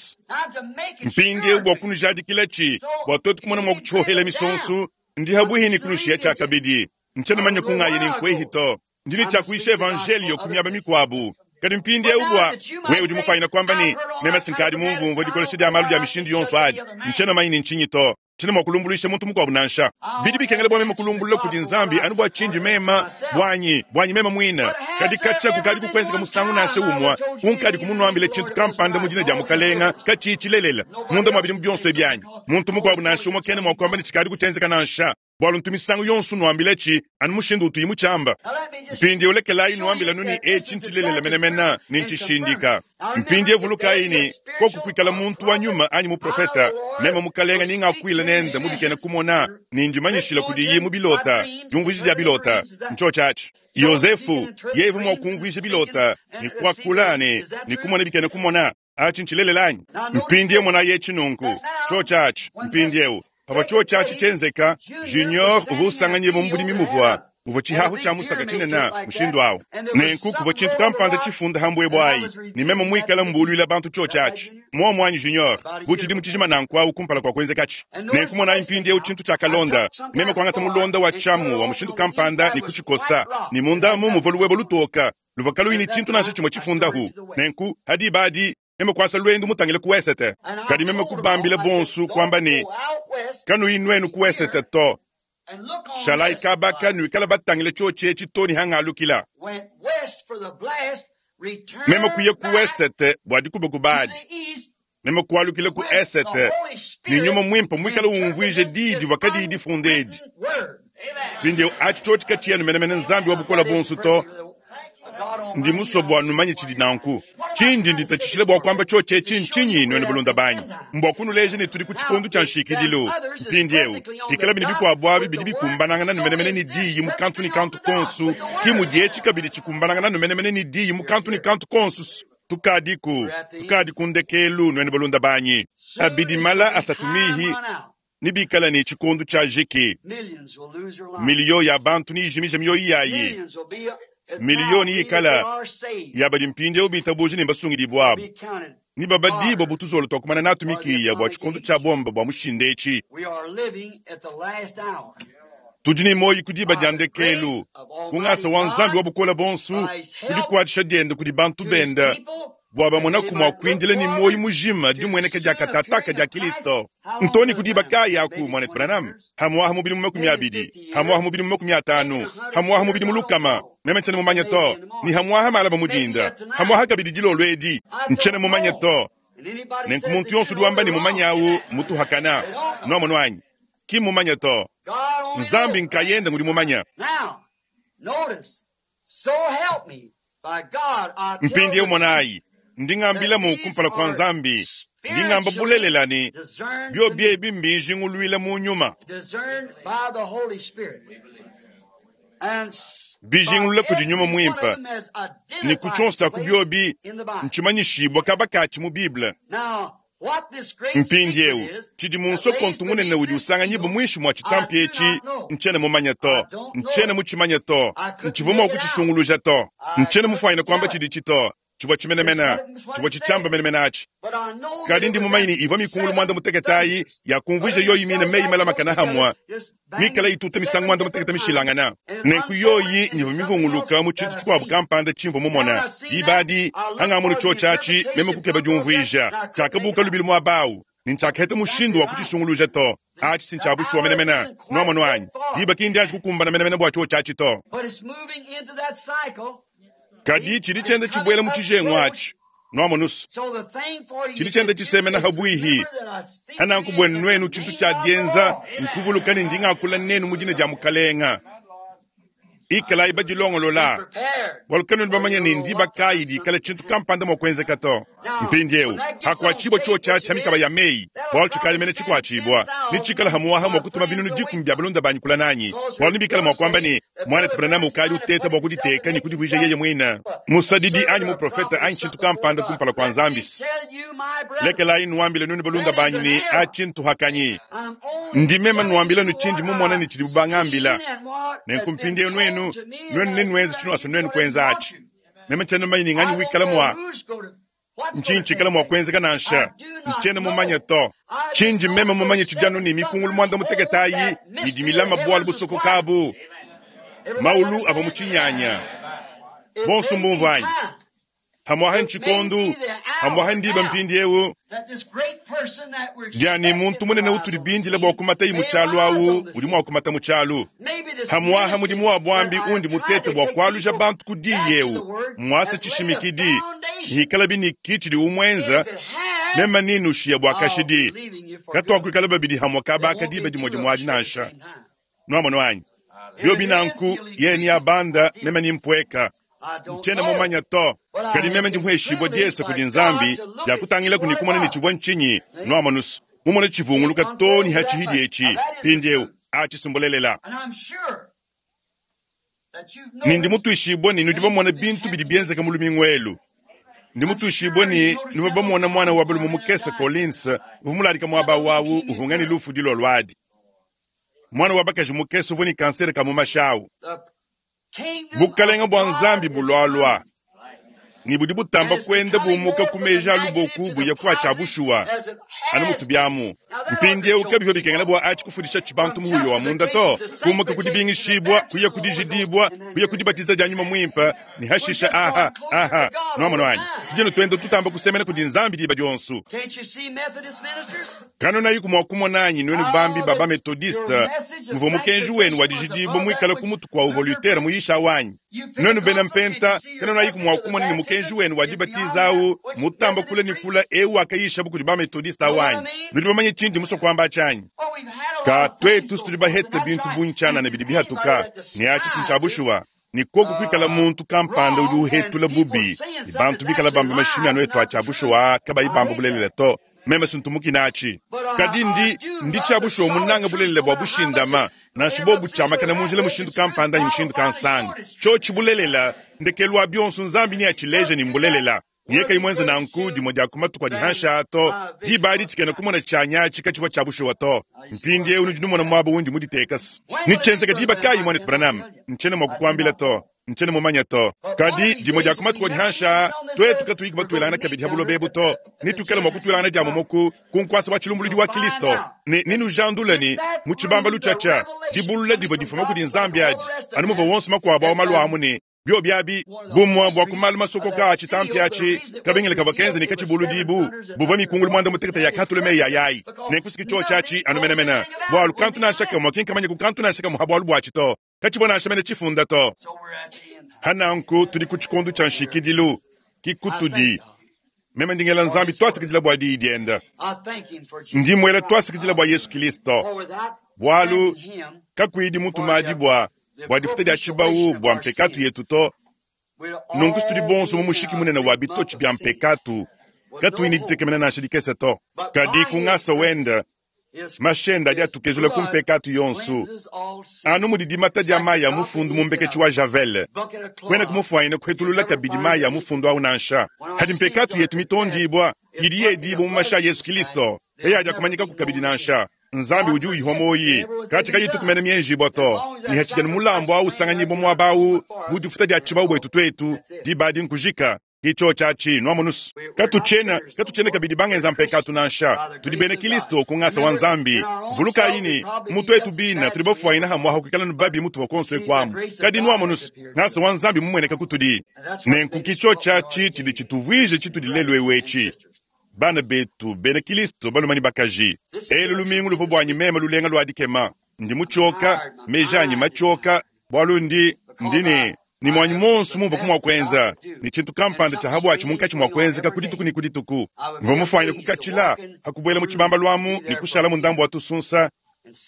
mpindieu bua kunujadikilatshi bua tuetu kumona mua kutshiohela misonso, ndi habuhi ne kunushiya tshiakabidi. Ntshiena manya kungayi ne nkuehi to. Ndi ne tshiakuisha evanjelio ku miaba mikuabu. Kadi mpindieu bua wewe udi mufanyina kuamba ne meme sinkadi mumvumvua dikolesha dia malu dia mishindu yonso adi. Ntshiena manya ne ntshinyi to. Tshiena mua kulumbuluisha muntu mukuabu nansha. Bidi bikengela bua meme kulumbulula kudi Nzambi anu bua tshindi mema buanyi buanyi meme muine. Kadi katshia kukadi kukuenzeka musangu nansha umue unkadi kumunuambila tshintu kampanda mu dina dia Mukalenga katshiyi tshilelela munda mua bidimu bionso ebi anyi. Muntu mukuabu nansha umue kena mua kuamba ne tshikadi kutshienzeka nansha, bualu ntu misangu yonso nuambilatshi anu mushindu utuyi mutshiamba. Mpindieu lekelayi nuambila nuni etshi ntshilelela menemene ne ntshishindika. Mpindieu vulukayi ne koku kuikala muntu wa nyuma anyi muprofeta, meme Mukalenga ningakuila nende mu bikena kumona ne ndimanyishila kudiyi mu bilota, diumvuija dia bilota ntshiotshi atshi. Yosefu yeye uvua mua kumvuija bilota ne kuakula ne ne kumona bikena kumona. Atshi ntshilelela anyi? Mpindieu monayi etshi nunku tshiotshi atshi. Mpindieu pavua tshiotshi atshi tshienzeka, Junior uvua usanganyibua mu budimi muvua muvua tshihahu tshia musaka tshinene mushindu awu. Nenku kuvua tshintu kampanda tshifunda ha mbuebue ayi, ne meme muikala mbuluila bantu tshiotshi atshi. Muomu anyi Junior, bu tshidimu tshijima nanku awu kumpala kua kuenzekatshi. Nenku monayi mpindieu tshintu tshiakalonda, meme kuangata mulonda wa tshiamu wa mushindu kampanda ne kutshikosa, ne mundamu muvua luwebo lutoka luvua kaluyi ne tshintu nansha tshimue tshifundahu. Nenku hadiba adi meme kuasa lwendu mutangile ku wesete. Kadi meme kubambila bonso kuamba ne kanuyi nuenu ku wesete to. Shalayi kabaka nuikala batangile tshiotshi etshi to ne hangalukila. Meme kuya ku wesete bua dikubakuba adi. Meme kualukila ku esete ne nyuma muimpe muikala umvuija diyi divua kadiyi difunda edi. Mpindieu atshi tshiotshi katshiena menemene Nzambi wa bukole bonso to. Ndi musue bua numanye tshidi nanku. Tshindi nditatshishila bua kuamba tshiotshi etshi ntshinyi nuenu balunda banyi? Mbua kunuleja ne tudi ku tshikondo tshia nshikidilu. Mpindieu pikala bine bikuabu abi bidi bikumbanangana numenemene ne diyi mu kantu ne kantu konso, ki mudi etshi kabidi tshikumbanangana numenemene ne diyi mu kantu ne kantu konso. Tukadiku, tukadi ku ndekelu nuenu balunda banyi. Abidi mala asatu mihi ne bikala ne tshikondo tshia jiki. Miliyo ya bantu niyijimija mioyo yayi. Miliyoni ikala ya badi mpindieu bitabuja ne mbasungidibue abu ni babadibua butuzolo twa kumana natu mikiya bua tshikondo tshia bomba bua mushinda etshi. Tudi ne moyi ku diba dia ndekelu, ku ngasa wa Nzambi wa bukole bonso, ku dikuatshisha diende kudi bantu bende bua bamonaku mua kuindila ne moyi mujima dimueneka dia katataka dia Kristo. Ntoni ku diba kayi aku, mwanetu Branham? Hamuaha mu bidimu makumi abidi, hamuaha mu bidimu makumi atanu, hamuaha mu bidimu lukama. Meme ntshiena mumanye to, ni hamuaha malaba mudinda, hamuaha kabidi dilolo edi, ntshiena mumanye to. Nenku muntu yonso udi wamba ne mumanye awu mutuhakana. Nuamonu anyi? Ki mumanye to. Nzambi nkayende ngudi mumanya. Mpindieu monayi, ndi ngambilamu kumpala kua Nzambi, ndi ngamba bulelela ne biobi ebi mbinjinguluila mu nyuma, bijingulula kudi nyuma muimpe, ne ku tshionso tshia ku biobi ntshimanyishibua kaba katshi mu Bible. Mpindieu tshidi mu nsokontu munene udi usanganyibua muinshi mua tshitampi etshi, ntshiena mumanye to, ntshiena mutshimanye to, ntshivua mua kutshisunguluja to, ntshiena mufuanyine kuamba tshiditshi to. Tshivua tshimenemene, tshivua tshitshiamba menemene atshi. Kadi ndi mumanye ne ivua mikungulu muanda mutekete ayi yakumvuija yoyi mine meyi malamakana hamwe, mikala ituta misangu muanda mutekete mishilangana. Nenku yoyi nyivua mivunguluka mu tshintu tshikuabu kampanda tshimvua mumona. Diba adi hangamona tshiotshi atshi, meme kukeba diumvuija. Tshiakabuka lubili muaba awu, ne ntshiakaheta mushindu wa kutshisunguluja to. Atshi si ntshiabushuwa menemene, nuamonu anyi? Diba ki ndianji kukumbana menemene bua tshiotshi atshi to. Kadi tshidi tshienda tshibuela mu tshijengu atshi, Nwamonusu. Chidi chenda chisemena habwihi. Hananku bwenu nwenu chintu cha dienza nkuvuluka ne ndingakula nenu mu dina dia mukalenga. Ikalayi badilongolola. Bwalu kanwenu bamanya ne ndiba kayi dikala chintu kampanda mwa kuenzeka to. Mpindiewu hakuachibwa chuo cha cha mikaba ya meyi bwalu chikali mene chikuachibwa nichikala hamuwaha mwa kutuma binunu dikumi bya balunda banyi kula nanyi bwalu nibikala mwa kwamba ni mwana Branham ukali uteta bwa kuditeka ni kudibwija yeye mwina musadidi anyi muprofeta anyi chintu kampanda kumpala kwa nzambisi lekelayi nuambile nunu balunda banyi ni achintu hakanyi ndimema nuambila nuchindi mumona ni chidi bubangambila nenkumpindiewu nwenu nwenu nenwenza chino aso nwenu kwenza achi meme chena manyi ning'anyi wikala mwa nchinchikala mwa kwenzeka nansha nchena mumanya to chinji meme mumanye chijanu ni mikungulu mwanda muteketayi idi milama bwalu busoko kabu maulu ava muchinyanya bonso mbumvanyi hamwaha nchikondu hamwaha ndiba mpindiewu dyani muntu munene utuli bindila bwa kumata yi muchalu awu uli mwa kumata muchalu hamwaha mudimu wa bwambi undi mutete bwa kwaluja bantu ku diyewu mwasa chishimikidi hikala bini kichili umwenza mema ninushiya bwa kashidi katwakwikala babidi hamwa kabaka diba dimoja mwadi nansha nwamono anyi byo binanku ye ni abanda mema nimpweka nchena mumanya to kadi meme ndi muheshibwa diesa kudi nzambi diakutangila kuni kumona ni chibwa nchinyi nwamonusu mumona chivunguluka to ni hachihidi echi pindiewu achisumbulelela nindi mutuishibwa ni nudi bamona bintu bidi bienzeka mu lumingu elu ndi mutuishibwa ni nuva bamona mwana wa balume mukese Collins uvua muladika muaba wawu uhunga ni lufu dilo lwadi mwana wa bakaji mukese uvua ni kansere ka mu mashawu bukalenga bwa nzambi bulwalwa ni budi butamba kwenda bumuka kumeja luboku buya kwacha bushuwa anu mutu byamu mpindiewu kabivyo bikengela bwa achi kufundisha chibantu muhuyo wa munda to kumuka kudibingishibwa kuya kudijidibwa kuya kudibatiza dia nyuma mwimpa ni hashisha aha aha nwamono anyi tujeno twenda tutamba kusemena kudi nzambi diba dionsu kano nayi kumwa kumona anyi nwenu bambi baba metodiste muvua mukenji wenu wa dijidibwa mwikala kumutu kwa uvua Luther muyisha wanyi nwenu bena mpenta kano nayi kumwa kumona ni mukenji wenu wa dibatiza awu mutamba kula ni kula ewu akayisha bukudi ba metodiste awanyi nudi bamanye chindi muso kwamba chanyi ka twetu situdi bahete bintu bunchana na bidi bihatuka ni achi sinchabushuwa ni koku kwikala muntu kampanda udi uhetula bubi ni bantu bikala bamba mashimi anu etu achabushuwa kabayi bamba bulelela to meme sintumukina achi kadi ndi ndi chabushuwa munanga bulelela bwa bushindama nansha bobu chamakana munjila mushindu kampanda anyi mushindu kansanga chochi bulelela ndekelu bionso nzambi ni achileje ni mbulelela niyeka imwenze nanku dimwe dia kumatuku adi hansha to diba adi tshikena kumona tshanyachi katshivua tshia to mpindiewu nudi numona muaba undi muditekasa nitshenzeka diba kayi mwana Branham nchena mua kukuambila to nchena mumanya to kadi dimwe dia kumatuku adi hansha twetu katuyiki batuelangana kabidi ha buloba to nitukela mua kutuelangana dia momoku kunkuasa wa chilumbuludi wa Kristo ne ninujandula ni mu tshibambalu tshatsha dibulula divua difuma kudi nzambi adi anu muvua wonso makuabu awo malu amu ne bio byabi bumwa bwa kumalu masoko ka chitampi achi kabengele kavua kenze ni kachibulu dibu buvua mikungulu mwanda mutekete ya katule meyi ayayi nenkusiki cho chachi anu menemene bwalu kantu nansha kamwe kinkamanya ku kantu nansha kamwe ha bwalu bwachi to kachibwa nansha mene chifunda to hananku tudi ku tshikondu tsha nshikidilu kikutudi meme ndingela nzambi twasikidila bua diyi dienda ndi mwela twasikidila bua Yesu Kristo bwalu kakuidi mutumadi bua bua difuta dia tshibawu bua mpekatu yetu to nunku situdi bonso mu mushiki munene wa bitochi bya mpekatu katuyi ni ditekemena nansha dikese to kadi kungasa wenda mashenda adi atukezula ku mpekatu yonsu anu mudi dimata dia mayi a mufundu mu mbeketshi wa javel kwena kumufuanyina kuhetulula kabidi mayi a mufundu awu nansha hadi mpekatu yetu mitondibwa idi yedibwa mu masha a Yesu Kristo eyi adi akumanyikaku kabidi nansha nzambi udi uyihwa moyi kachi kayitukumena mienjibwa to ni hachijani mulambo awu usanganyibwa muaba awu budifuta dia tshibawu bwetu twetu dibadi nkujika kicho chachi nwamonusu katuchena katuchena kabidi bangenza mpekatu nansha tudi bena Kristo kungasa wa nzambi vulukayi ni mutu etu bina tudi bafuanyina hamwaha kuikala nubabi mutu wakonso ekwamu kadi nwamonusu ngasa wa nzambi mumweneka kutudi nenku kicho chachi chidi chituvwije chitudi lelu ewechi bana betu bena Kristo balumani bakaji elu lumingu luvua bwanyi mema lulenga lwa dikema ndi muchoka mejanyi machoka bwalu ndi ndine Ne muanyi monsu mumvua kumua kuenza, ne tshintu kampanda tshia habwatshi munkatshi mua kuenzeka ku dituku ne ku dituku. Mvua mufuanyine kukatshila, hakubuela mu tshibamba lwamu ne kushala mu ndambu wa tusunsa,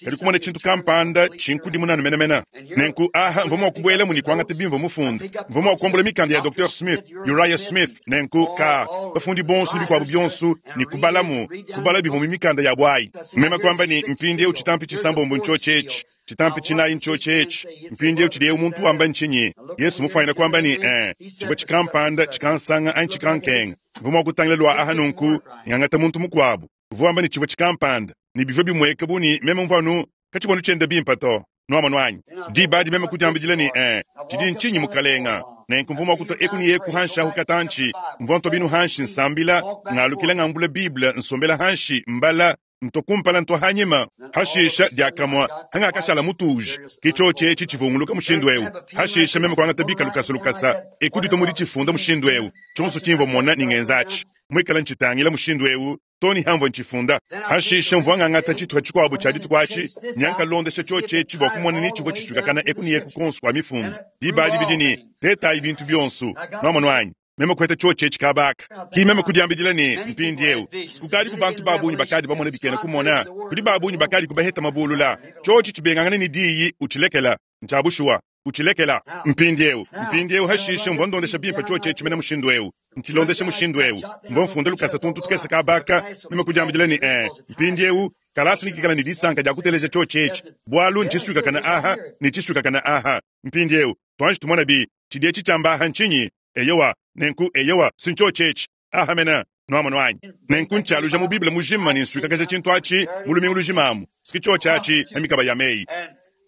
kadi kumona tshintu kampanda tshinkudimuna menemene. Nenku aha mvua mua kubuelamu ne kuangata bimvua mufunda. Mvua mua kuambula mikanda ya Docteur Smith, Uriah Smith, nenku ka bafundi bonsu ne bikuabu bionsu ne kubalamu, kubala bivua mu mikanda ya bwayi. Meme kuamba ne mpindieu tshitampi tshisambombo ntshiotshi etshi, tshitampi tshinayi ntshiotshi etshi, mpindieu tshidi eu muntu wamba ntshinyi? Yesu mufuanyine kuamba ne eh, tshivua tshikampanda tshikansanga anyi tshikankenga. Mvua mua kutangila lua aha nunku ngangata muntu mukuabu. Uvua wamba ne tshivua tshikampanda ne bivua bimueka bu ne meme mvua anu katshivua anu tshienda bimpe to. Nuamonu anyi? Diba adi meme kudiambidila ne eh, tshidi ntshinyi mukalenga? Nenku mvua mua kutua eku ne eku hanshi ahu katantshi, mvua ntua binu hanshi nsambila, ngalukila ngambula Bible nsombela hanshi mbala, ntua kumpala ntua hanyima. Hashisha diakamua hangakashala mutuji, ke tshiotshi etshi tshivunguluka mushindu eu. Hashisha meme kuangata bika lukasa lukasa, eku ditua mudi tshifunda mushindu eu. Tshionso tshimvua mona ne ngenzatshi, muikala ntshitangila mushindu eu, toni hamvua ntshifunda. Hashisha mvua ngangata tshituha tshikuabu tshia dituku atshi, nyankalondesha tshiotshi etshi bua kumona ni tshivua tshisuikakana eku ne eku konsu kua mifundu. Diba adi bidi ne tetayi bintu bionsu. Nuamonu anyi? Meme kuheta tshiotshi etshi kabaka. Ki meme kudiambidila ne mpindieu sikukadi ku bantu ba bungi bakadi bamona bikena kumona, kudi ba bungi bakadi kubaheta mabulula. Tshiotshi tshibengangane ne diyi utshilekela, ntshia bushuwa, utshilekela. Mpindieu, mpindieu hashisha mvua ndondesha bimpe tshiotshi etshi mene mushindu eu. Ntshilondesha mushindu eu. Mvua mfunda lukasa tuntu tukese kabaka, meme kudiambidila ne eh, mpindieu kalasa nikikala ne disanka dia kuteleja tshiotshi etshi, bualu ntshisuikakana aha ne tshisuikakana aha. Mpindieu tuanji tumona bi tshidi etshi tshiamba aha ntshinyi? Eyowa, nenku eyowa si ntshiotshi etshi aha mena. Nuamonu anyi? Nenku ntshialuja mu Bible mujima ne nsuikakaja tshintu atshi mu lumingu lujimamu. Siki tshiotshi atshi na mikaba ya meyi.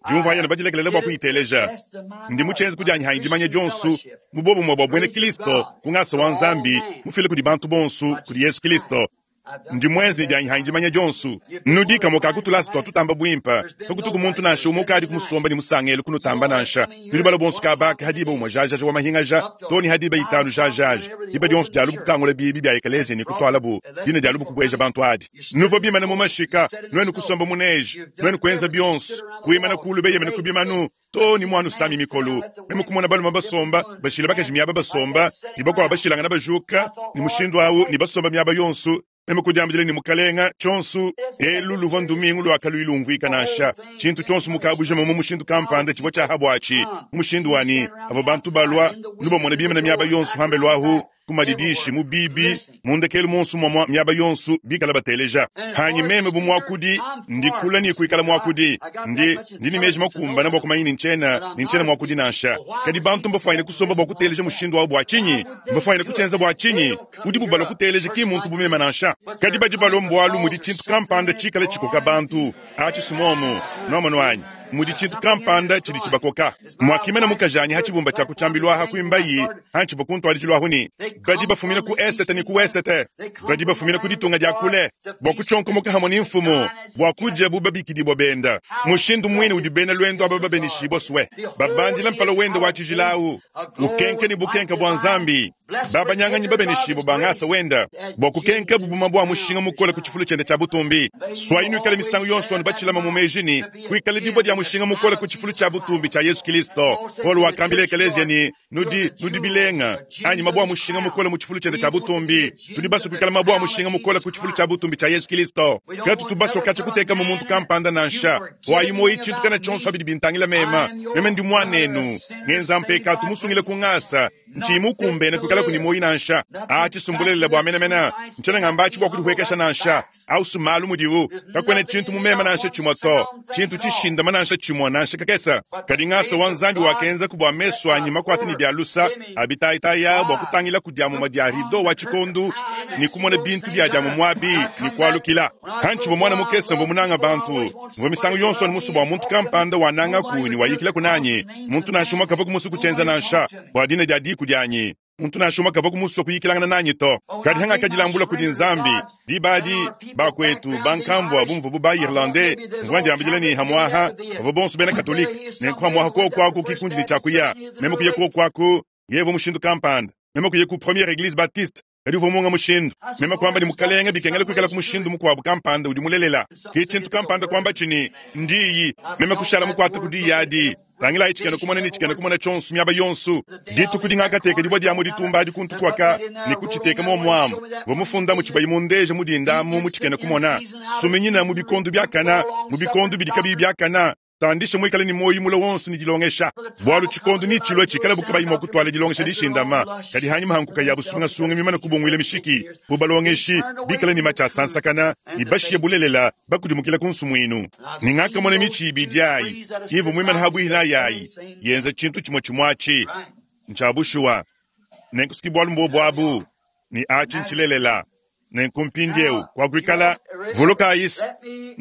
Diumvua yana badilekelele bua kuyiteleja. Ndi mutshienze kudianyi hanyi dimanya dionsu mu bobumue bua buena Kristo ku ngasa wa Nzambi mufile kudi bantu bonsu kudi Yesu Kristo. Ndi muenze ne dianyi hanyi dimanya dionsu. Nudi kamue ka kutulasa tua tutamba buimpe, kakutuku muntu nansha umue ukadi kumusomba ne musangelo kunutamba nansha. Nudi bala bonsu kabaka hadiba umue jajaja wa mahingaja, too ne hadiba itanu jajaja. Diba dionsu dia lubu kukangula bibi bia ekelezia ne kutualabu dina dia lubu kubueja bantu adi. Nuvua bimana mu mashika, nuenu kusomba mu neje, nuenu kuenza bionsu, kuimana kulu beyemene ku bimanu, too ne muanu sami mikolo. Meme kumona balume basomba, bashila bakaji miaba basomba, ne bakuabu bashilangana bajuka, ne mushindu awu ne basomba miaba yonsu. Meme kudiambidila ne mukalenga tshionsu elu luvua ndumingu lua lumvuika nansha. Tshintu tshionsu mukabujima mu mushindu kampanda tshivua tshia habwatshi. Mu mushindu wani avua bantu balua nubamona bimana miaba yonsu hambelu ahu ku madidishi mu bibi mu ndekelu monsu mwamwa miaba yonsu bikala bateleja. Hanyi meme bu muakudi ndikula ni kuikala muakudi ndi ndi ni meji makumbana bua kumanya ni ntshiena ni ntshiena muakudi nansha. Kadi bantu mbafuanyine kusomba bua kuteleja mushindu wabu bua tshinyi? Mbafuanyine kutshienza bua tshinyi? Udi bubalua kuteleja ki muntu bumema nansha. Kadi badi balua mbualu mudi tshintu kampanda tshikala tshikoka bantu. Atshi sumomu nuamonu anyi? Mudi tshintu kampanda tshidi tshibakoka. Mwakimena mukajanyi ha tshibumba tshia kutshambilwa ha kuimbayi ha tshivua kuntwadijilu ahu ni badi bafumina ku esete ni ku wesete, badi bafumina ku ditunga dia kule bua kutshonkomoka hamwe ni mfumu bua kuja bu babikidibwa benda. Mushindu mwine udi bena lwendo aba babenishibwa swe babandila mpala wenda wa tshijilawu ukenke ni bukenka bua Nzambi babanyanganyi babenishibwa bangasa wenda bua kukenka bubuma bua mushinga mukole ku tshifulu tshiende tshia butumbi. Swayinu ikale misangu yonso anu batshilama mu meji ni kuikale dibwa dia mushinga mukole ku tshifulu tshia butumbi tshia Yesu Kristo. Paul wakambila ekelezia ni nudi nudi bilenga anyi mabua mushinga mukole mu tshifulu tshiende tshia butumbi. Tudi basu kuikala mabua mushinga mukole ku tshifulu tshia butumbi tshia Yesu Kristo. Katu tubasu katshi kuteka mu muntu kampanda nansha. Wayi moyi tshintu kana tshionso abidi bintangila mema. Meme ndi mwanenu ngenza mpekatu musungile ku ngasa nchi mukumbene kuikala kuni moyi nansha. Atshisumbulele bua menemene ntshiena ngamba atshi bua kudihuekesha nansha. Au sumalu mudiwu kakwena tshintu mumema nansha tshimue to, tshintu tshishindama nansha tshimue nansha kakesa. Kadi ngasa wa Nzambi wakenza ku bua mesu anyi makwata ni bia lusa abitayitaya bua kutangila ku diamuma dia rido wa tshikondu ni kumona bintu bia diamu muabi ni kualukila. Hantshivua mwana mukese mvua munanga bantu, mvua misangu yonso anu musu bua muntu kampanda wanangaku ni wayikila kunanyi. Muntu nansha umue kavua kumusu kutshienza nansha bua dina dia diku dianyi. Muntu nansha umue kavua kumusua kuyikilangana nanyi to. Kadi hangakadilambula kudi Nzambi dibadi bakwetu bankambua bumvu bu ba Irlandais mvua ndiambidila ni hamwaha bavua bonso bena Katolike. Nenku hamwaha kokwaku kikundi ni tshiakuya. Meme kuya kokwaku yevo mushindu kampanda. Meme kuya ku première église baptiste kadi uvua munga mushindu. Meme kwamba ni mukalenga bikengela kuikala ku mushindu mukuabu kampanda udi mulelela. Ki tshintu kampanda kwamba tshini ndiyi. Meme kushala mukwata ku diyi adi. Tangilayi tshikena kumona ne tshikena kumona tshionso miaba yonso. Dituku dingakateka dibua dia mu ditumba adi kuntu kuaka ne kutshiteka muomu amu. Vua mu tshibayi mundeja mu dinda amu mu tshikena kumona. Suminyina mu bikondo biakana, mu bikondo bidi kabiyi biakana. Tandisha muikale ne muoyo mule wonso ne dilongesha. Bualu tshikondo ni tshilua tshikala bukabayi mua kutwala dilongesha dishindama. Kadi hanyima hankuka ya busungasunga mimana kubunguila mishiki. Bu balongeshi bikale ne machi asansakana, ibashiye bulelela bakudimukila ku nsumuinu. Ningakamona michi ibidi ayi, ivu mwimana habwihi yayi, yenza tshintu tshimwe tshimwachi. Ntsha Nenkusuki bualu mbobu abu, ni achi ntshilelela. Nenkumpindiewu kwakuikala vuluka isi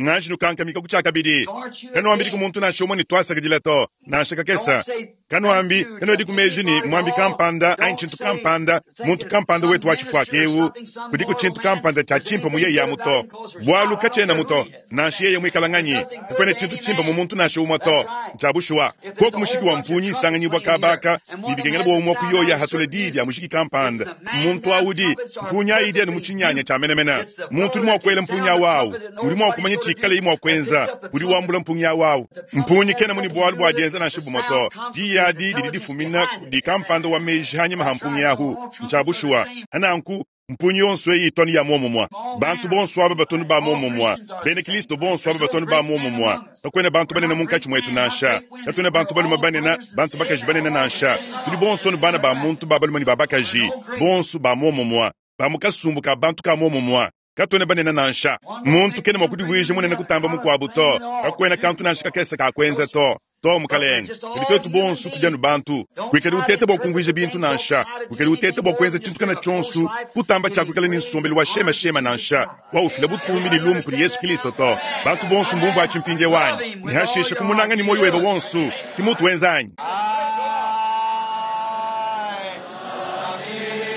nganji nukankamika kutshiakabidi. Kanuambidi ku muntu nansha umwe ne twasakidila to, nansha kakesa. Kanuambi kanuedi ku meji ni mwambi kampanda anyi tshintu kampanda, muntu kampanda wetu wa tshifuaka ewu, kudiku tshintu kampanda tshia tshimpe mu yeye amu to. Bualu katshiena mu to, nansha yeye muikala nganyi, kakuena tshintu tshimpe mu muntu nansha umwe to. Ntshia bushuwa. Koku mushiki wa mpunyi isanganyibwa kabaka, ne bikengela bua umwe kuyoya hatula diyi dia mushiki kampanda. Muntu awudi, mpunyi ayi anu mu tshinyanya tshia menemene. Muntu udi mua kuela mpunyi awu, udi mua kumanya tshikale yi mua kuenza, udi wambula mpunyi awu. Mpunyi kena muni bualu bua dienza nansha bumwe to. Diyi adi didi difumina kudi kampanda wa meji hanyima ha mpunyi ahu. Ntshia bushuwa. Hananku mpunyi yonso eyi itoni ya muomumwa. Bantu bonso aba batoni ba muomumwa. Bena Kristo bonso aba batoni ba muomumwa. Kakuena bantu banene munkatshi mwetu nansha. Katuena bantu balume banene, bantu bakaji banene nansha. Tudi bonso ni bana ba muntu ba balume ne ba bakaji. Bonso ba muomumwa. Ba mu kasumbu ka bantu ka muomumwa. Katuena banene nansha. Muntu kena mua kudivuija munene kutamba mukuabu to. Kakuena kantu nansha kakese ka kuenza to. To mukalenge. Kadi twetu bonso tudi anu bantu. Kuikadi uteta bua kumvuija bintu nansha. Kuikadi uteta bua kuenza tshintu kana tshionso, kutamba tshia kuikala ne nsombelu wa shema shema nansha. Wa ufila butumbi ne lumu kudi Yesu Kristo to. Bantu bonso mbumvu atshimpindie wanyi. Ne hashisha kumunanga ni moyo webe wonso. Ki mutu wenza anyi?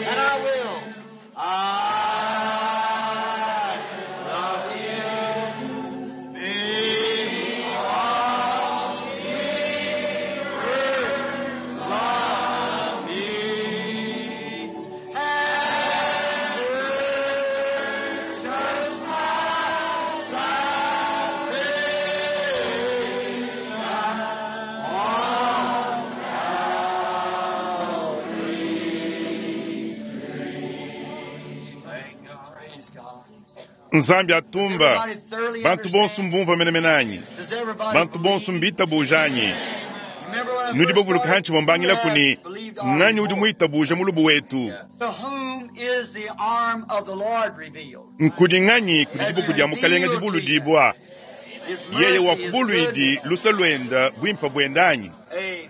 And I will. I love him because he first loved me and purchased my salvation on Praise God. Nzambi atumba. Everybody thoroughly Bantu bonso understand? mbumva menemene anyi. Does everybody Bantu bonso believe? mbitabuja anyi. You remember when I Nudi first bavuluka started, hanshi bambangila who kuni has believed our nganyi udi report? muitabuja mulubu wetu. To whom is the arm of the Lord revealed? Nkudi nganyi kudi Has dibuku dia mukalenga revealed to you dibuludibwa. His Yeye mercy, wa His kubuluidi goodness. lusa lwenda bwimpa bwenda anyi. Amen.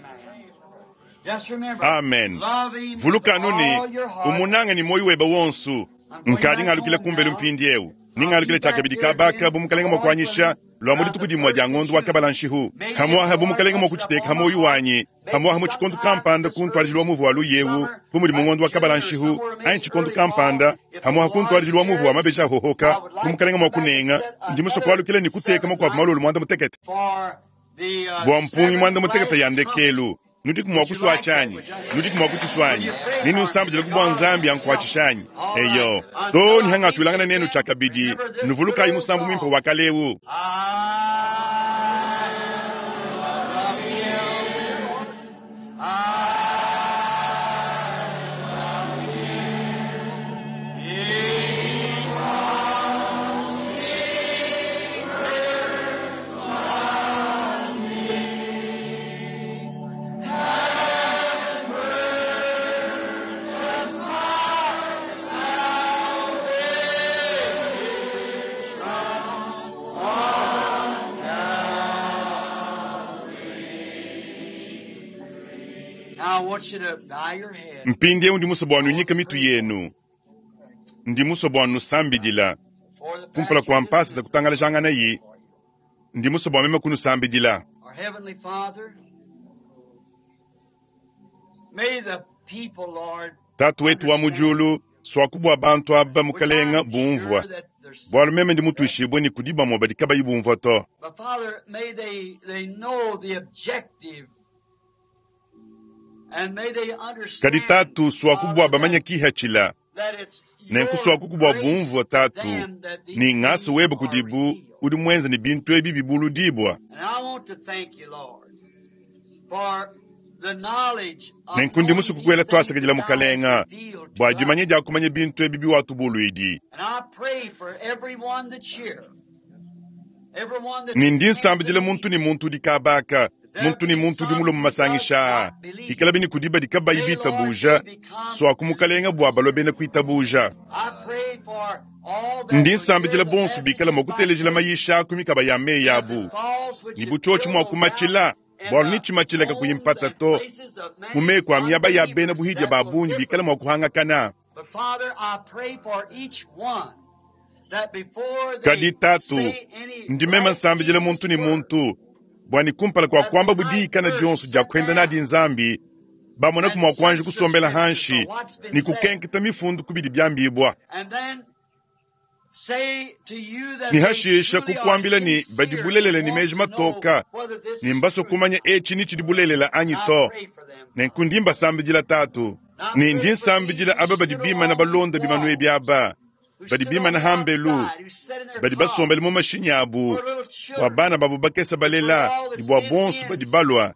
Just remember, Amen. love Him with Vuluka anu ne all your heart. umunanga ni moyo webe wonso. I'm going Nkadi back ngalukila home kumbelu now. mpindi ewu. I'll be Ningalukila back tshiakabidi here kabaka again, bu mukalenga the mua Lord kuanyisha willing, lwa mu about dituku the dimwe dia first of ngondo wa June. kabala nshihu. Maybe if Hamwaha the bu Lord mukalenga mua puts it kuchiteka upon my hamoyo heart, wanyi. maybe Hamwaha mu tshikondo sometime kampanda this ku ntwaliji lwa early muvu wa luyewu summer, bu mudi mu like ngondo wa June kabala or nshihu somewhere, anyi maybe tshikondo early fall, kampanda if the hamwaha ku Lord ntwaliji lwa muvu wa cares, mabeji ahohoka I would bu like to mukalenga come mua back and kunenga set ndi musue another kualukila ne kuteka seven makuabu malolo nights mwanda mutekete. for the uh, Bua mpungi seven mwanda mutekete ya last trumpet. ndekelu. Nudi kumwa Would you kuswa like that? chanyi. Would you? Nudi kumwa Will kuchiswanyi. you pray Nini for me usambujila that kubwa God nzambi will help me? ankuachishanyi. All right. Eyo. Until To I ni meet hanga you tuilangana nenu again, tshiakabidi. remember this good Nuvulukayi old musambu mwimpe song. wa kalewu. I love him. I love him. Because he first loved me and purchased my salvation on Calvary. Now I want you to bow your head. Mpindiewu ndi musue bua I want nunyike to mitu pray for you. yenu. Ndi musue bua nusambidila. For the Kumpala pastor kua mpasa dismisses, kutangalajangana I pray yi. for you. Ndi musue bua meme kunusambidila. Our Heavenly Father, may the people, Lord, Tatu wetu wa understand, mujulu swakubwa bantu aba which mukalenga I'm bumvwa. sure that there's Bualu some meme ndi that mutuishibwe ni kudi bamwe badi kabayi bumvwa to. But Father, may they, they know the objective and may they Kadi understand, tatu swakubwa Father, bamanya that, kihachila. that it's Nenku your swakukubwa grace bumvwa to tatu. them that Ni these ngasa things webe are kudibu revealed. udi mwenza ni bintu ebi bibuludibwa. And I want to thank you, Lord, Nenku ndi musue kukuela twasakidila mukalenga bua dimanya dia kumanya bintu ebi biwatubuluidi. Ne ndi nsambidila muntu ne muntu udi kabaka, muntu ne muntu udi mulue mu masangisha aa, ikala bini kudi badi kabayi bitabuja, sua ku mukalenga bua balue bena kuitabuja. Ndi nsambidila bonso bikala mua kutelejila mayisha ku mikaba ya meyi abu, ne butshiotshi mua kumatshila, bualu ni tshimatshila kakuyi mpata to, mu meku a miaba ya bena buhidia ba bungi bikala mua kuhangakana. Kadi tatu, ndi meme nsambidila muntu ne muntu, bua ni kumpala kua kuamba budiyikana dionso dia kuenda nadi Nzambi, bamona mua kuanji kusombela hanshi ni kukenketa mifundu kubidi byambibwa. Ni hashisha kukuambila ni badi bulelela ni meji matoka, ni mbaso kumanya etshi ni tshidi bulelela anyi to. Nenku ndi mbasambidila tatu, ni ndi nsambidila aba badi bimana balonda bimanu ebi aba, badi bimana hambelu, badi basombele mu mashinyi abu, bua bana babu bakesa balela, ni bua bonso badi balua.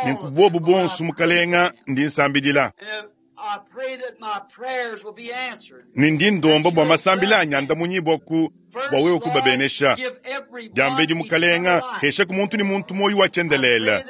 Nenku bobu bonso mukalenga ndi nsambidila. Ni ndi ndomba bua masambila anyanda munyibwa ku bua wewe kubabenesha. Diambedi mukalenga hesha ku muntu ni muntu moyo wa chendelela.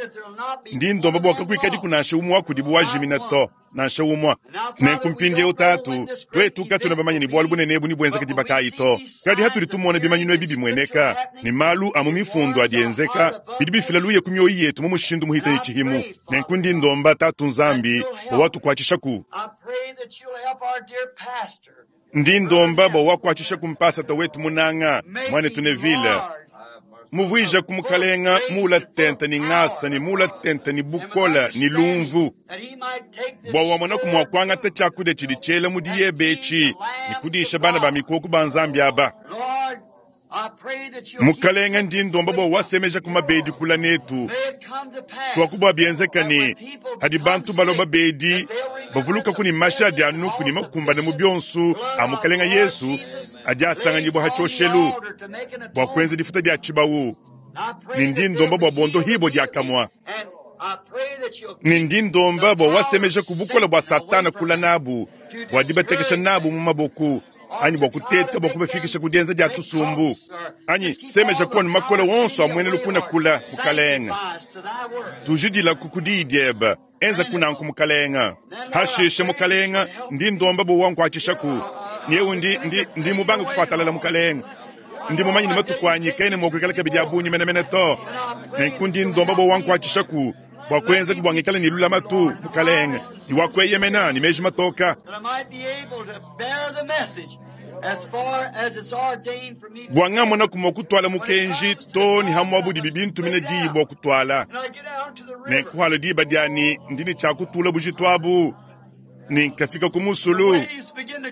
Ndi ndomba bua kakuikadi kunansha umwe wa kudibu wajimina to, nansha umwe. Nenku mpindieu tatu, twetu katuna bamanye ni bualu bunene ebu ni buenzeka dibakayi to. Kadi hatudi tumona bimanyinu ebi bimweneka, ni malu a mu mifundu adi enzeka, bidi bifila luye ku mioyo yetu mu mushindu muhita ni tshihimu. Nenku ndi ndomba tatu Nzambi bua watukuatshishaku. Ndi ndomba bua wakuatshisha ku mpasata wetu munanga, mwanetu Neville. Muvuija ku mukalenga mula tente ni ngasa ni mula tente ni bukola ni lumvu. Bua wamona ku mua kuangata tshiakudia tshidi tshiela mu diyebe etshi, ni kudisha bana ba mikoko ba Nzambi aba. Mukalenga ndi ndomba bua wasemeja ku mabedi kula netu. Sua ku bua bienzeka ni hadi bantu balua babedi, bavuluka ku ni mashi adi anuku ni makumbane mu bionso a mukalenga Yesu adi asanganyibwa ha tshioshelu bua kuenza difuta dia tshibawu. Ni ndi ndomba bua bondo hibo diakamwa. Ni ndi ndomba bua wasemeja ku bukola bua Satana kula nabu, bua dibatekesha nabu mu maboku, anyi bua kuteta bua kubafikisha ku dienza dia tusumbu, anyi semeja kuonu makola wonso amwene lukuna kula mukalenga. Tujidila ku kudiyi diebe, enza kunanku mukalenga. Hashishe mukalenga, ndi ndomba bua wankuatshishaku. Nyeu ndi, ndi, ndi mubanga kufuatalala mukalenga. Ndi mumanyi ni matuku anyi kene mua kuikala kabidi abunyi menemene to. Nenku ndi ndomba bua wankuatshishaku, bua kuenza bua ngikale ni lulamatu mukalenga, ni wa kueyemena ni meji matoka. Bua ngamona kumua kutuala mukenji to ni hamwa budi bibintumina diyi bua kutuala. Nenku halo diba diani ndi ni tshia kutula bujitu abu, ni nkafika ku musulu,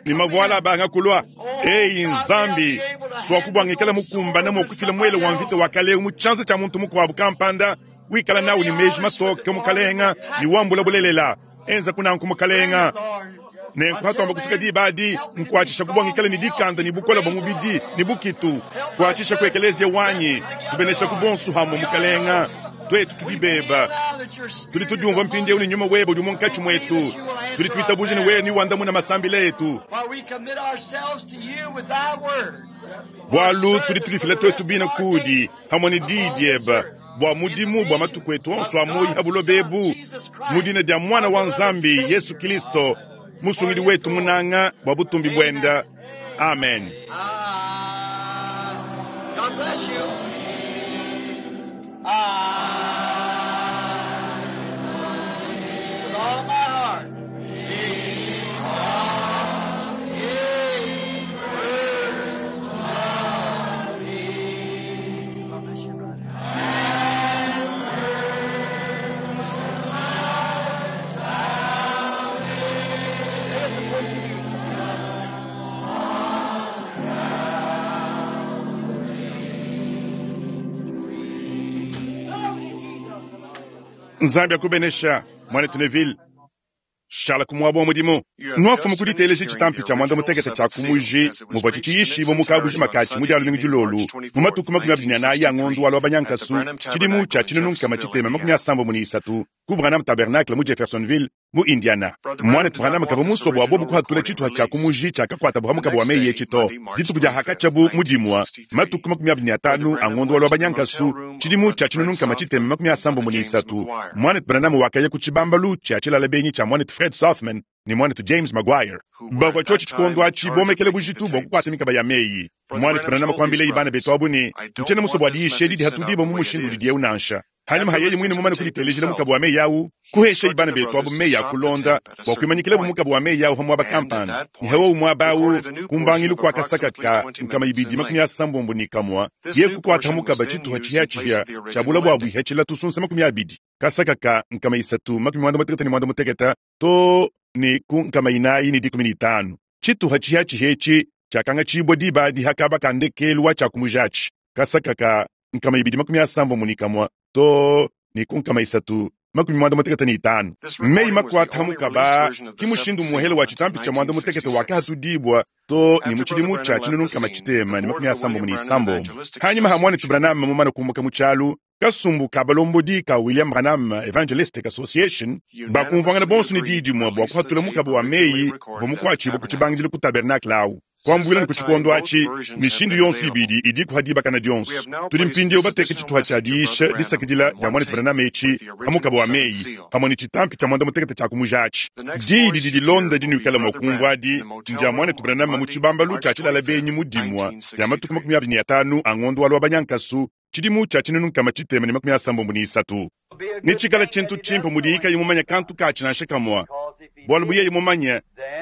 ni mavuala abanga kulua. Eyi Nzambi, sua kubua ngikala mukumbana mua kufila mwele wa mvita wa kale mu tshianza tshia muntu mukuabu kampanda, wikala nawu ni meji matoke mukalenga, ni wambula bulelela. Enza kunanku mukalenga. Nenku hatuamba kufika diba adi, nkuatshisha kubua ngikala ni dikanda ni bukola bua mubidi ni bukitu. Kuatshisha ku ekelezia wanyi, tubenesha ku bonso hamwe mukalenga. Twetu tudibeba. Tudi tudiumva mpindieu ni nyuma webe udi munkatshi mwetu. Tudi tuitabuja ni wewe ni wandamuna masambila etu. Bualu tudi tudifila twetu bina kudi, hamwe ni diyi diebe, bua mudimu bua matuku etu onso a moyi ha buloba ebu, mu dina dia mwana wa Nzambi Yesu Kristo, musungidi wetu munanga bua butumbi buenda. Amen. God bless you. I, with all my heart, because he first loved me. God bless you, brother. Stay at the first of you. Nzambi akubenesha mwanetu Neville. Shala ku muaba wa mudimu. Nuafumu ku diteleja tshitampi tshia muanda mutekete tshia ku muji muvua tshitshiyishibua mu kabujima katshi mu dia lumingu dilolu mu matuku makumi abidi ne anayi a ngondu wa Lwabanyankasu tshidimu tshia tshinunu nkama tshitema makumi asambombo ne isatu ku Branham Tabernacle mu Jeffersonville mu Indiana. Mwanetu Branham kavua musue bua bobu kuhatula tshituha tshia ku muji tshiakakuatabu ha mukaba wa meyi etshi to. Dituku dia hakatshiabu mu dimua matuku makumi abidi ne atanu a ngondu wa Lwabanyankasu tshidimu tshia tshinunu nkama tshitema makumi asambombo ne isatu Mwanetu Branham wakaya ku tshibambalu tshia tshilala benyi tshia mwanetu Fred Sothmann ne mwanetu James Maguire. Bavua tshiotshi tshikondo atshi bomekele bujitu bua kukuata mikaba ya meyi. Mwanetu Branham kuambileye bana betu abu ne ntshiena musue bua diyisha edi dihatudibo mu mushindu udi eu nansha. Hanyuma ha yeye mwine mumane kuditelejela mukaba wa meyi awu kuhesha bana betu abu meyi a kulonda bua kuimanyikilabo mukaba wa meyi awu ha muaba kampanda. Ne hawowu muaba awu kumbangilu kua kasaka ka nkama ibidi makumi asambombo ne kamua ye kukuata mukaba tshituha tshihiatshihia tshia bula bua buihatshila tusunsa makumi abidi kasaka ka nkama isatu makumi muanda mutekete ne muanda mutekete to ne ku nkama inayi ne dikumi ne itanu. Tshituha tshihiatshihia etshi tshiakangatshibua diba adi hakaba ka ndekelu wa tshiakumujatshi kasaka ka nkama ibidi makumi asambombo ne kamua to ne ku nkama isatu makumi muanda mutekete ne itanu. Meyi makuata mukaba ki mushindu muhele wa tshitampi tshia muanda mutekete wakahatudibua to ne mu tshidimu tshia tshinunu nkama tshitema ne makumi asambombo ne isambombo. Hanyuma ha mwanetu Branham mumane kumbuka mu tshialu kasumbu ka balombodi ka William Branham Evangelistic Association bakumvuangana bonso ne diyi dimue bua kuhatula mukaba wa meyi bua mukuatshibua ku tshibangidilu ku tabernacle awu. Kuambuila ne ku tshikondo atshi mishindu yonso ibidi idi kuha dibakana dionso. Tudi mpindieu bateke tshituha tshia diyisha disakidila dia mwanetu Branham etshi ha mukaba wa meyi pamue ne tshitampi tshia muanda mutekete tshia kumujatshi. Diyi didi dilonda dinuikala mua kumvua adi ndia mwanetu Branham mu tshibambalu tshia tshilala benyi mu dimua dia matuku makumi abidi ne atanu a ngondu wa Lwabanyankasu tshidimu tshia tshinunu nkama tshitema ne makumi asambombo ne isatu. Ne tshikala tshintu tshimpe mudiyi kayi mumanye kantu katshi nansha kamua bualu bu yeye mumanye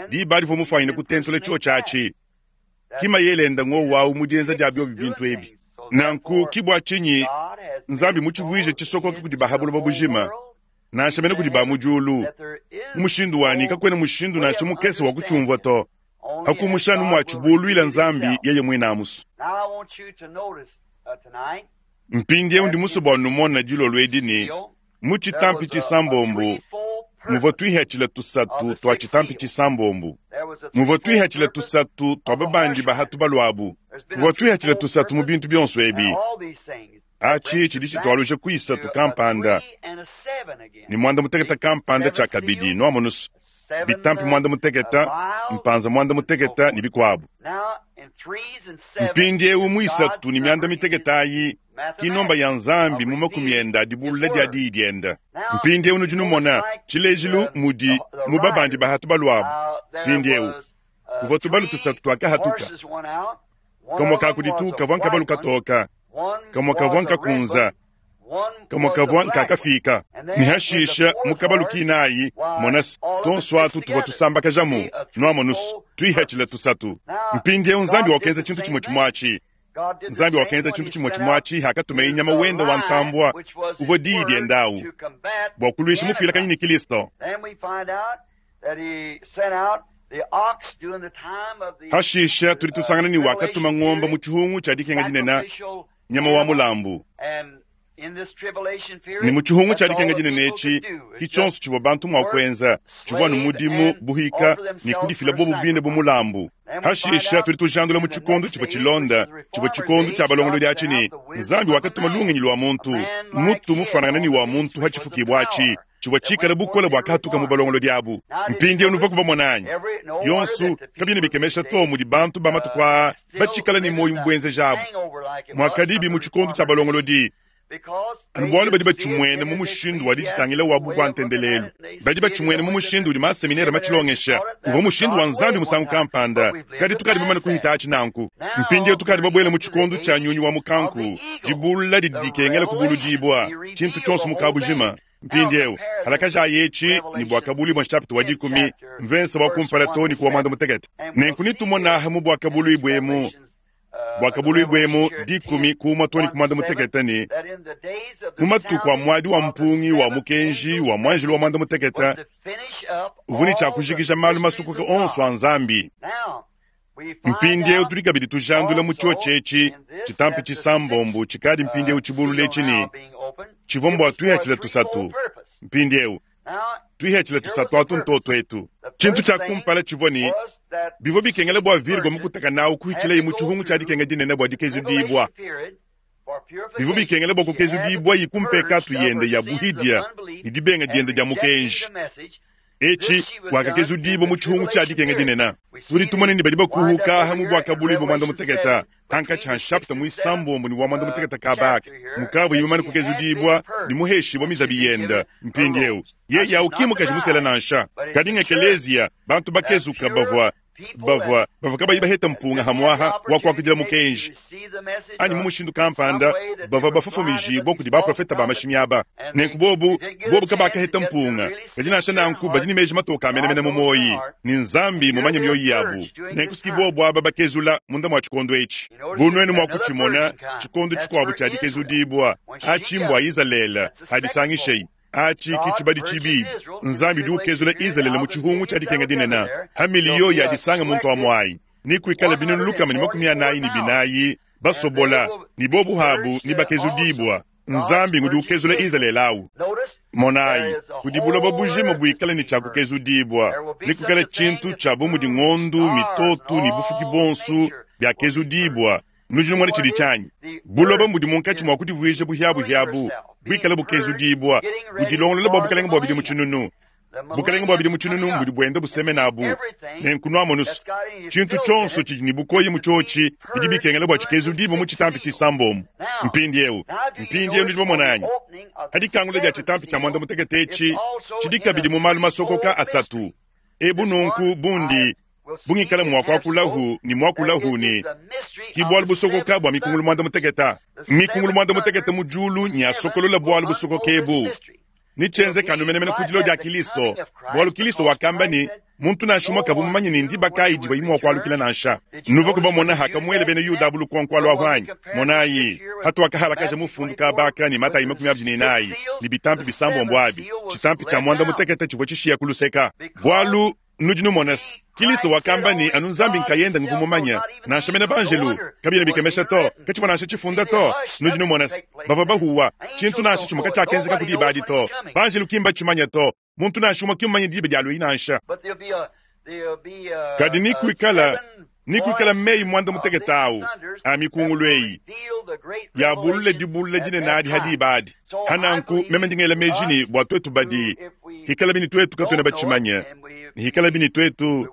diba divua mufuanyine kutentula tshio tshiatshi kima yelenda ngowu mu dienza dia biobi bintu ebi. Nanku kibua tshinyi Nzambi mutshivuije tshisokoka kudi bahabuloba bujima nansha mene kudi ba mu diulu mu mushindu wani kakwena mushindu nansha mukese wa kutshiumvua to hakumushanu mwa tshibuluila Nzambi yeye mwinamusu. Mpindieu ndi musue bua numona dilolo edi ne mu tshitampi tshisambombo muvua tuihatshila tusatu tua tshitampi tshisambombo muvua tuihatshila tusatu tua babandi bahatu baluabu muvua tuihatshila tusatu mu bintu bionso ebi. Atshi tshidi tshitualuja ku isatu kampanda ne muanda mutekete kampanda tshia kabidi nuamonusu bitampi muanda mutekete mpanza muanda mutekete ne bikuabu. Mpindieu mu isatu ne mianda mitekete ayi ki nomba ya Nzambi mu makumi enda dibulula dia diyi dienda. Mpindieu nudi numona tshilejilu mudi mu babandi bahatu baluabu. Mpindieu kuvua tubalu tusatu tuakahatuka kamua kakuditu kavua nkabalu katoka kamua kavua nkakunza kamua kavua nkakafika ne hashisha mu kabalu kinayi monasi tonso atu tuvua tusambakajamu nuamonusu tuihatshila tusatu. Mpindieu Nzambi wakenza tshintu tshimue tshimue atshi. Nzambi wakenza tshintu tshimue tshimue atshi hakatumaye nyama wenda wa ntambua uvua diyi diendawu bua kuluisha mufuilakanyi ne Kristo. Hashisha tudi tusangana ne wakatuma ngomba mu tshihungu tshia dikenga dinene nyama wa mulambu. Ne mu tshihungu tshia dikenga dinene etshi ki tshionso tshivua bantu mua kuenza tshivua ne mudimu buhika ne kudifila bobu bine bu mulambu. Hashisha tudi tujandula mu tshikondo tshivua tshilonda tshivua tshikondo tshia balongolodi atshi ne Nzambi wakatuma lungenyi lua muntu mutu mufanangana ne wa muntu ha tshifukibua atshi tshivua tshikala bukole bua kahatuka mu balongolodi abu. Mpindieu nuvua kubamona anyi yonso kabiena bikemesha to mudi bantu ba matuku aa batshikala ne muoyo mubuenzeja abu mwakadibi mu tshikondo tshia balongolodi anu bualu badi batshimuene mu mushindu wa ditshitangila wabu bua ntendelelu badi batshimuene mu mushindu udi maseminere matshilongesha uvua mushindu wa Nzambi musangu kampanda kadi tukadi bamane kuhita atshi nanku. Mpindieu tukadi babuele mu tshikondo tshia nyunyi wa mukanku dibulula didi dikengela kubuludibua tshintu tshionso mu kabujima. Mpindieu halakaja etshi ne bua kabulu bua nshapita wa dikumi mvensa wa kumpala to ne kuwa muanda mutekete. Nenku nitumonaha mu bua kabulu ibwemu bua kabulu ibwemu dikumi kumua to ne ku muanda mutekete ne mu matuku a muadi wa mpungi wa mukenji wa mwanjelo wa muanda mutekete uvua ne tshia kujikija malu masukuka onso a Nzambi. Mpindieu tudi kabidi tujandula mu tshiotshi etshi tshitampi tshisambombo tshikadi mpindieu tshibulula etshi ne tshivua mbua tuihatshila tusatu. Mpindieu Tuihetshila tusatu atu ntoto etu. Tshintu tshia kumpala tshivua ne, bivua bikengela bua Virgo mukutaka nawu kuhitshilaye mu tshihungu tshia dikenga dinene bua dikezudibua. Bivua bikengela bua kukezudibua yikumpekatu yende ya buhidia ne dibenga diende dia mukenji. Etshi wakakezudibua mu tshihungu tshia dikenga dinene. Tudi tumone ne badi bakuhuka mu bwakabulu bua mwanda muteketa hankatshi ha nshapita muisambombo ne wa mwanda muteketa kabaka mukavu yimamane kukezudibua ne muheshibua mizabi yende mpindieu yeye awu ki mukaji musela nansha kadi ngekeleziya bantu bakezuka bavua bavua bavua kabayi baheta mpunga hamwaha wa kuakudila mukenji anyi mu mushindu kampanda bavua bafofomijibua kudi baprofeta ba mashimi aba nenku bobu bobu kabakaheta mpunga kadi nansha nanku badi ne meji matoka amenemene mu moyi ni nzambi mumanye mioyi yabu nenku siki bobu aba bakezula munda mua tshikondo etshi bu nuenu mua kutshimona tshikondo tshikuabu tshia dikezudibua atshi mbua Izalele adisangishei achi kichibadi chibidi nzambi udi ukezula Izalele mu tshihungu tshia dikenga dinene ha miliyo ya disanga muntu wa mwayi ni kuikala binunu lukama ni makumi anayi ni binayi basobola ni bobu habu ni bakezudibwa nzambi ngudi ukezula Izalele awu monayi kudi buloba bujima buikale ni tshia kukezudibwa ni kukala tshintu tshia bu mudi ng'ondu mitotu ni bufuki bonsu byakezudibwa nudi numona tshidi tshanyi buloba mbudi munkatshi mua kudivuija buhiabuhiabu buikale bukezudibwa budilongolola bua bukalenge bua bidimu tshinunu bukalenge bua bidimu tshinunu mbudi buenda busemenabu nenku nuamonusu tshintu tshionso tshidi ne bukoyi mu tshiotshi bidi bikengela bua tshikezudibwa mu tshitampi tshisambombo mpindiewu mpindiewu nudi bamonanyi hadikangula dia tshitampi tshia mwanda mutekete etshi tshidi kabidi mu malu masokoka asatu ebu nunku bundi bungikala mwakuakulahu ni mwakulahu ni ki bwalu busokoka bwa mikungulu mwanda muteketa mikungulu mwanda muteketa mu julu nyasokolola bwalu busokoka ebu ni tshenze kanumenemene kudilo dia Kilisto bwalu Kilisto wakamba ni muntu nansha umwe kavua mumanye ni ndiba kayi diva imwe wakualukila nansha nuva kubamona hakamuele bena Yuda bulukonko lwa hwanyi monayi hatu wakahalakaja mufundu kabaka ni matayi makumi abidi ne inayi ni bitampi bisambombo abi tshitampi tshia mwanda muteketa tshivua tshishiya kuluseka bwalu nudi numona Kilisto wakamba ni anu nzambi nkayenda nguvu mumanya nansha mena banjelu kabina bikemesha to katshivua nansha tshifunda to nudi numona bavua bahuwa tshintu nansha tshimue katshiakenzeka kudi ibadi to banjelu kimba tshimanya to muntu nansha umue kimumanye diba dia luyi nansha kadi nikuikala nikuikala meyi mwanda muteketa awu a mikungulu eyi yabulule dibulule dinene adi hadi ibadi hananku meme ndingela meji ni bua tuetu badi hikala bini tuetu katuena batshimanye hikala bini tuetu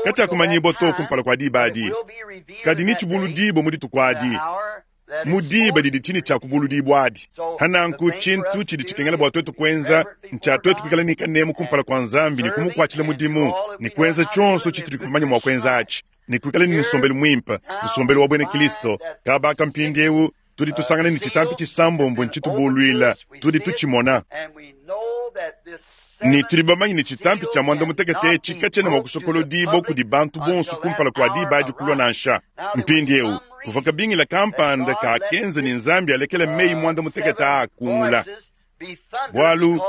katshiakumanyibua to kumpala kua diba adi kadi ni tshibuludibo mu dituku adi mu diba didi tshini tshia kubuludibua adi hananku tshintu tshidi tshikengela bua tuetu kuenza ntshia tuetu kuikala ni kanemu kumpala kua nzambi ni kumukuatshila mudimu ni kuenza tshionso tshitudi kumanya mua kuenza atshi ni kuikala ni nsombelu muimpe nsombelu wa bwena Kilisto kabaka mpindiewu tudi tusangana ni tshitampi tshisambombo ntshitubuluila tudi tutshimona ni tudi bamanyi ni tshitampi tshia mwanda mutekete etshi katshiena mua kusokolodibua kudi bantu bonso kumpala kua diba adi kulua nansha mpindiewu kuvua kabingila kampanda kakenza ni nzambi alekela meyi mwanda mutekete akungula bwalu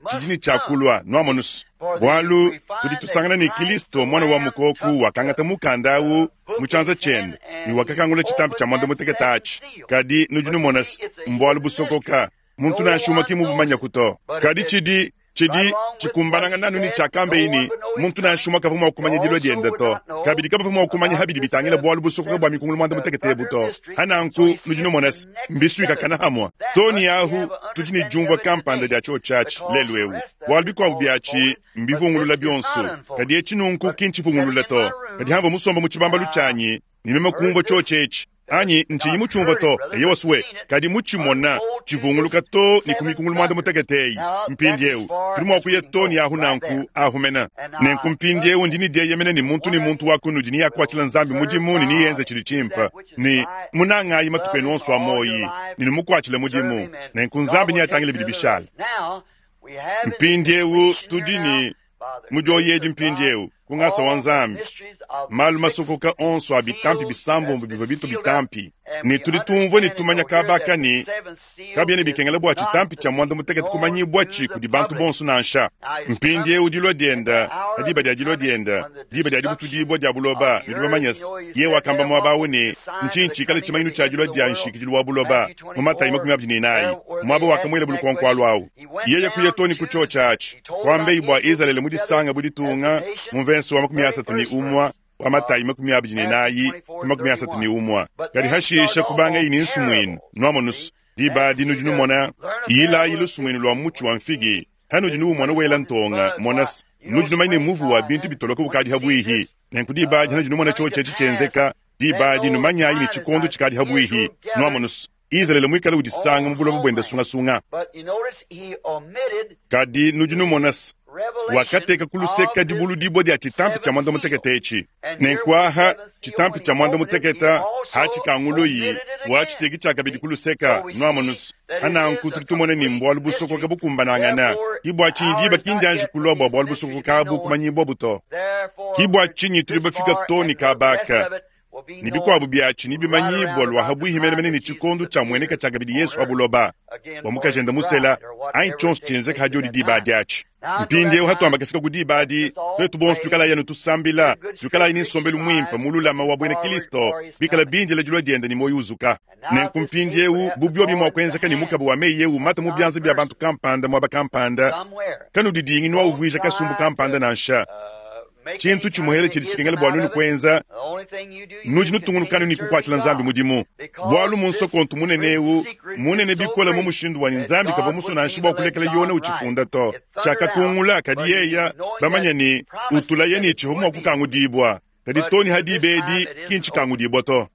tshidi ni tshiakulua nuamonusu bwalu tudi tusangana ni Kilisto mwana wa mukoku wakangata mukanda awu mu tshianza tshiende ni wakakangula tshitampi tshia mwanda mutekete atshi kadi nudi numona mbwalu busokoka muntu nansha umue kimubumanya kuto kadi tshidi tshidi tshikumbananga nanu ni tshiakambe ini muntu nansha umue kavua mua kumanya dilua diende to kabidi kabavua mua kumanya habidi bitangila bwalu busokoka bua mikungulu mwanda mutekete ebu to hananku nudi numona mbisuika kana hamwa to ni ahu tudi ni diumvua kampanda dia tshio tshiatshi lelu ewu bwalu bikuabu biatshi mbivungulula bionso kadi etshi nunku ki ntshivungulula to kadi hamvua musomba mu tshibambalu tshianyi ni meme kumvua tshio tshietshi anyi ntshinyi mutshumvua to eye wasuwe kadi mutshimona tshivunguluka to ni kumikungulu mwanda muteketeyi mpindiewu tudi mua kuya to ni ahu nanku ahumena nenku mpindiewu ndi ni dieyemena ni muntu ni muntu wa kunudi ni yakuatshila nzambi mudimu ni niyenze tshidi tshimpa ni munangayi matuku enu onso a moyi ni numukuatshila mudimu nenku nzambi ni atangile bidi bishala mpindiewu tudi ni mudioyedi mpindiewu kungasa wa nzambi malu masokoka onso a bitampi bisambombo bivua bitu bitampi ni tudi tumvua ni tumanya kabaka ni kabiena bikengela bua tshitampi tshia mwanda mutekete kumanyibua tshi kudi bantu bonso nansha mpindiewu dilua dienda diba dia dilua dienda diba dia dibutudibua dia buloba nudi bamanya ye wakamba muaba awu ne ntshinyi tshikale tshimanyinu tshia dilua dia nshikidilu wa buloba mu Matayi makumi abidi ne inayi muaba wakamuela bulukonko alu awu Yeye kuya too ne ku tshiotshi atshi, kuambeyi bua Izalele mu disanga bu ditunga mu mvenso wa makumi asatu ne umue wa Matayi makumi abidi ne nayi ku makumi asatu ne umue. Kadi hashisha kubangayi ne nsumuinu nuamonusu diba adi nudi numona yilayi lusumuinu lua mutshi wa mfigi hanudi nuumona wela ntonga monasi nudi numanya ne muvu wa bintu bitoloka bukadi habwihi. Nenku diba adi hanudi numona tshiotshi etshi tshienzeka, diba adi numanyayi ne tshikondo tshikadi habwihi. Nuamonusu Izalele muikale udisanga mu buloba buenda sungasunga. Kadi nudi numona wakateka ku luseka dibuludibua dia tshitampi tshia mwanda mutekete etshi. Nenku aha tshitampi tshia mwanda mutekete hatshikanguluyi watshiteki tshiakabidi ku luseka. Nuamonusu hananku tudi tumona ne mbualu busokoka bukumbanangana. Ki bua tshinyi diba kindianji kulua bua bualu busokoka abu kumanyibua buto. Ki bua tshinyi tudi bafika to ne kabaka ne bikuabu biatshi ne bimanyibua lua habwihi menemene ne tshikondo tshia mueneka tshiakabidi Yesu wa buloba bua mukajenda musela anyi tshionso tshienzeka hadiodi diba adi atshi. Mpindiewu hatuamba kafika ku diba adi, twetu bonso tuikalayi anu tusambila, tuikalayi ne nsombelu muimpe mululama wa buena Kristo, bikala bindila dilua diende ne muoyo uzuka. Nenku mpindiewu bu biobi mua kuenzeka ne mukaba wa meyi ewu mata mu bianza bia bantu kampanda muaba kampanda, kanudidingi nuawuvuija kasumbu kampanda nansha. Tshintu tshimuhele tshidi tshikengela bua nunu kuenza, nudi nutungunukanu ne kukuatshila Nzambi mudimu. Bualu mu nsokontu munene ewu munene bikola mu mushindu wa Nzambi kavua musue nansha bua kulekela Yona utshifunda to. Tshiakakungula kadi yeya bamanya ne utulaya ne tshivua mua kukangudibua, kadi toni hadiba edi ki ntshikangudibua to.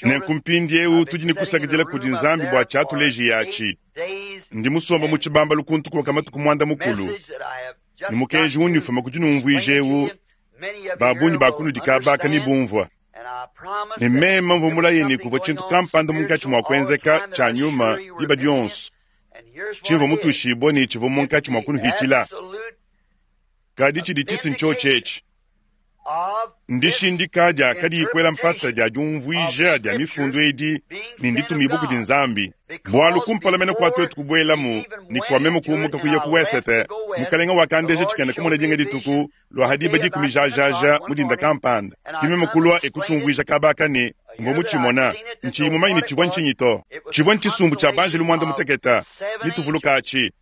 Nenku mpindiewu tudi ne kusakidila kudi Nzambi bua tshiatuleji yatshi. Ndi musomba mu tshibambalu kuntu kuoka matuku mwanda mukulu ne mukenji unifuma kudi numvuija ewu babunyi bakunudi kabaka ne bumvua. Ne meme mvua mulaye ne kuvua tshintu kampanda munkatshi mua kuenzeka tshia nyuma diba dionso tshimvua mutushibua ne tshivua munkatshi mua kunuhitshila. Kadi tshidi tshisi ntshiotshi etshi ndishindika dia kadi kuela mpata dia diumvuija dia mifundu edi ne nditumibua kudi Nzambi. Bualu kumpala mene kua twetu kubuelamu ne kua meme kumuka kuya ku wesete, mukalenga wakandeja tshikena kumona dinga dituku lua hadiba dikumi jajaja mu dinda kampanda. Ki meme kulua ekutshiumvuija kabaka ne mvua mutshimona ntshiyi mumanyi ne tshivua ntshinyi to. Tshivua ntshisumbu tshia banjelu mwanda mutekete nituvuluka atshi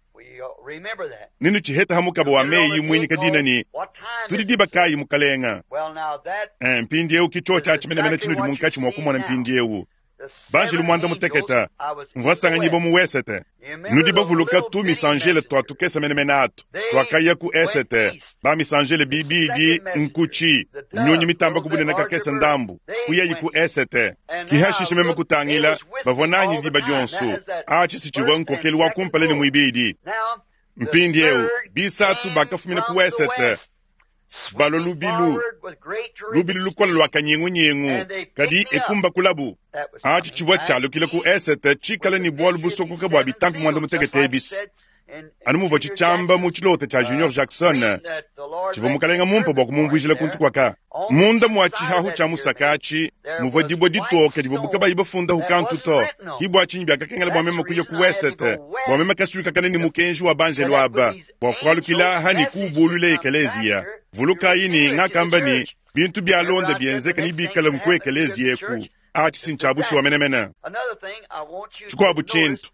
ninu tshiheta ha mukaba wa meyi muinyika dina ne tudi diba kayi mukalenga. Eh, mpindiewu ki tshiotshi atshi menemene tshinudi munkatshi mua kumona mpindiewu. Banjelu mwanda mutekete mvua sanganyibua mu wesete. Nudi bavuluka tu misanjele tua tukesa menemene atu tuakaya ku esete bamisanjele bibidi nkutshi nyunyi mitamba kubunene kakesa ndambu kuyayi ku esete. Kihashisha meme kutangila bavua nanyi diba dionso atshi si tshivua nkokelu wa kumpala ne muibidi. Mpindiewu bisatu bakafumina ku wesete balo lubilu lubilu lukola lua kanyingunyingu kadi ekumba kulabu. Atshi tshivua tshialukile ku esete tshikala ne bualu busokoka bua bitampi mwanda mutekete ebisi. Anu muvua tshitshiamba mu tshilota tshia Junior Jackson tshivua mukalenga mumpe bua kumumvuijila kuntu kuaka. Munda mua tshihahu tshia musaka atshi muvua dibua ditoke divua bukabayi bafundahu kantu to. Ki bua tshinyi biakakengela bua meme kuya ku wesete bua meme kasuikakana ne mukenji wa banjelu aba bua kualukila aha ne kuubulula ekeleziya. Vulukayi ne ngakamba ne bintu bialonda bienzeka ne bikala nku ekeleziya eku. Atshi si ntshiabushuwa menemene. Tshikuabu tshintu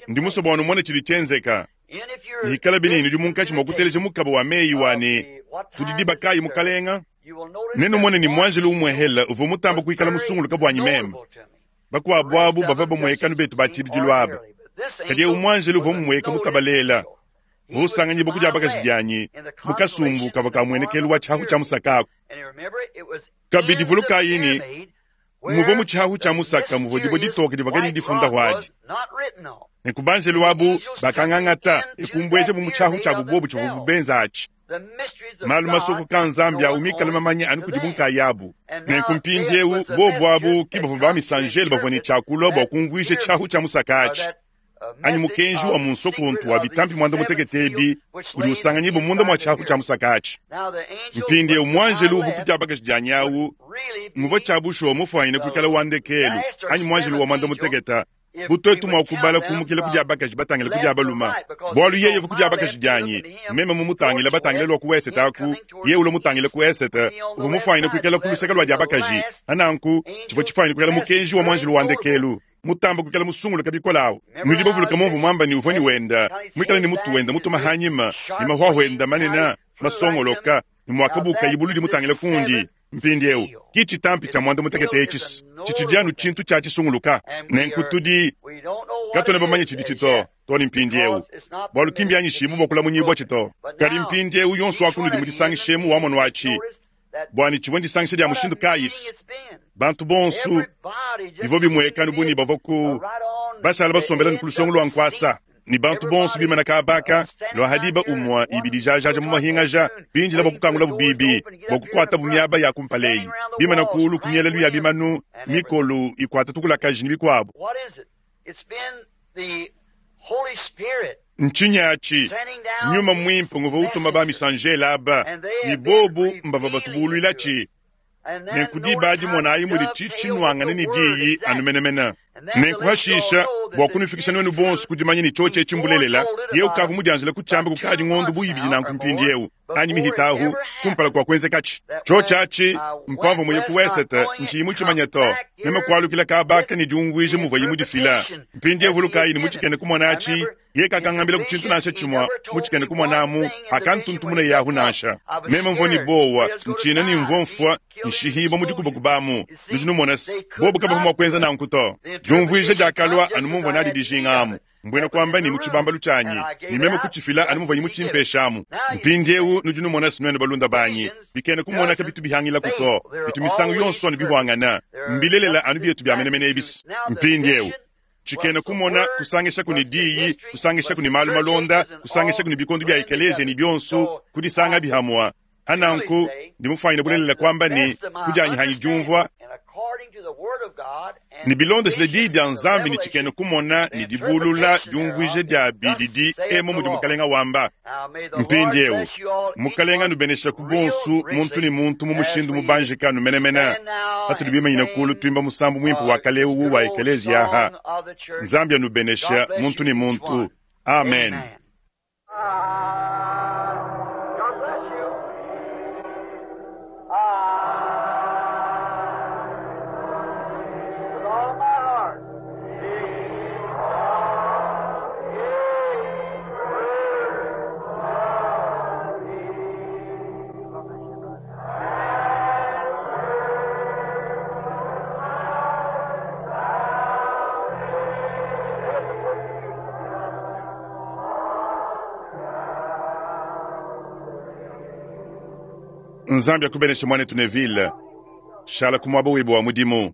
ndi musue bua numone tshidi tshienzeka. Hikala bini nudi munkatshi mua kuteleja mukaba wa meyi wa ne tudi diba kayi mukalenga. Nenumone ne muanjelu umwehela uvua mutamba kuikala musunguluka buanyi meme. Bakuabu abu bavua bamuekanu betu ba tshibidilu aba. Kadi ewu muanjelu uvua mumueka mutabalela vusanganyibua kudi abakaji dianyi mu kasumbu kavua kamuenekelu wa tshihahu tshia musaka aku. Kabidi vulukayi ne muvua mu tshihahu tshia musaka muvua dibua ditoke divua kadi difundahu adi. Nenku banjelu abu bakangangata ekumbueja mu tshihahu tshiabu bobu tshivua bubenza atshi. Malu masokoka Nzambi awu mikale mamanya anu kudi bunkayabu. Nenku mpindiewu bobu abu ki bavua bamisanjele bavua ne tshiakulua bua kumvuija tshihahu tshia musaka atshi. Anyi mukenji wa munsokontu wa bitampi mwanda mutekete ebi udi usanganyibua munda mua tshihahu tshia musaka atshi. Mpindiewu muanjelu uvua kudi abakaji dianyi awu muvua tshiabushuwa mufuanyine kuikala wa ndekelu anyi muanjelu wa mwanda mutekete Bu tuetu mua kubala kumukila ku dia bakaji batangila ku dia baluma, bualu yeye uvua ku dia bakaji dianyi, meme mumutangila batangila lua ku wesete aku, yeye ulua mutangila ku esete, uvua mufuanyine kuikala ku luseke lua dia bakaji. Ananku tshivua tshifuanyine kuikala mukenji wa muanjelu wa ndekelu mutamba kuikala musunguluka bikole awu. Nudi bavuluka mumvua muamba ne uvua ne wenda muikale ne mutu wenda mutuma hanyima ne mahuahua enda manene masongoloka ne muakabuka ibulu dimutangila kundi. Mpindieu ki tshitampi tshia muanda mutekete etshi tshitshidi anu tshintu tshia tshisunguluka. Nenku tudi katuena bamanye tshidi tshito to ne mpindieu, bualu ki mbianyishibue bua kulamunyibua tshito. Kadi mpindieu yonso wa kunudi mudisangishemu wa mono atshi, bua ne tshivua ndisangisha dia mushindu kayisi. Bantu bonso bivua bimueka bu ne bavua ku bashala basombela ne ku lusongo lua nkuasa, ne bantu bonso bimana kabaka lua hadiba umua ibidi jajaja mu mahingaja bindila bua kukangulabu bibi bua kukuatabu miaba ya kumpaleyi bimana kulu ku mielelu ya bimanu mikolu ikuata tukulakaji ne bikuabu. Ntshinyi atshi? Nyuma mwimpe nguvua utuma ba misanjela aba ne bobu mbava batubuluilatshi. Nenku diba dimonayi mudi tshitshinuangane ne diyi anu menemene. Nenku hashisha bua kunufikisha nuenu bonso ku dimanya ne tshiotshi etshi mbulelela, yeye ukavua mudianjila kutshiamba kukadi ngondo bu ibidi nanku mpindiewu anyi mihitahu kumpala kua kuenzekatshi. Tshiotshi atshi mpamvua muye ku wesete ntshiyi mutshimanya to, meme kualukila kabaka ne diumvuija muvuaye mudifila. Mpindiewu vulukayi ne mutshikene kumona atshi, yeye kakangambila ku tshintu nansha tshimue mutshikene kumonamu akantuntumuna yahu nansha. Meme mvua ne bowa ntshina ne mvua mfua nshihibua mu dikubakubamu. Nudi numona se bobu kabavua mua kuenza nanku to. Diumvuija diakalua anu mumvua nadi dijinga amu, mbuena kuamba ne mu tshibambalu tshianyi, ne meme kutshifila anu muvuaye mutshimpeshamu. Mpindiewu nudi numona se nuenu balunda banyi bikene kumonaka bitu bihangilaku to, bitu misangu yonso anu bihuangana, mbilelela anu bietu bia menemene ebisi. Mpindiewu tshikene kumona kusangishaku ne diyi, kusangishaku ne malu malonda, kusangishaku ne bikondo bia ekeleziya ne bionso, kudisanga bihamua. Ananku ndi mufanyine bulelela kuamba ne kudianyihanyi diumvua ne bilondeshile diyi dia Nzambi ne tshikene kumona ne dibulula diumvuija dia bididi emu mudi mukalenga wamba. Mpindiewu mukalenga anubenesha ku bonsu muntu ne muntu mu mushindu mubanjika numenemene. Patudi bimanyina kulu tuimba musambu muimpe wa kalewu wa ekeleziya aha. Nzambi anubenesha muntu ne muntu. Amen. Nzambi akubeneshe mwanetu Neville, shala ku muaba webe wa mudimu.